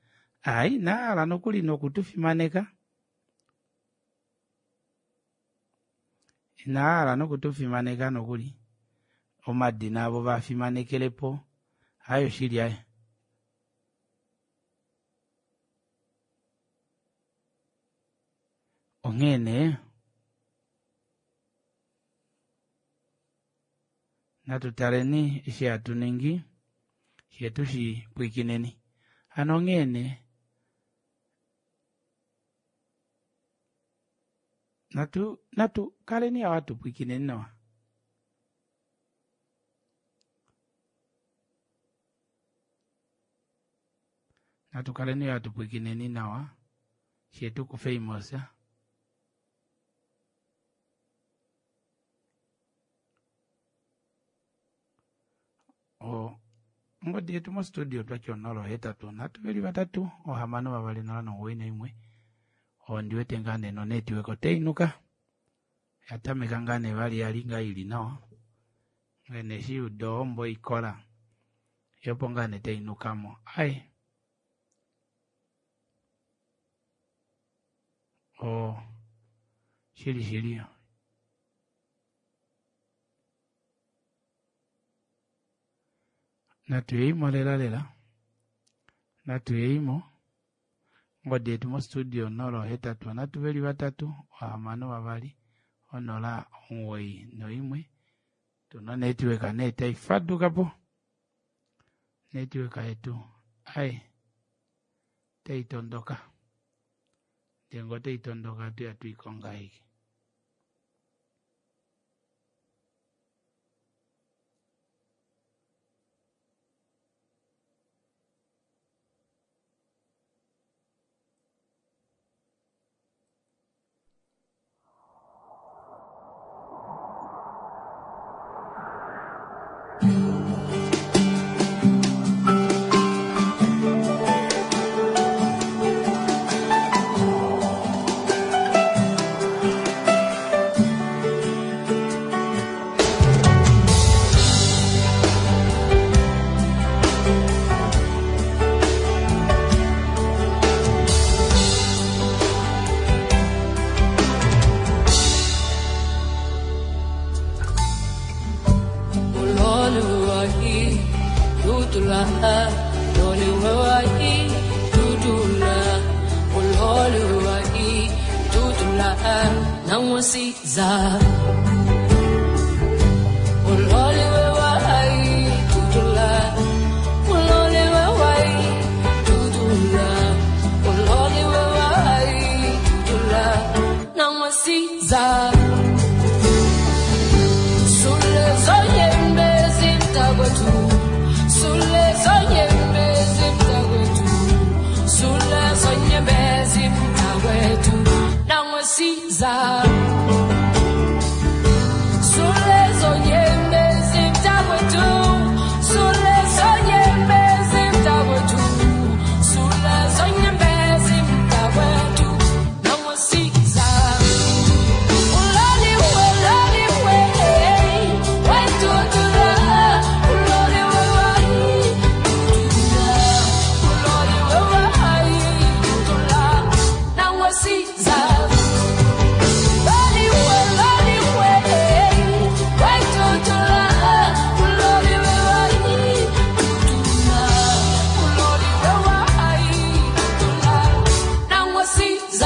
ai nahala nokuli nokutufimaneka inahala nokutufimaneka nokuli omadina avo vafimanekelepo ayo shili aye. Onghee nee natu taleni eshi hatu ningi she tushi pwikineni. Hano onghee nee natu natu kaleni awa hatu pwikineni nawa. Natu kaleni hatu pwikineni nawa she tukufe imosa. O ngodi yetu mostudio twatya onolo hetatu nhatu veli vatatu ohamano vavali nola nomuwoi naimwe. Ondiwete ngaa nee nonetiweka otainuka yatameka ngaa nee vali yali ngaa ili nawa ngene eshi uda ohombo ikola yopo ngaa nee tainukamo. Ai o shili shili natuyeimo lela lela natuyeimo ngodi yetu mostudio nolo hetatu nhatu veli vatatu ohamano vavali onola omuwoi noimwe. Tuna netiweka nee taifadukapo netiweka yetu ai taitondoka ndee ngoo taitondoka tuya tuikonga aike. Uloliwe mntakwethu, sulezo nyembezi mntakwethu, sulezo nyembezi mntakwethu, nangosiza. Sulezo nyembezi mntakwethu, sulezo nyembezi mntakwethu, sulezo nyembezi mntakwethu, nangosiza. Uloliwe, loliwe, wetutula, uloliwe wayitutula, uloliwe wayitutula, nangosiza. Loliwe, loliwe, wetutula, uloliwe wayitutula, uloliwe wayitutula, nangosiza.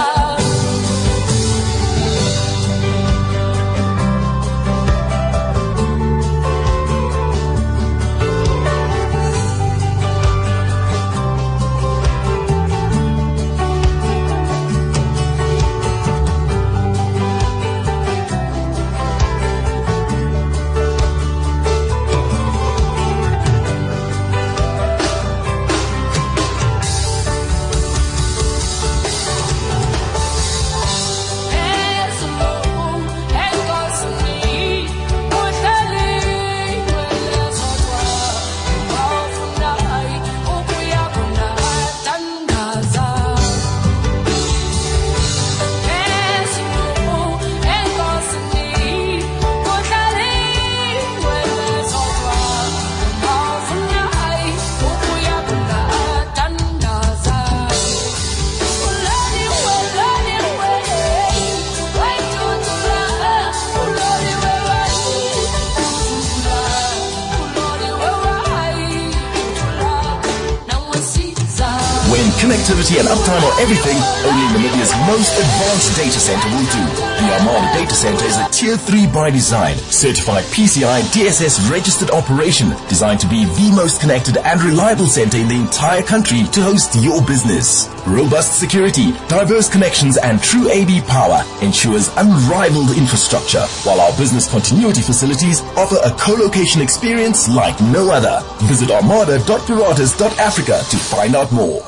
When connectivity and uptime are everything, only Namibia's most advanced data center will do. The Armada Data Center is a Tier three by design, certified P C I D S S registered operation, designed to be the most connected and reliable center in the entire country to host your business. Robust security, diverse connections and true A V power ensures unrivaled infrastructure, while our business continuity facilities offer a co-location experience like no other. Visit armada dot piratas dot africa to find out more.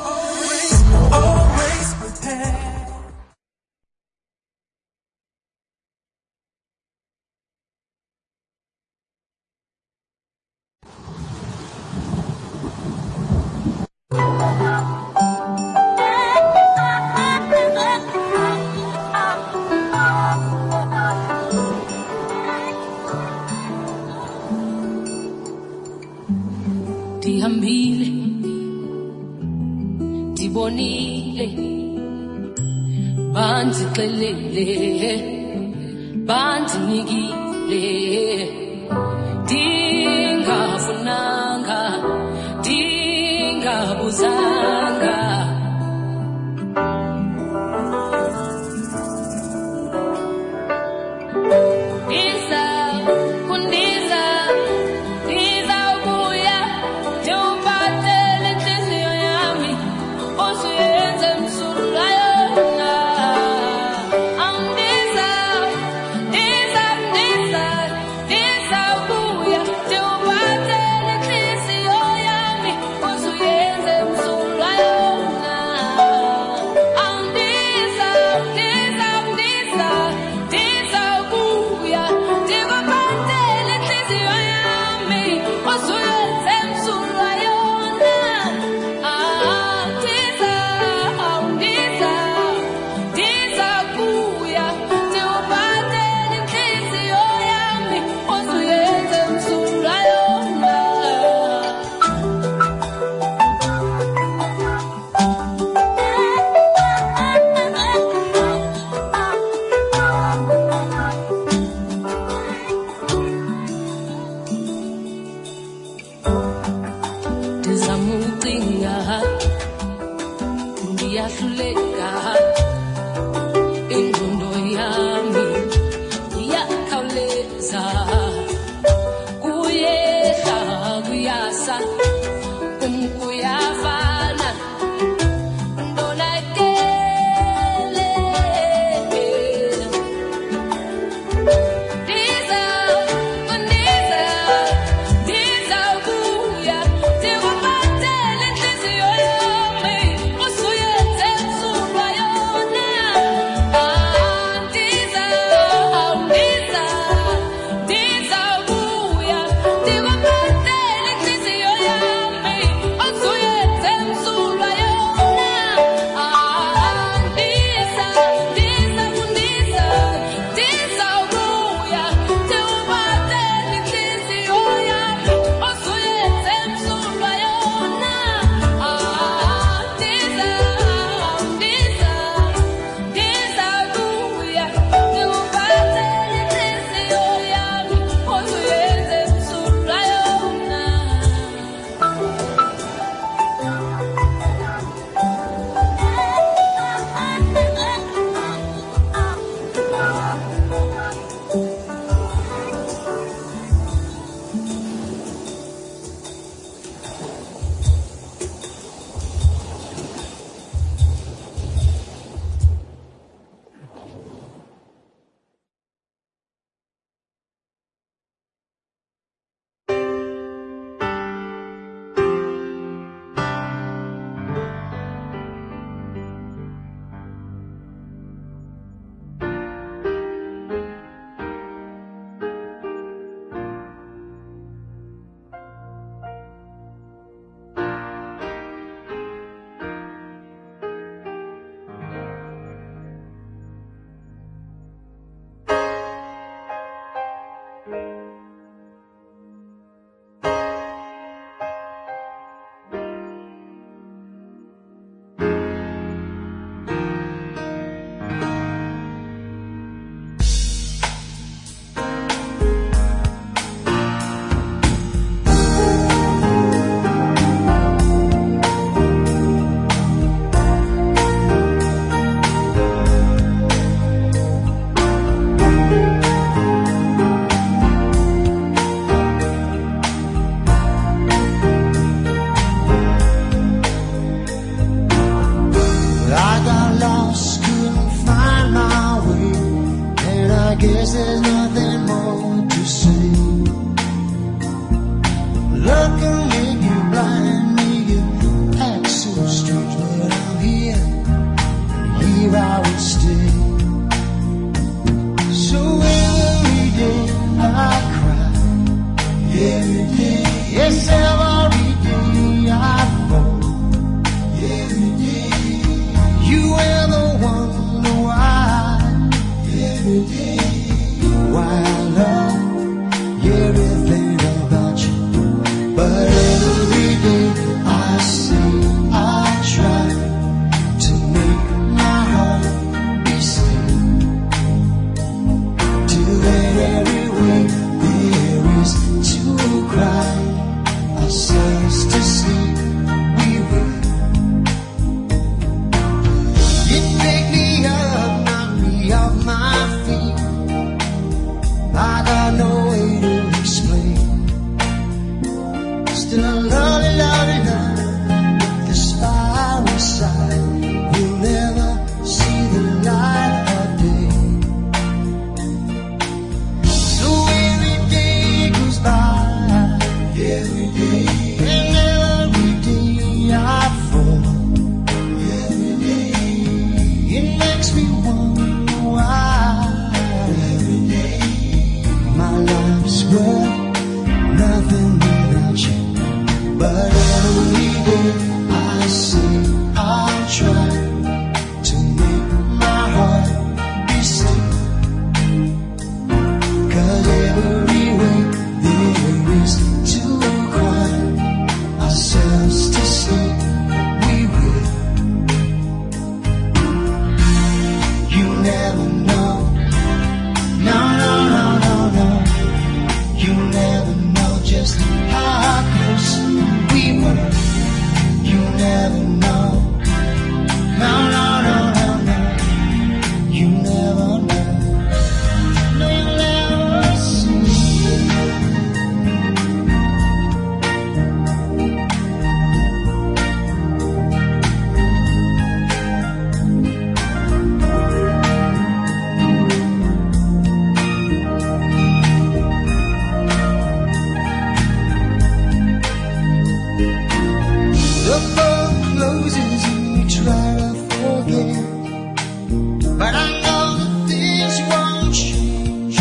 Always prepared. Ndihambile, ndibonile, bandixelele, bandinikile, ndingafunanga, ndingabuzanga. Ndiza kundiza, ndizawubuya, ndiwuphathele intliziyo yami, usuyenze msulwa yona. Andiza, ndiza, ndiza, ndizawubuya, ndiwuphathele But every day I say I try to make my heart be still. Till that every way there is to cry ourselves to sleep, we will. You pick me up, knock me off my feet. I got no way to explain. Still I love you, love you, love you. This fire inside will never see the light of day. So every day goes by, every day, and every day I fall. Every day, it makes me wonder why. Every day, my life's worth nothing without you. But every day I say I'll try to make my heart be still. 'Cause every way there is to cry ourselves to sleep, we will. You never know. No, no, no, no, no. You never know just how close we were. You never know. No, no, no, no, no. You never know. No, you never see. The door closes and we try to forget, but I know that things won't change.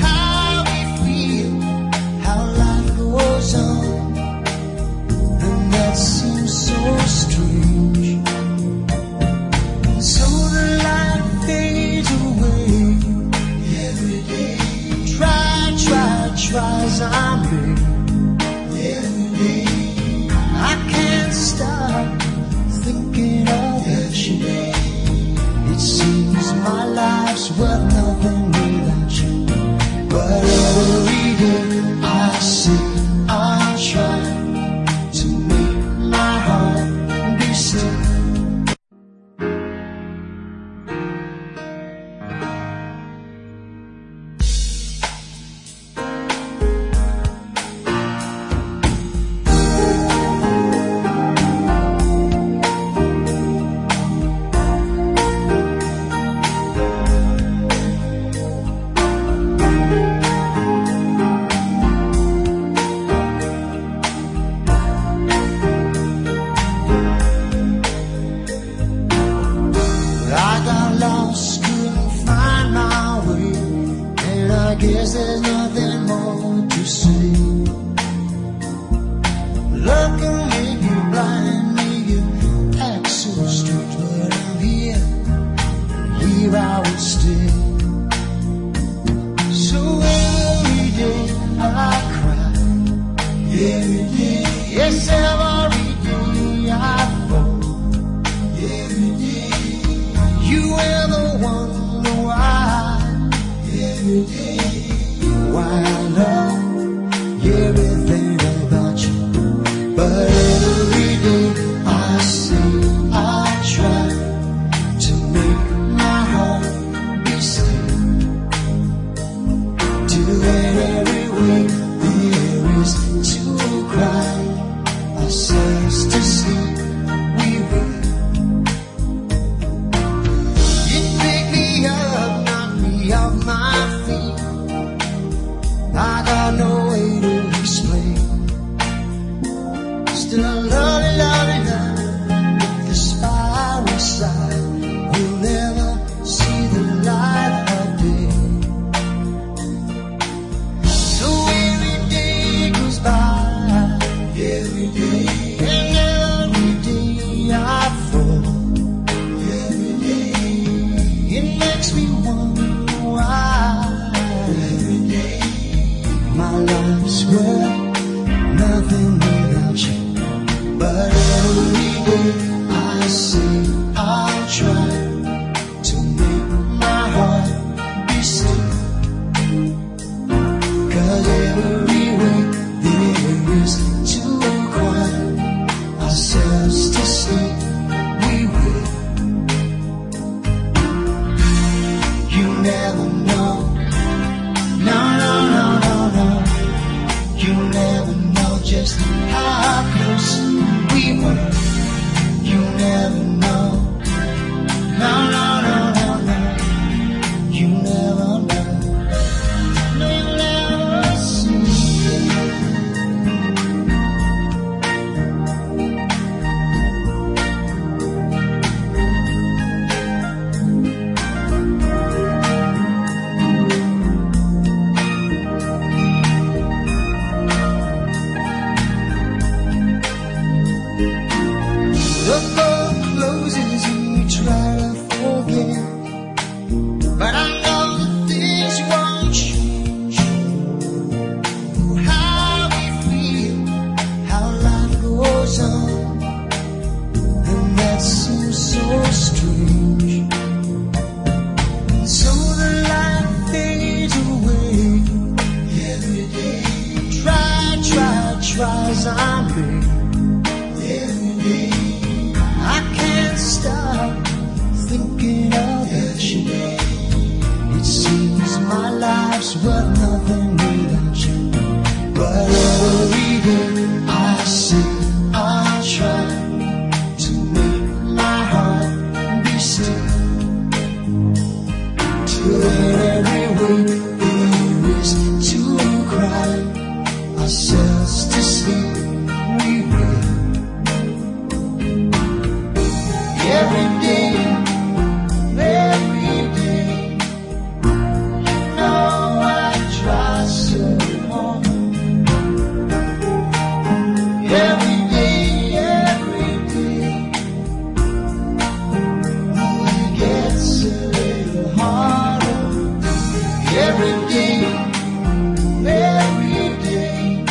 How we feel, how life goes on, and that seems so strange. And so the light fades away. Every day, try, try, try as I may. Every day, I can't stop thinking of you. It seems my life's worth nothing without you. But every day I say I'll try to make my heart be still. I got lost, couldn't find my way, and I guess there's nothing more to say. Love can make you blind, make you act so strange, but I'm here, and here I will stay. So every day I cry, every day, yes, every day I fall. Every day, you were the one why. Every day, why I love everything about you. But every day I say I try to make my heart be still. Till that every way there is to cry ourselves to sleep, we will. You pick me up, knock me off my feet. I got no way to explain. Still I love you, love you, love you. This fire inside will never see the light of day. So every day goes by, every day, and every day I fall. Every day, it makes me wonder why. Every day, my life's worth nothing without you. But every day I say I'll try to make my heart be still. 'Cause every way there is to cry ourselves to sleep, we will. You never know. No, no, no, no, no. You never know just how close we were. You never know. No, no, no, no, no. You never know. No, you never see. The door closes and we try to forget, but I know that things won't change. Oh, how we feel, how life goes on, and that seems so strange. And so the light fades away every day. Try, try, try as I may. Every day I can't stop thinking about you. It seems my life's worth nothing without you. But every day I say I try to make my heart be still. Till every way there is to cry ourselves to sleep, we will. Every day, every day, you know I try so hard. Every day, every day, oh, it gets a little harder. Every day, every day,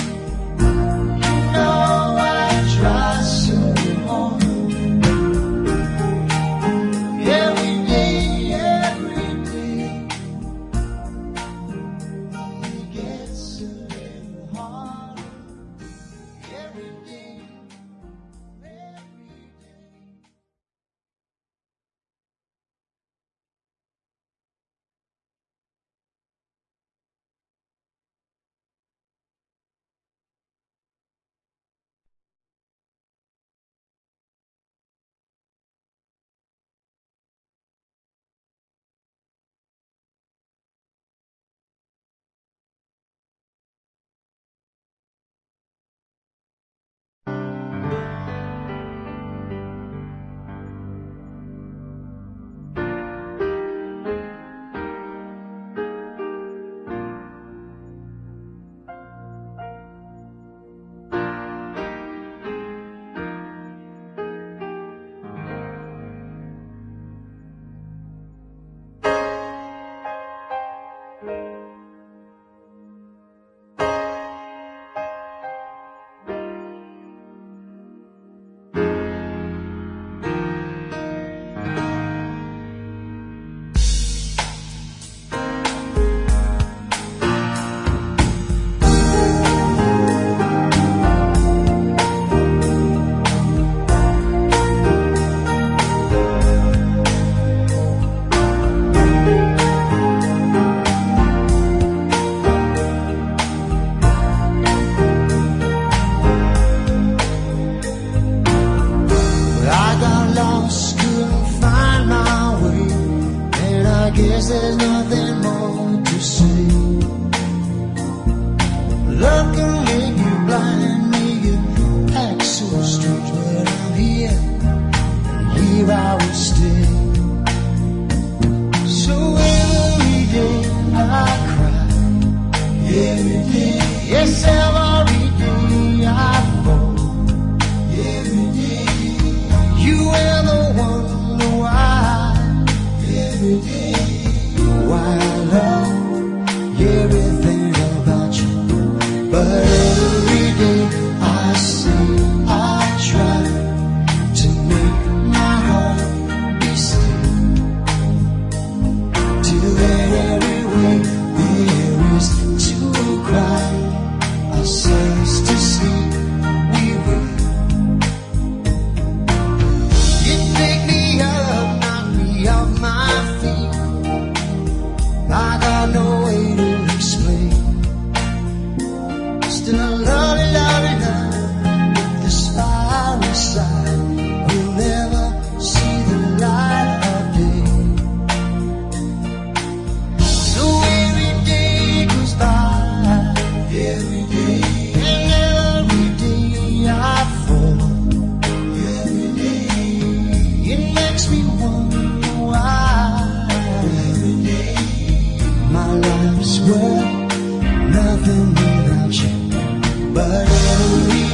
you know I try so hard. Every day, every day, it gets a little harder. Every day,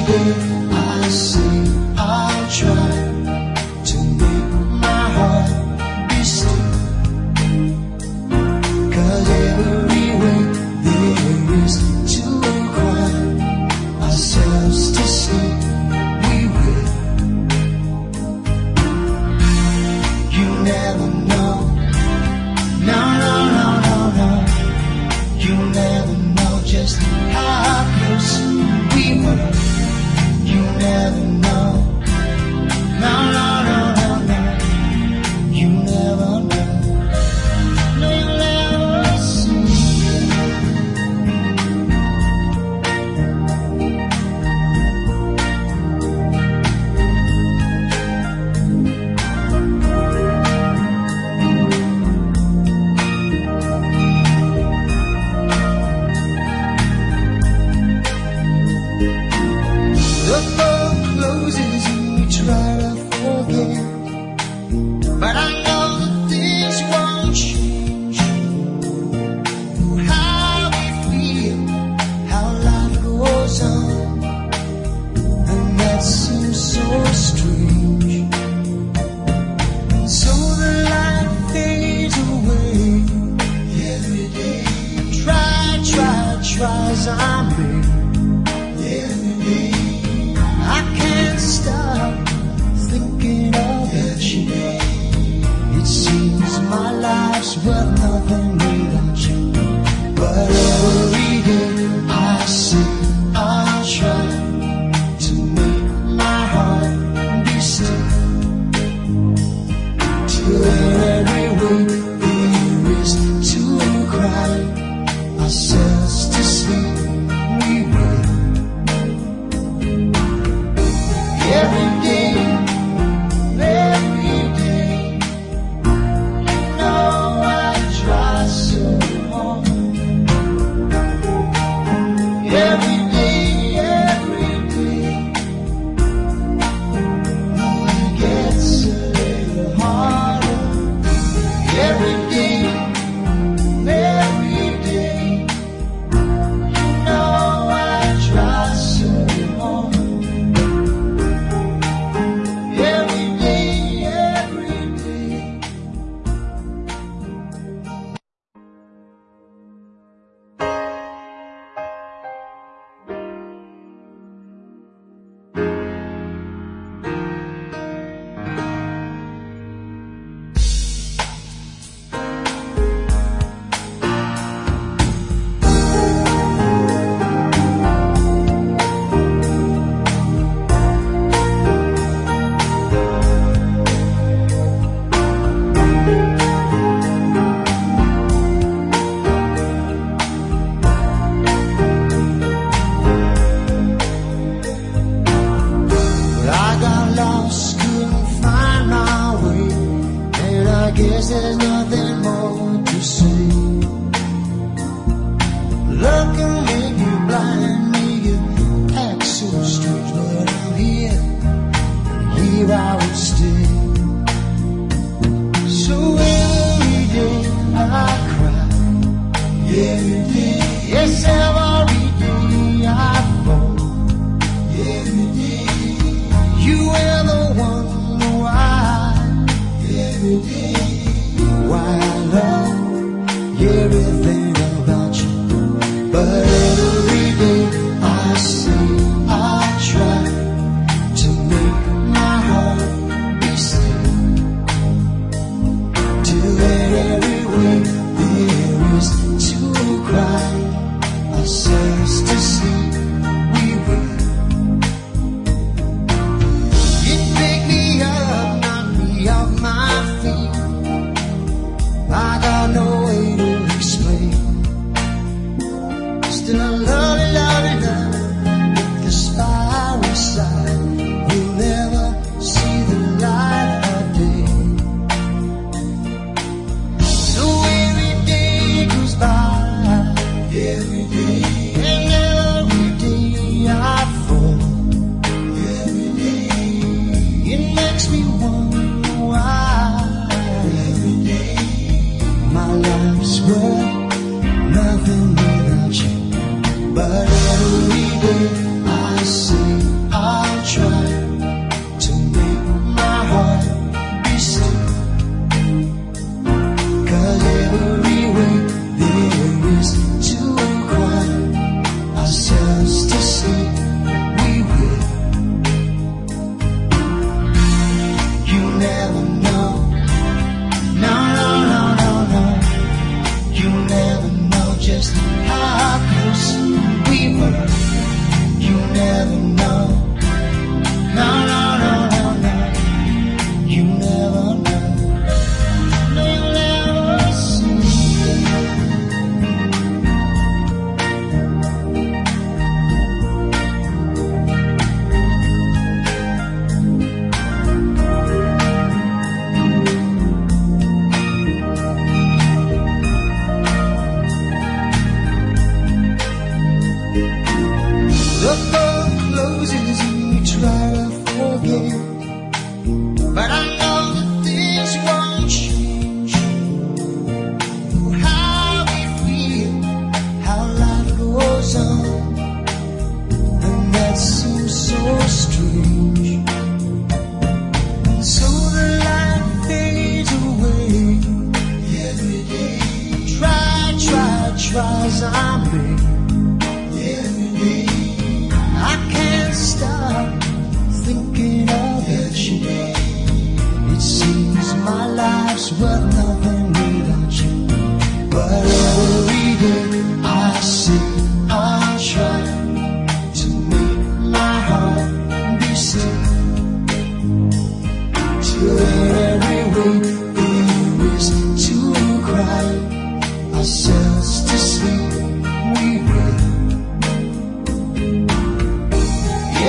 day I say I'll try to make my heart be still. 'Cause every way there is to cry ourselves to sleep, we will. You never know. No, no, no, no, no. You never know just how close we were. You never know. No, no, no, no, no. You never know. No, you never see.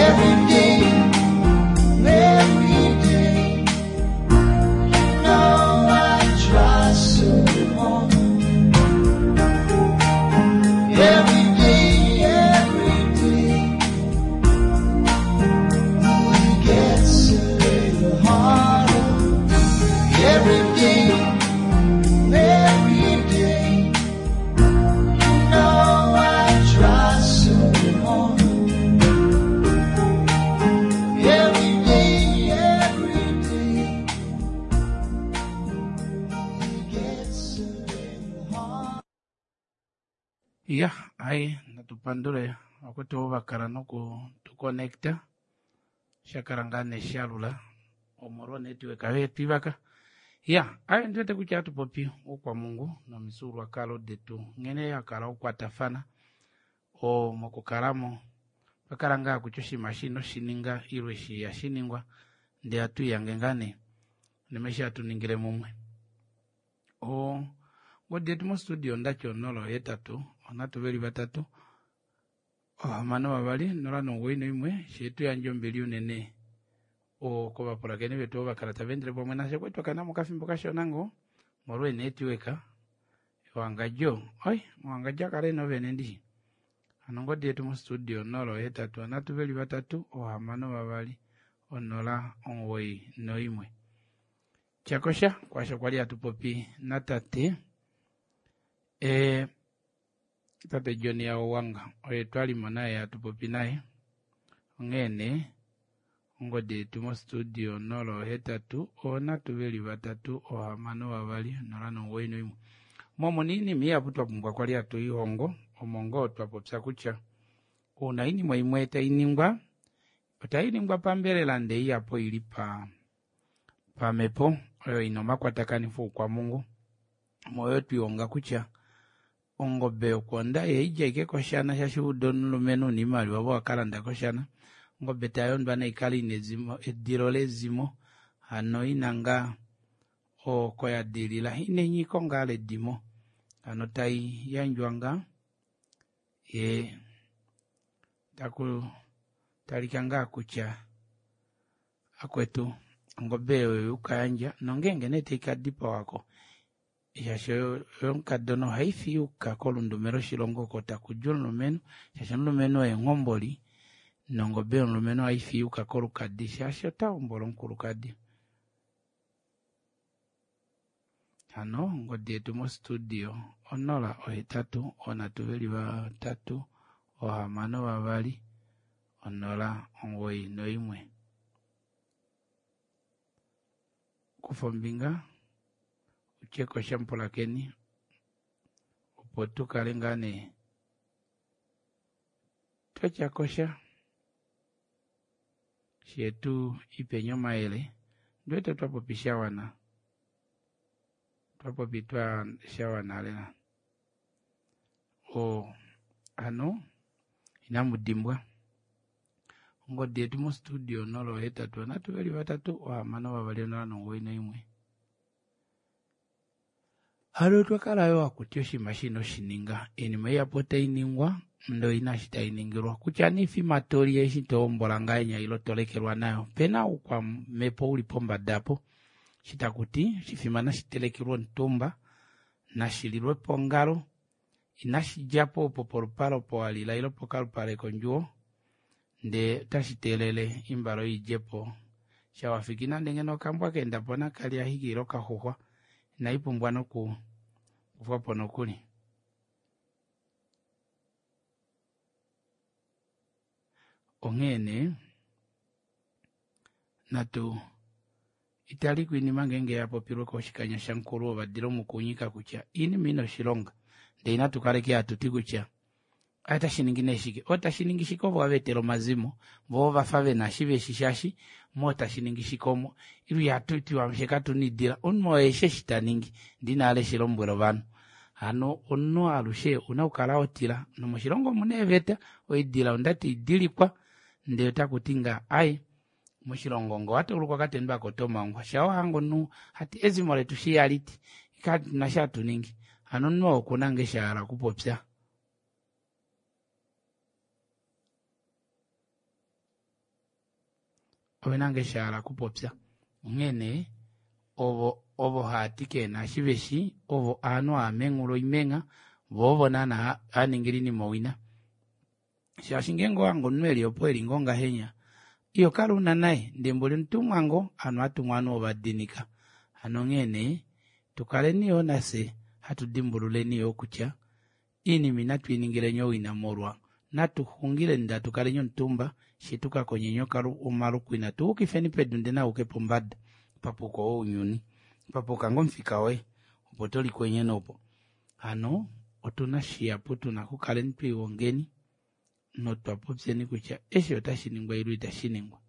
Every day, every day. You know I try so hard. Every day, every day. Ooh, it gets a little harder. Every day, every day. You know I try so hard. Every day, every day. Ooh, it gets a little hard. Ya, ai natupandule akuti ovo vakala noku tukonecta shakala ngaa neshalula omolwa onetwork yetu ivaka ya ai ndiwete kutya atupopi oukwamungu nomifyuululwakalo detu nghene yakala okukwatafana o mokukalamo twakala ngaa kutya oshinima eshi inoshininga ile eshi ihashiningwa ndee atuiyange ngaa nee unene eshi hatuningile mumwe o ngodi yetu mostudio ondati onola ohetatu onhatu veli vatatu ohamano vavali nola nomugoyi noimwe sheetuyandja ombili unene o kovapulakeni vetu ovo vakala tava endele pamwe nafye kwali twakana mokafimbo kashona ngoo molwa eenetwork ewangadjo oi ewangadjo akala ena ovene ndishi hano ongodi yetu mostudio onola ohetatu onhatu veli vatatu ohamano vavali onola omugoyi noimwe tyakosha kwaasho kwali hatupopi natate e, tate John Yawanga oye twalimo naye hatupopi naye onghee nee ongodi yetu mostudio onola ohetatu onhatu veli vatatu ohamano vavali onola nomugoyi noimwe momuna oinima ihapu twapumbwa kwali hatuihongo omo ngoo twapopya kutya uuna oinima imwe tainingwa otainingwa pambelela ndee ihapu oili pa pamhepo oyo ina omakwatakanifo oukwamungu moyo twihonga kutya ongobe yokwonda ihaidja ashike koshana shaashi uda omulumenhu una oimaliwa ove wakalanda koshana ongobe tayondwa naikale ina ezimo edilo lezimo hano ina ngaa oko yadilila ina enyiko ngaa ledimo hano taiyandjwa ngaa yee taku talika ngaa kutya akwetu ongobe oyo ukayandja nongenge nee taikadipawako shaashi yomukadona ohaifi yuka kolundume loshilongo oko takudi omulumenhu shaashi omulumenhu oye nghomboli nongobe yomulumenhu ohaifi yuka kolukadi shaashi otahombola omukulukadi hano ongodi yetu mostudio onola ohetatu onhatu veli vatatu ohamano vavali onola omugoyi noimwe kufa ombinga utyekosha mupulakeni opo tukale ngaa nee twatyakosha shetu ipeni omayele ndiwete twapopi shawana twapopi twa shawana lela o hano inamudimbwa ongodi yetu mostudio onola ohetatu onhatu veli vatatu ohamano vavali onola nomugoyi noimwe hano twakala yo hakuti oshinima eshi inoshininga oinima ihapu otainingwa ndee oina eshi tainingilwa kutya nee ifima toli eshi tohombola ngahenya ile tolekelwa nayo opena oukwamhepo uli pombada apo eshi takuti oshifima nashitelekelwe omutumba nashililwe pongalo inashidjapo opo polupale opo walila ile pokalupale kondjuwo ndee otashi teelele oimbale oyo idjepo shawafiki nande ngeno okambwa kaendapo nakalya ashike ile okaxuxwa inaipumbwa noku kufwapo nokuli onghee nee natu italiko oinima ngeenge yapopilwe koshikanya shamukulu ovadila omukunyika kutya oinima ina oshilonga ndee inatu kaleke hatuti kutya otashiningi nee shike otashiningi shike ovo vavetela omazimo voo vafa vena eshi veshi shaashi moo tashiningi shike omo ile ihatutiwa fye katuna oidila omunhu oo eshi eshi taningi ndee ina eshi lombwela ovanhu hano omunhu alushe ouna okukala hotila nomoshilongo omuna eeveta oidila ondati idilikwa ndee otakuti ngaa ai moshilongo ngee owatauluka okatendo aako otomangwa shaa wahange omunhu hati ezimo letu eshi ihaliti katuna eshi hatuningi hano omunhu oo okuna ngoo eshi ahala okupopya. Ovena nge shahala kupopya. Onghee nee ovo ovo haati keena eshi veshi ovo aanhu haamengula oimengha vo ovo naana haningila oinima owina. Shaashi ngeenge owange omunhu eli opo eli ngoo ngahenya iho kala una naye ndee mboli omutumwa ngoo ovanhu hatumwa ovanhu ovadinika. Hano onghee nee tukaleni yoo nafye hatu dimbululeni yoo kutya iinima inatu iningileni owina molwa natu xungileni ndee hatukaleni omutumba shee tukakonyeni omalukwina tuukifeni pedu ndee nauke pombada papuko ounyuni papuka ngoo omufika woye opo tolikwenyene opo. Hano otuna shihapu tuna okukaleni twiihongeni notwa popyeni kutya eshi otashi ningwa ile itashi ningwa.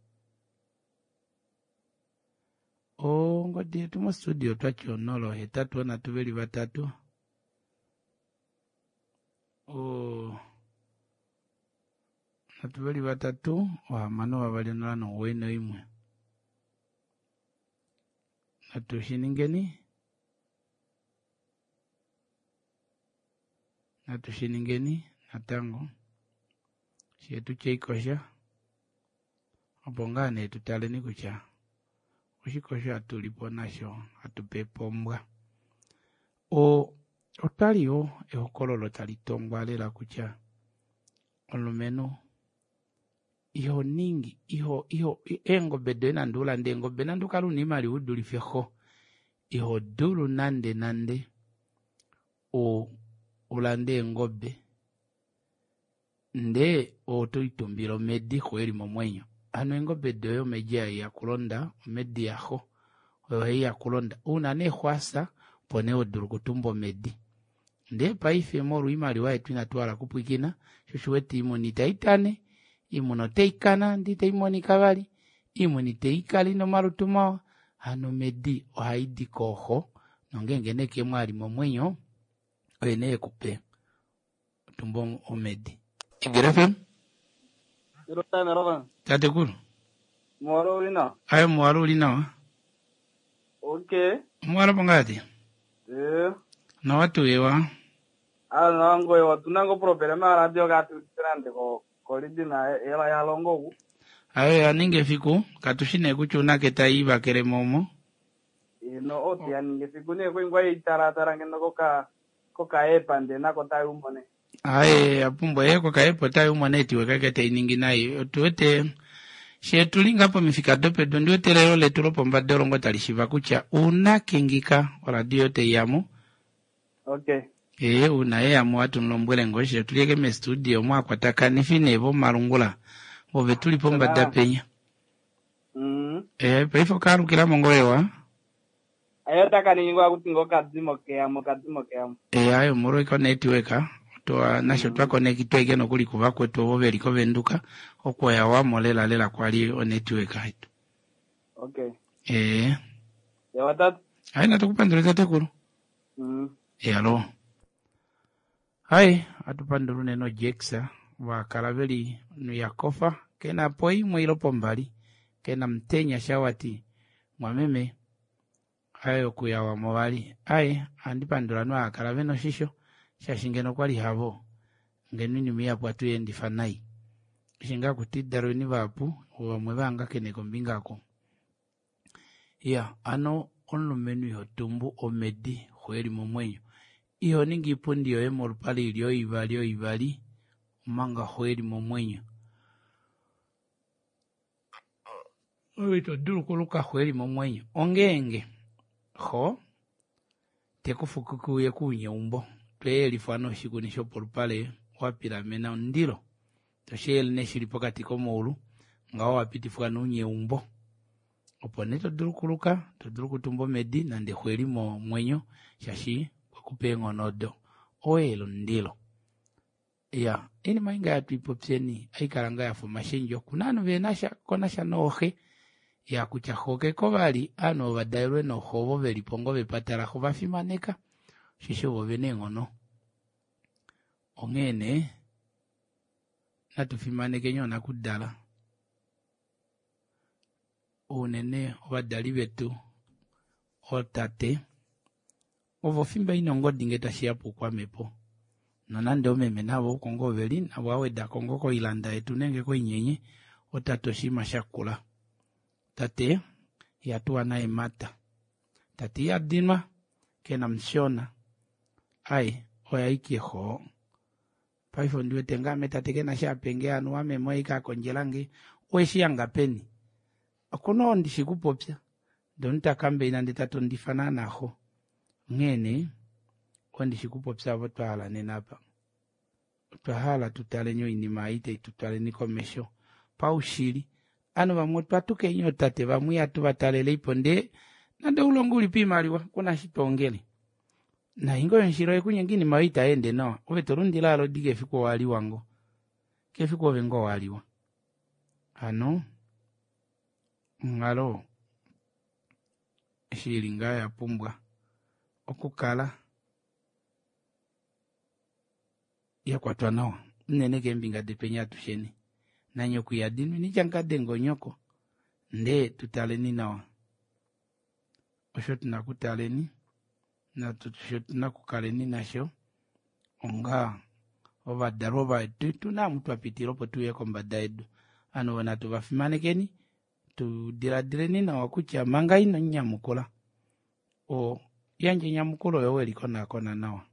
Ongodi yetu mostudio otwati onola ohetatu onhatu veli vatatu o nhatu veli vatatu ohamano vavali onola nomugoyi noimwe. Natu shiningeni natu shiningeni natango shetu cheikosha opo ngaa nee tutaleni kutya oshikosho hatulipo nasho hatupe pombwa. O otwali yoo ehokololo tali tongwa lela kutya omulumenhu iho ningi iho iho eengobe doye nande ulande eengobe nande ukale una oimaliwa udulife xo iho dulu nande nande u ulande eengobe ndee otoitumbile omedi xo eli momwenyo. Hano eengobe doye omedi haiya kulonda omedi yaxo oyo haiya kulonda una nee xo asa opo nee hodulu okutumba omedi. Ndee paife molwa oimaliwa yetu inatu hala okupwiikina sho oshiwete oimuna itaitane oimuna otaikana ndee itaimonika vali oimuna itaikala ina omalutu mawa hano omedi ohaidi kooxo nongeenge nee kemwe ali momwenyo oye nee ekupe otumba omedi. Igele F M? Tatekulu. Muwalo uli nawa? Ayo muwalo uli nawa. Okay. Muwalo pongati? Eh. Nawa tuyewa. Ah, nawa ngoye otuna ngo problema ya radio katu nande ko kolidi na ela ya longo oku. Ayo ya ninga efiku katushi nee kutya unake tai vakele momo. Ino oti ya ninga efiku nee kwingwa itaratara ngeno koka koka epa nde nako tayi umone. Aye apumbwa ye koka epa otayi umone etiwe kake tai ningi nai. Otuwete she tulinga pomifika dopedu ndiwete lelo letu lopombada olongo tali shiva kutya unake ngika oradio teiyamo. Okay. Eh una ye amo atu nlombwele ngo she tulieke me studio mwa kwatakanifi ne vo malungula. Ove tuli pombada penya. Mm. Eh paife okalukila mongoyewa. Ayo takaningwa kuti ngokadzimo keyamo kadzimo keyamo. Eh ayo molwa iko network toa nasho twa connectwa ike nokuli kuva kwetu ovo veli kovenduka okwoya wamo lela lela kwali o network yetu. Okay. Eh. Ewa tatu. Ayi natukupandula tatekulu. Mm. Eh alo. Hai atupandula unene Jacksa wakala veli nuyakofa kena po imwe ilo pombali kena mtenya shawati mwameme ayo kuyawa movali. Ayi andipandula nwakala veno shisho shaashi ngeno kwali havo ngeno inima ihapu atuyendifa nai. Eshi ngaa kuti dalweni vahapu vamwe vahangakene kombinga ako. Ya ano omulumenhu iho tumbu omedi xo eli momwenyo. Iho ningi iipundi yoye molupale ili oivali oivali omanga xo eli momwenyo. Oyo ito dulu okuluka xo eli momwenyo. Ongeenge xo tekufukuki uye kuunyeumbo tweyelifwa noshikuni shopolupale wapilamena omundilo toshiyele nee shili pokati komaulu ngaho wapitifwa nounyeumbo opo nee todulu okuluka todulu okutumba omedi nande xo eli momwenyo shaashi kwekupa eenghono odo oweyele omundilo. Ya iinima inga yatwiipopyeni aikala ngaa yafa omashendjo kuna ovanhu venasha konasha nooxe ya kutya xo keko vali ovanhu ovadalelwe nooxo ovo velipo ngoo vepata laxo vafimaneka osheshi ovo vena eenghono. Onghee nee natu fimanekeni oonakudala unene ovadali vetu ootate ovo fimba ina ongodi ngee tashiya poukwamhepo nonande omeme navo oko ngoo veli navo awedako ngoo koilanda yetu nenge koinyenye otate oshinima shakula. Tate iha tuwa naemata. Tate iha dinwa kena mushona. Ai oya ike xoo. Paife ondi wete ngame tate kena sha apenge anuwa meme oye ike akondjelange. Oweshi hanga peni? Okuna oo ndishi kupopya. Ndee omunhu takambeina ndee tatondifa naana xo. Onghee nee ondishi kupopya ovo twahala nena apa. Otwa hala tutaleni oinima ei tai tutwaleni komesho paushili. Ovanhu vamwe otwa tukeni ootate vamwe ihatu vataleleipo ndee nande oulongo ulipo oimaliwa kuna eshi twoongele. Nainga oyo oyekunyenga oinima oyo itayeende nawa ove tolundile owala odi kefiku owaliwa ngoo. Kefiku ove ngoo waliwa. Hano onghalo eshi ili ngaho oyapumbwa okukala yakwatwa nawa unene keembinga detweni atusheni. Nanyoko ihadinwa initya mukadenge onyoko ndee tutaleni nawa. Osho tuna okutaleni osho tuna okukaleni nasho onga ovadalwa vetu tuna omu twapitila opo tuuye kombada yedu. Ovanhu ovo natu vafimanekeni tudiladileni nawa kutya manga ino munyamukula o yandja enyamukulo oyo welikonakona nawa.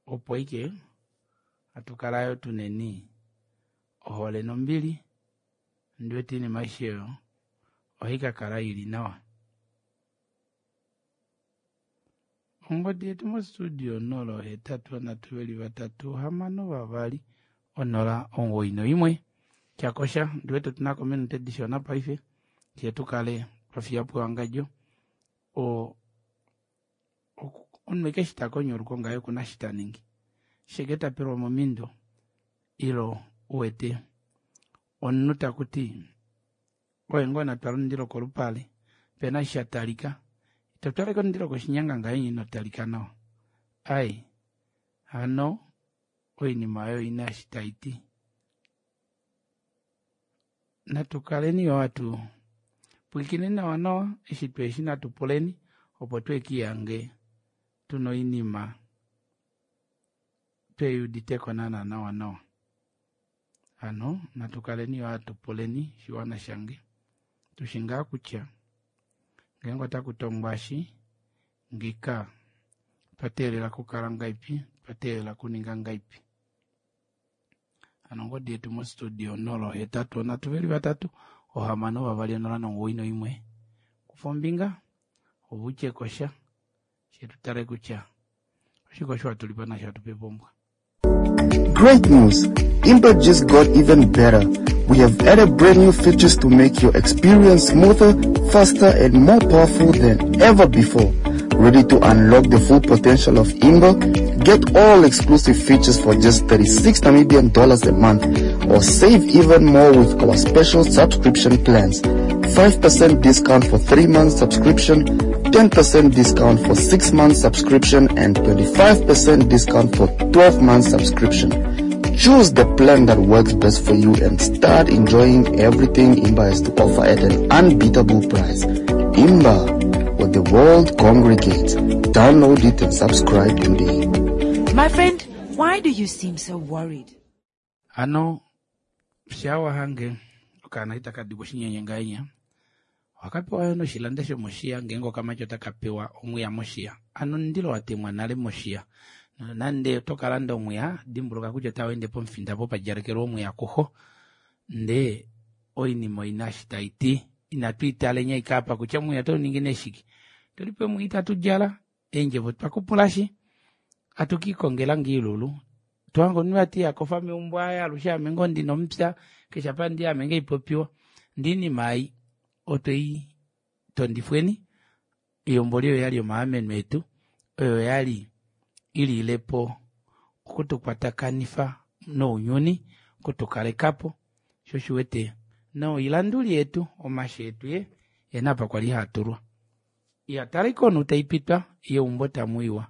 Opo ike hatukala yoo tuneni ohole nombili ondiwete oinima aishe oyo ohaikakala ili nawa. Ongodi yetu mostudio onola hetatu vanhatu veli vatatu hamano vavali onola omugoyi noimwe. Tyakosha ondiwete otunako ominute dishona paife fyee tukale twafiyapo ewangadjo. Oo omunhu ashike eshi takonyoluko ngaho okuna eshi taningi. Sheke tapelwa momindo ilo uwete omunhu takuti oye ngoo natwala omundilo kolupale pena eshi shatalika. Ito twaleke omundilo koshinyanga ngahenya ino talika nawa. Ai hano oinima oyo oina eshi taiti. Natukaleni yoo hatu pwilikine nawa nawa eshi tweeshi natu puleni opo twekiihange tuna oinima tweyuuditeko naana nawa nawa. Hano natukaleni yoo hatu puleni shiwana shange. Tushi ngaa kutya ngeenge otakutongwa eshi ngika otwa kukala ngaipi, otwa kuninga ngaipi. Hano ongodi yetu mostudio onola hetatu onhatu veli vatatu ohamano vavali onola nomugoyi noimwe. Kufa ombinga ove utyekosha fye tutale kutya oshike osho hatulipo nasho hatupepa ombwa. Great news! Imba just got even better. We have added brand new features to make your experience smoother, faster, and more powerful than ever before. Ready to unlock the full potential of Imba? Get all exclusive features for just thirty-six Namibian dollars a month, or save even more with our special subscription plans. five percent discount for three months subscription, ten percent discount for six months subscription, and twenty-five percent discount for twelve months subscription. Choose the plan that works best for you and start enjoying everything Imba has to offer at an unbeatable price. Imba, where the world congregates. Download it and subscribe today. My friend, why do you seem so worried? Hano shawa hange okaana itaka dikwa oshinyenye ngahenya ohakapewa yo noshilanda shomoshiya ngeenge okamati otaka pewa omwiya moshiya. Hano omundilo watemwa nale moshiya. Nande oto kalanda omwiya dimbuluka kutya otaweende pomufinda opo padjalekelwa omwiya kuxo. Ndee oinima oina eshi taiti. Inatu italeni ashike apa kutya omwiya otauningi nee shike. Tulipo omwiya itatu djala eendjevo twakupulashi hatukiikongela ngoo ilulu. Tohange omunhu vati ihakofa meumbo aaye alushe ame ngoo ndina omupya keshe apa ndi ame ngoo haipopiwa. Ndee oinima ei otwei tondifweni oihomboli oyo oyali yomaameno etu oyo yali ililepo okutukwatakanifa nounyuni okutukalekapo sho oshiwete noilanduli yetu omashe etu ye ena apa kwali haatulwa. Iya tala ashike omunhu taipitwa yeumbo tamuiwa.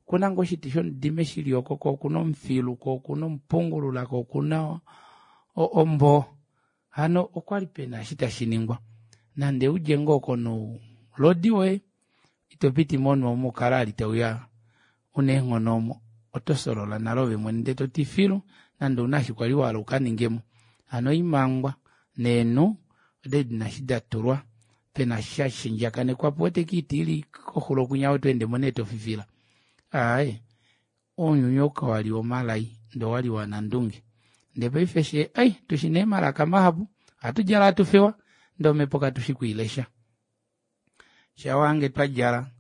Okuna ngoo oshiti shomudime shili oko ko okuna omufilu ko okuna omupungulula ko okuna omboo. Hano okwali pena eshi tashiningwa. Nande udje ngoo konoulodi woye ito piti monhu omo ukale ali tauya una eenghono omo oto solola nale ove mwene ndee toti filu nande ouna eshi kwali wahala ukaningemo. Hano oimangwa neenhu Odali dina eshi datulwa pena sha shendjakanekwapo wete kiiti ili koxulo kwinya otweendemo nee tofifila. Aaye, ounyuni ou kawali womalai ndee owali wanandunge. Ndee paife she ai tushina eemalaka mahapu ohatu djala hatu fewa ndee omepo katushi kwiilesha. Shawange twadjala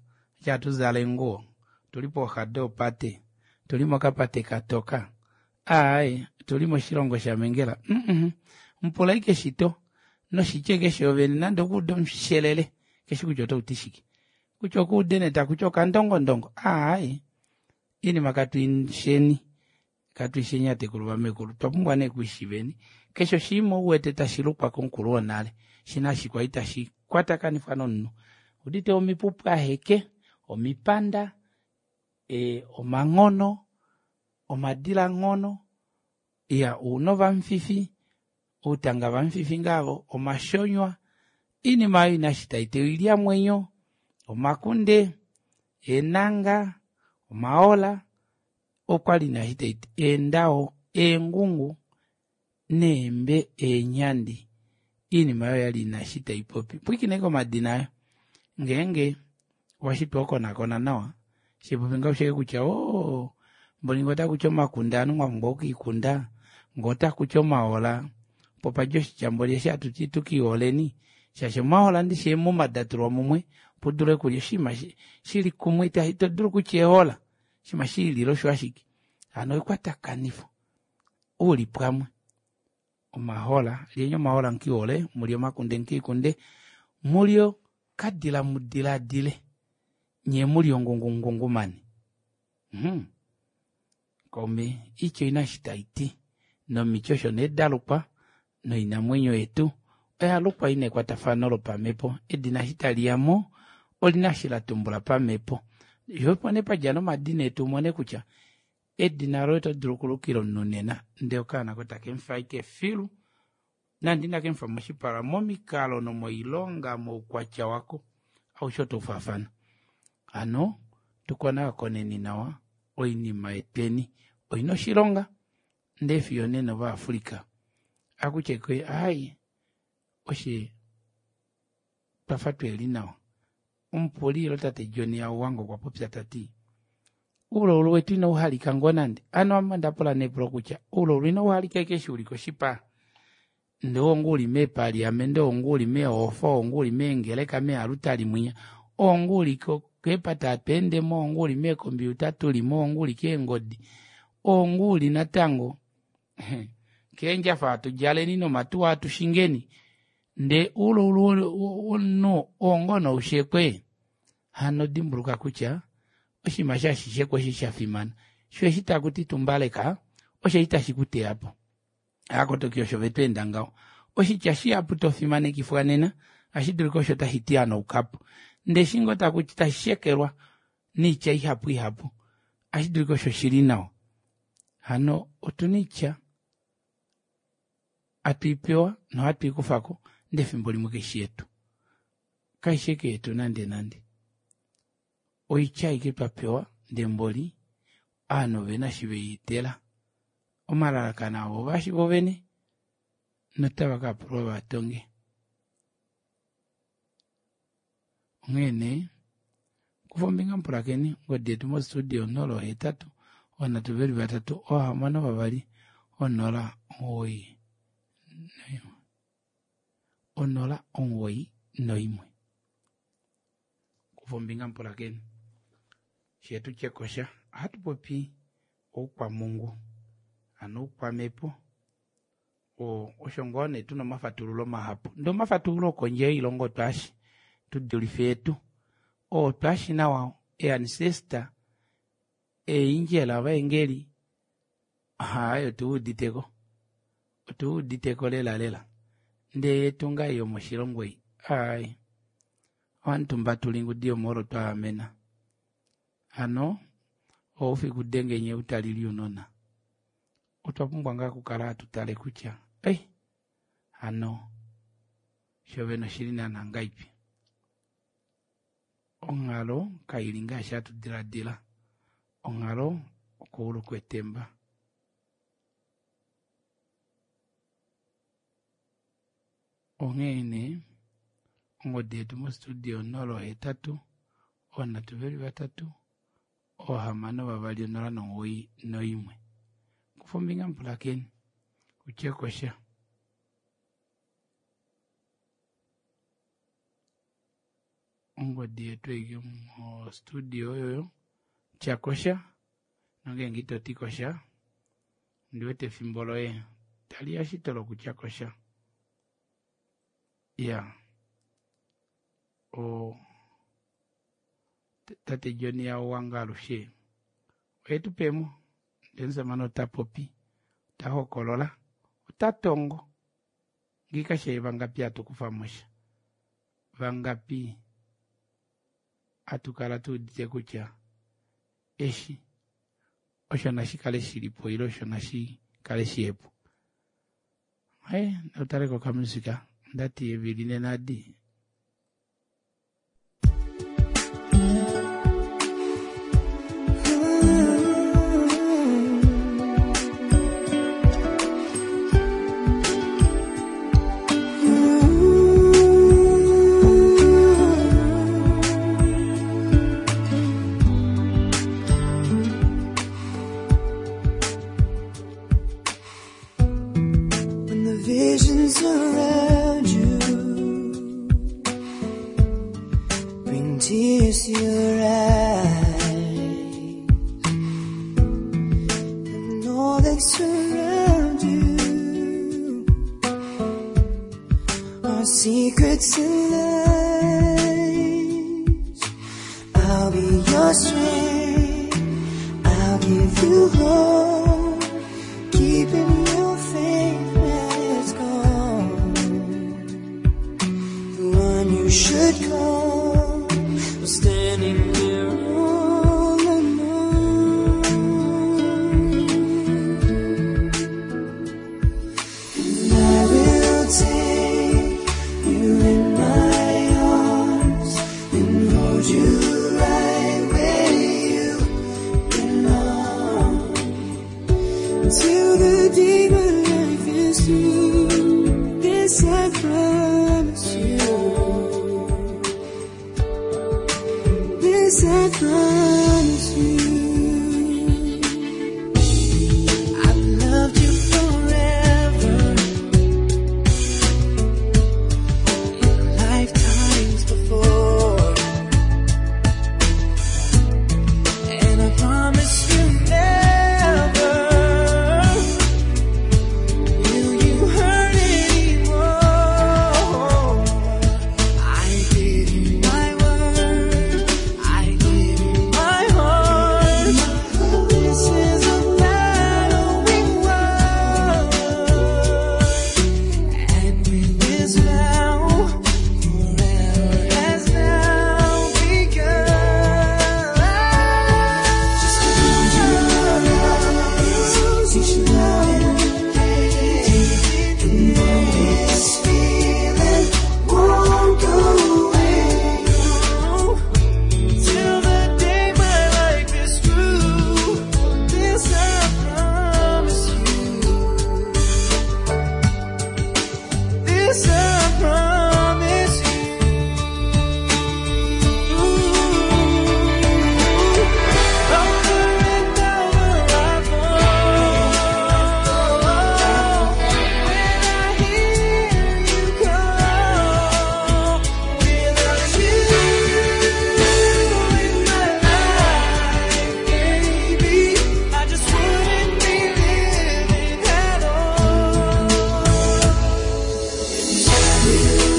eshi hatuzala eenguwo otuli pooxa doopate, otuli mokapate katoka, aaye otuli moshilongo shamengela mm mupula ashike shito noshitya ashike shoovene nande okuude omushelele keshi kutya otauti shike, kutya okuude nee takuti okandongondongo aaye oinima katuisheni katuisheni atekulu vamekulu otwa pumbwa nee okwiishiveni. Keshe oshinima uwete tashilukwa komukulu wonale shina ashike kwali tashi kwatakanifwa nomunhu. Udite omipupwaheke, omipanda, e, omanghono, omadilanghono, iya ouna ovamufifi, outanga vamufifi ngaavo, omashonywa, oinima oyo ina eshi taiti oilyamwenyo, omakunde, eenanga, omaola, okwali ina eshi taiti eendao, eengungu neembe eenyandi. Oinima oyo oyali ina eshi taipopi. Pwiikina ashike omadina ayo ngeenge owashitwa okonakona nawa shipopi ngaho ushike kutya oo mboli ngee otakuti omakunde ovanhu mwapumbwa okukiikunda, ngee otakuti omahola opo padja oshitya mboli eshi hatuti tukiiholeni shaashi omahola ndishi eemuma datulwa mumwe opo udule okulya oshinima shili kumwe ito dulu kutya ehola oshinima shilile osho ashike. Hano ekwatakanifo uli pamwe omahola lyeni omahola mukiihole mulye omakunde mukiikunde mulye okadila mudilaadile nyee mulye ongungu mungungumane. Mhm. Kaume oitya oina eshi taiti nomiti osho nee dalukwa noinamwenyo yetu oyalukwa ina ekwatafano lopamhepo. Edina eshi taliyamo olina eshi latumbula pamhepo. Opo nee padja nomadina etu umone kutya edina loye oto dulu okulukila omunhu nena ndee okaana ko takemufa ashike filu nande inakemufa moshipala momikalo nomoilonga moukwatya wako aushe otaufaafana. Hano tukonakoneni nawa oinima yetweni oina oshilonga ndee fiyo nena ovaAfrica akutye ke ai oshe twafa tweli nawa. Omupuli ilo tate John Hauwanga okwa popya tati oulaulu wetu inauhalika ngoo nande. Ano ame ondapula neepulo kutya oulaulu inauhalika ashike eshi uli koshipa ndee oo uli meepaliamente, oo uli meehofa, oo uli meengeleka, meealutali mwinya, oo uli keepate hatweendemo, oo uli meekompiuta tulimo, oo uli keengodi, oo uli natango keendjafa hatu djaleni nomatuwa hatu shingeni ndee oulaulu womunhu oo ngoo noushekwe. Hano dimbuluka kutya oshinima eshi hashishekwa eshi shafimana sho eshi takuti tumbaleka osho eshi tashi kuteyapo. Aakotoki osho vetweenda ngaho. Oshitya shihapu tofimanekifwa nena ohashi dulika osho tashi ti hanaukapo ndee eshi ngoo takuti tashi shekelwa noitya ihapu ihapu ohashi dulika osho shili nawa. Hano otuna oitya hatuipewa nohatu ikufako ndee efimbo limwe kaishi yetu, kaishi eke yetu nande nande. Oitya aike twapewa ndee mboli ovanhu ovena eshi veietela omalalakano avo ovashi vovene notava kapulwa vatonge. Onghee nee kufa ombinga mupulakeni ongodi yetu mostudio onola ohetatu ovanhatu veli vatatu oohamano vavali onola omugoyi onola omugoyi noimwe. Kufa ombinga mupulakeni shetu tyekosha ohatu popi oukwamungu hano oukwamhepo osho ngoo nee tuna omafatululo mahapu ndee omafatululo okondje yoilongo twaashi tudulife yetu oo twaashi nawa ee-ancestor eeangel ovaengeli aaye otuuditeko otuuditeko lela lela ndee yetu ngaa yomoshilongo ei aaye ohamutumba tuli ngudi yomoolo twaamena. Hano oufiku denge nye utalili ounona otwa pumbwa ngaa okukala hatu tale kutya ei hano shovene oshili naana ngaipi. Onghalo kaili ngaashi hatu diladila, onghalo okoulu kwetemba. Onghee nee ongodi yetu mostudio onola ohetatu oonhatu veli vatatu oohamano vavali onola nomugoyi noimwe. Kufa ombinga mupulakeni utye kosha. Ongodi yetu ei mostudio oyoyo tya kosha nongenge ito ti kosha ondiwete efimbo loye taliya shito lokutya kosha. Iya o tate John Yawanga alushe oye tu pemo ndee omusamane ota popi ota hokolola ota tongo ngiika she vangapi hatu kufa mosha vangapi hatu kala tuudite kutya eshi osho nashi kale shilipo ile osho nashi kale shihepo. Haye nautaleko okamusika ndati evili nenadi. When the visions around you bring tears to your eyes, and all that surround you are secrets and lies. I'll be your strength, I'll give you hope, keeping your faith when it's gone. The one you should call was standing there all alone. And I will take you in my arms and hold you right where you belong. Till the day my life is through, this I promise you. This I promise you. I've loved you forever, in lifetimes before, and I promise you never will you hurt anymore. I give you my word, I give you my heart. This is a battle we won, and with this vow, forever has now begun. Just close your eyes, each night and day, and know this feeling won't go away. Till the day my life is through, this I promise you. This I promise you. Over and over I fall. When I hear you call, without you in my life, baby, I just wouldn't be living at all. And I will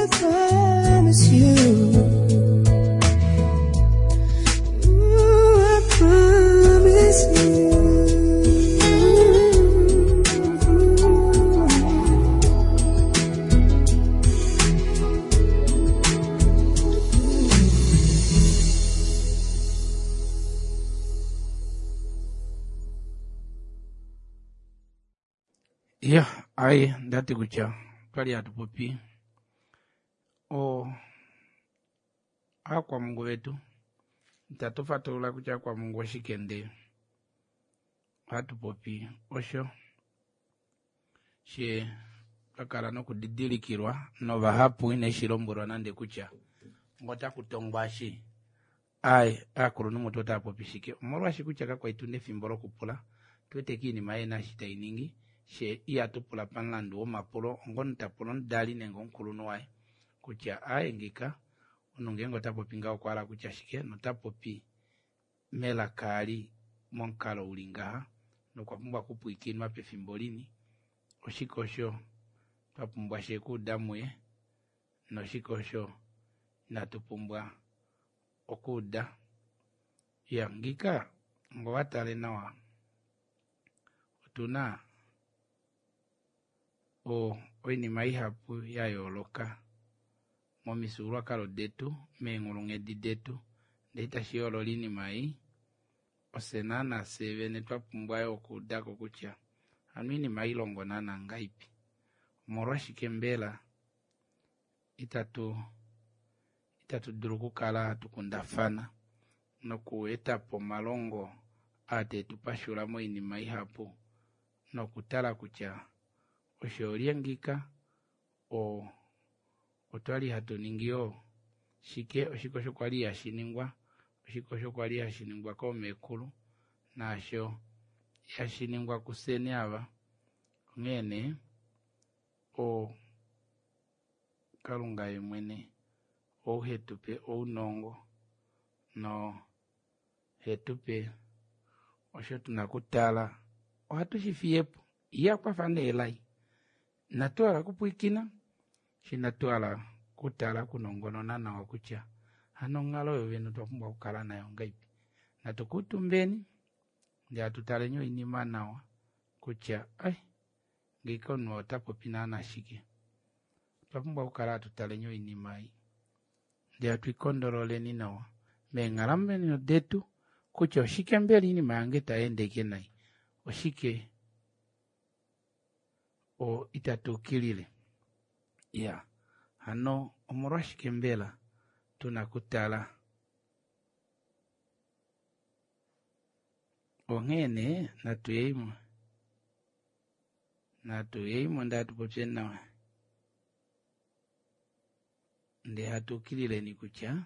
I promise you. Ooh, I promise you. Ya, ai ndati kutya twali hatu popi o aakwamungu vetu itatu fatulula kutya aakwamungu oshike ndee ohatu popi osho she twakala nokudidilikilwa novahapu ine shi lombwelwa nande kutya ngotakutongwa shi ai aakulunhu mutu otava popi shike omolwashi kutya kakwali tuna efimbo lokupula tuwete kiinima yena eshi tainingi she ihatu pula pamulandu womapulo ongomunhu tapula omudali nenge omukulunhu waye kutya aye ngika omunhu ngeenge ota popi ngaho okwa hala kutya shike nota popi melaka ali momukalo uli ngaha nokwa pumbwa okupwiikinwa pefimbo lini oshike osho twa pumbwa shekuuda muye noshike osho inatu pumbwa okuuda. Ya ngika ngowatale nawa otuna o oinima ihapu ya yooloka momifyuululwakalo detu meenghulunghedi detu ndee itashi yoolola oinima ei ofye naana fyee vene twa pumbwa yo okuudako kutya hano oinima ilongo naana ngahelipi omolwashike mbela itatu itatu dulu okukala hatu kundafana nokuetapo omalongo aa tetu pashula moinima ihapu nokutala kutya osho olye ngika o otwali hatu ningi yoo shike oshike osho kwali hashi ningwa oshike osho kwali hashi ningwa koomekulu naasho hashi ningwa kufyeni ava onghee nee o Kalunga ye mwene ou hetupe ounongo no hetupe osho tuna kutala ohatu shi fiyepo iye akwafa nee elai inatu hala okupwiikina shi inatu hala kutala okunongonona nawa kutya hano onghalo oyo vene otwa pumbwa okukala nayo ngahelipi natu kuutumbeni ndee hatu taleni oinima nawa kutya ai ngeika omunhu ota popi naana shike otwa pumbwa okukala hatu taleni oinima ei ndee hatu ikondololeni nawa meenghalamwenyo detu kutya oshike mbela oinima yange tayeendeke nai oshike o itatu ukilile ya hano omolwashike mbela tuna kutala onghee nee natuyeimo natuyeimo ndee hatu popyeni nawa ndee hatu ukilileni kutya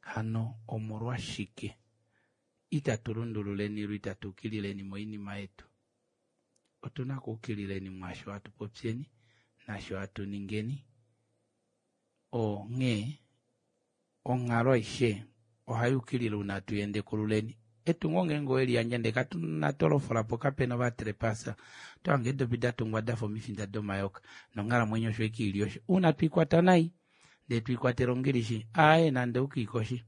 hano omolwashike itatu lundululeni lwe itatu ukilileni moinima yetu otuna okuukilileni mwaasho hatu popyeni naasho hatu ningeni onghee onghalo aishe ohai ukilile una tuyendekululeni etungo ngeenge oweliyandja ndee katuna tolofolapo kapena ovatrepasa tohange eedopi datungwa dafa omifinda domayoka nonghalamwenyo osho ike ili osho una twiikwata nai ndee twiikwatela ongilishi aaye nande ukiikoshi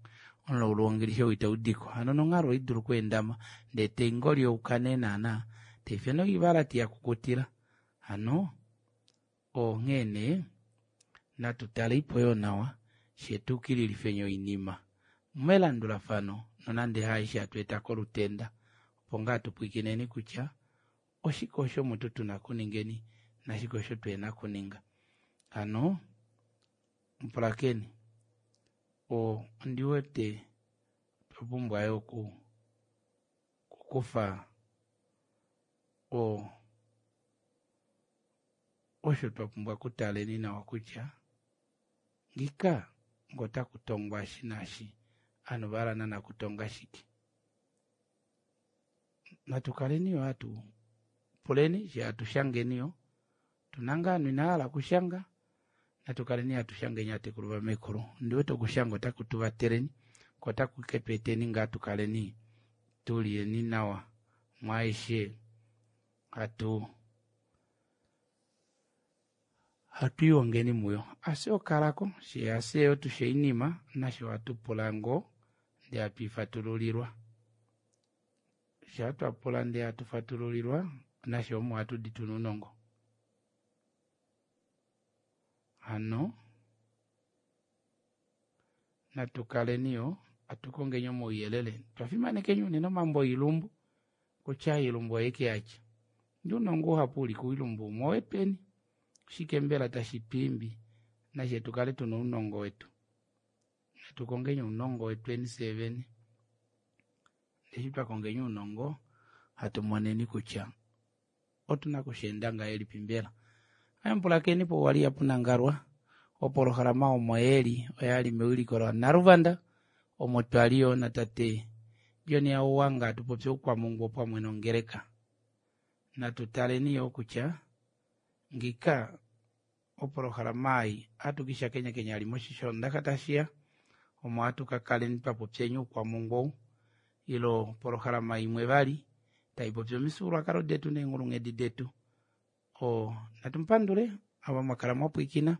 omulaulu wongilishi ou itaudiko hano nonghalo oidulu okweendama ndee taingolyouka nee naana taife noivalati yakukutila hano onghee nee natu taleipo yoo nawa shetuukililifeni oinima melandulafano nonande haaishe hatu eta kolutenda opo ngaa tupwikineni kutya oshike osho mutu tuna kuningeni nashike osho tuhena kuninga hano mupulakeni o ondiwete otwa pumbwa yo oku okukufa o osho twa pumbwa okutaleni nawa kutya ngika ngotakutongwa eshi naashi ovanhu ovahala naana kutonga shike natu kaleni yo hatu puleni she hatu shangeni yo tuna ngaa ovanhu inahala okushanga natu kaleni hatu shangeni aatekulu vamekulu ondiwete okushanga otaku tu vateleni ko otaku ketu eteni ngaa tukaleni tuliyeni nawa mwaaishe hatu Hatu iongeni muyo. Ase okalako, she ase yo tushe inima, nasho hatu pula ngoo, ndee hatu ifatululilwa. Sha twapula ndee hatu fatululilwa, nasho omo hatu di tuna ounongo. Hano, natu kaleni yo, hatu kongeni omauyelele. Twafimanekeni unene omambo oilumbu, kutya oilumbu oye yatya. Ndee ounongo uhapu uli koilumbu umwe owetweni. Shike mbela tashi twimbi, nashe tukale tuna ounongo wetu. Natu kongeni ounongo wetweni fyee vene. Eshi twakongeni ounongo, hatu moneni kutya otuna okusheenda ngahelipi mbela. Ayamupulakeni po wali yapunangalwa, opolohalama omo yeli oyali mewiliko la Naluvanda, omo twali yo natate John Hauwanga tupopye oukwamungu pamwe nongeleka. Natu taleni yo kutya ngika opolohalama ei atukisha kenya kenya ali moshishondaka tashiya, omo atukakaleni twapopyeni oukwamungu ou, ilo polohalama imwe vali taipopya omifyuululwakalo detu neenghulunghedi detu. O natumupandule ava mwakala mwapwikina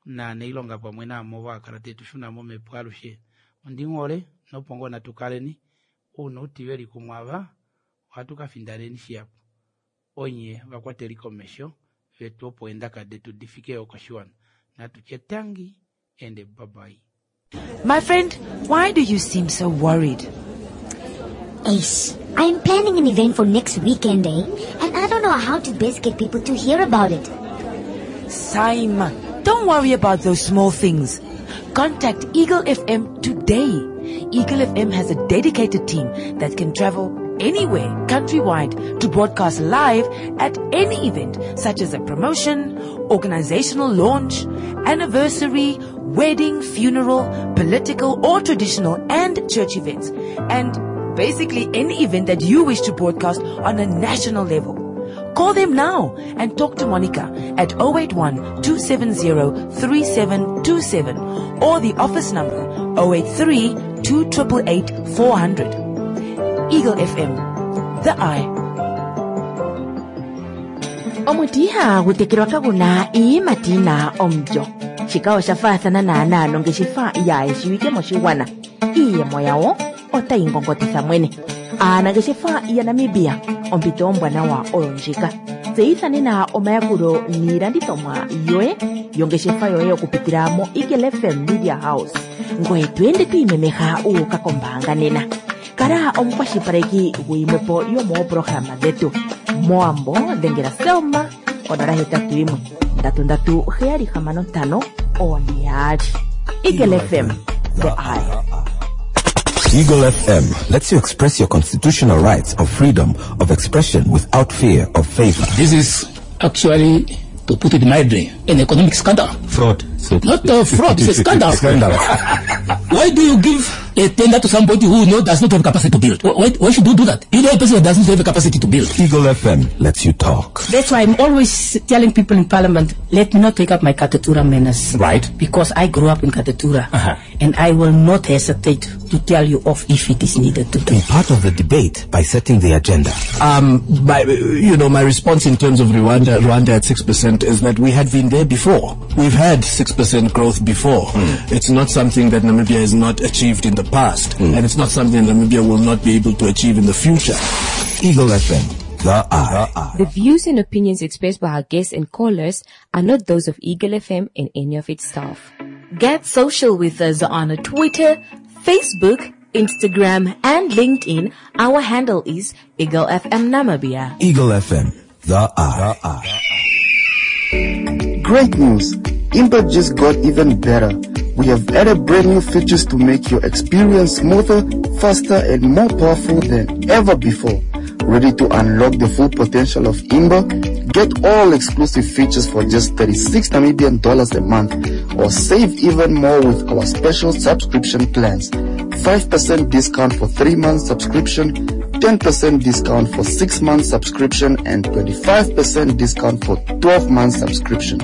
na neilonga pamwe naamo vakala tetushuna momhepo alushe. Ondinghole nopo ngoo natukaleni ouna outiveli kumwe ava ohatu kafindaneni shihapu. Onye vakwateli komesho vetu opo eendaka detu difike yo koshiwana. Natutye tangi and bye bye. My friend, why do you seem so worried? Ace, I'm planning an event for next weekend, eh? And I don't know how to best get people to hear about it. Simon, don't worry about those small things. Contact Eagle F M today. Eagle F M has a dedicated team that can travel anywhere countrywide to broadcast live at any event such as a promotion, organizational launch, anniversary, wedding, funeral, political or traditional and church events, and basically any event that you wish to broadcast on a national level. Call them now and talk to Monica at oh eight one, two seven zero, three seven two seven or the office number oh eight three, two triple eight, four hundred. Eagle F M, the eye. Omuti ihagu tekelwa kaguna iiyimati yina omulyo. Shika osha faathana naanaa nongeshefa yaayeshiwike moshigwana. Iiyemo yawo otayi ngongotitha mwene. Aanangeshefa yaNamibia, ompito ombwanawa oyo ndjika. Tseyitha nena omayakulo niilandithomwa yoye yongeshefa yoye okupitila mo Eagle F M Media House. Ngoye to ende to imemeha u uka kombaanga nena. Kala omukwashilipaleki guyimwepo yomoopolohalama dhetu. Moambo dhengela Selma onola hetatu yimwe ndatu ndatu heyali hamano ntano one yaali. Eagle F M, the eye. Eagle F M lets you express your constitutional rights of freedom of expression without fear of favor. This is actually, to put it mildly, an economic scandal. Fraud. So Not a fraud, it's a scandal. Scandal. Why do you give a tender to somebody who know does not have capacity to build? Why, why should you do that? You know a person that doesn't have the capacity to build. Eagle F M lets you talk. That's why I'm always telling people in Parliament, let me not take up my Katutura manners. Right. Because I grew up in Katutura. Uh-huh. And I will not hesitate to tell you off if it is needed to do. Be part of the debate by setting the agenda. Um, my, you know, my response in terms of Rwanda, Rwanda at six percent is that we had been there before. We've had six percent growth before. Mm. It's not something that Namibia has not achieved in the past, mm. and it's not something Namibia will not be able to achieve in the future. Eagle F M, the eye. The views and opinions expressed by our guests and callers are not those of Eagle F M and any of its staff. Get social with us on Twitter, Facebook, Instagram, and LinkedIn. Our handle is Eagle F M Namibia. Eagle F M, the eye. Great news! Imba just got even better. We have added brand new features to make your experience smoother, faster, and more powerful than ever before. Ready to unlock the full potential of Imba? Get all exclusive features for just thirty-six Namibian dollars a month, or save even more with our special subscription plans. five percent discount for three month subscription, ten percent discount for six month subscription, and twenty-five percent discount for twelve month subscription.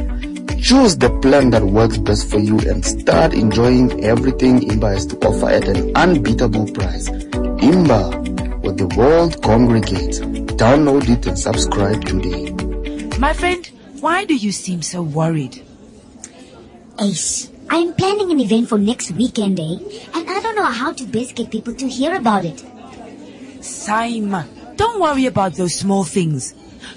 Choose the plan that works best for you and start enjoying everything Imba has to offer at an unbeatable price. Imba, where the world congregates. Download it and subscribe today. My friend, why do you seem so worried? Ace, I'm planning an event for next weekend, eh? And I don't know how to best get people to hear about it. Simon, don't worry about those small things.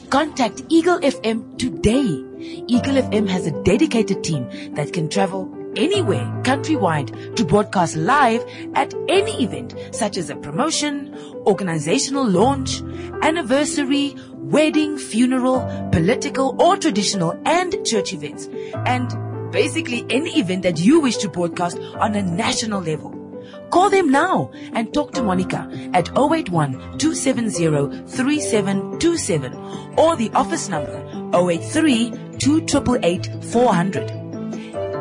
Contact Eagle F M today. Eagle F M has a dedicated team that can travel anywhere countrywide to broadcast live at any event such as a promotion, organizational launch, anniversary, wedding, funeral, political or traditional and church events. And basically any event that you wish to broadcast on a national level. Call them now and talk to Monica at oh eight one two seven zero three seven two seven or the office number oh eight three two eight eight four hundred.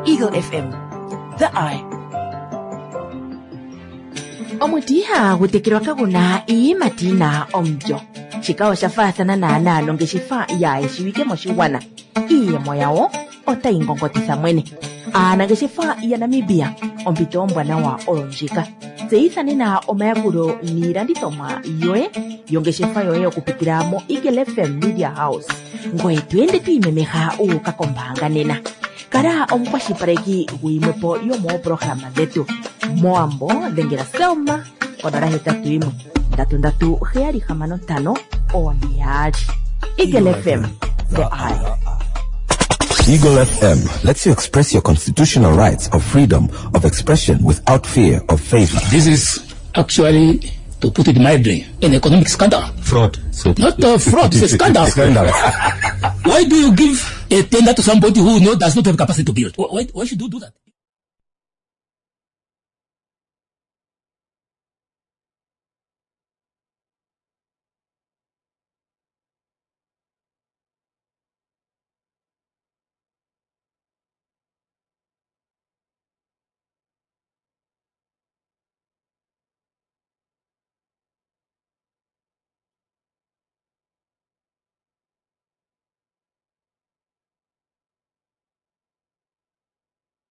Eagle F M, the eye. Omuti ihagu tekelwa kaguna iiyimati yina omulyo. Shika osha faathana naanaa nongeshefa yaayeshiwike moshigwana. Iiyemo yawo otayi ngongotitha mwene. Aanangeshefa yaNamibia, ompito ombwanawa oyo ndjika. Tseyitha nena omayakulo niilandithomwa yoye yongeshefa yoye okupitila mo Eagle F M Media House, ngoye tu ende twiimemeha uuka kombaanga nena. Kala omukwashilipaleki guyimwepo yomoopolohalama dhetu. Mowambo dhengela Selma konola hetatu yimwe ndatu ndatu heyali hamano ntano one yaali. Eagle F M, the eye. Eagle F M lets you express your constitutional rights of freedom of expression without fear of favor. This is actually, to put it mildly, an economic scandal. Fraud. So Not a fraud, it's a scandal. Scandal. Why do you give a tender to somebody who know, does not have capacity to build? Why, why should you do that?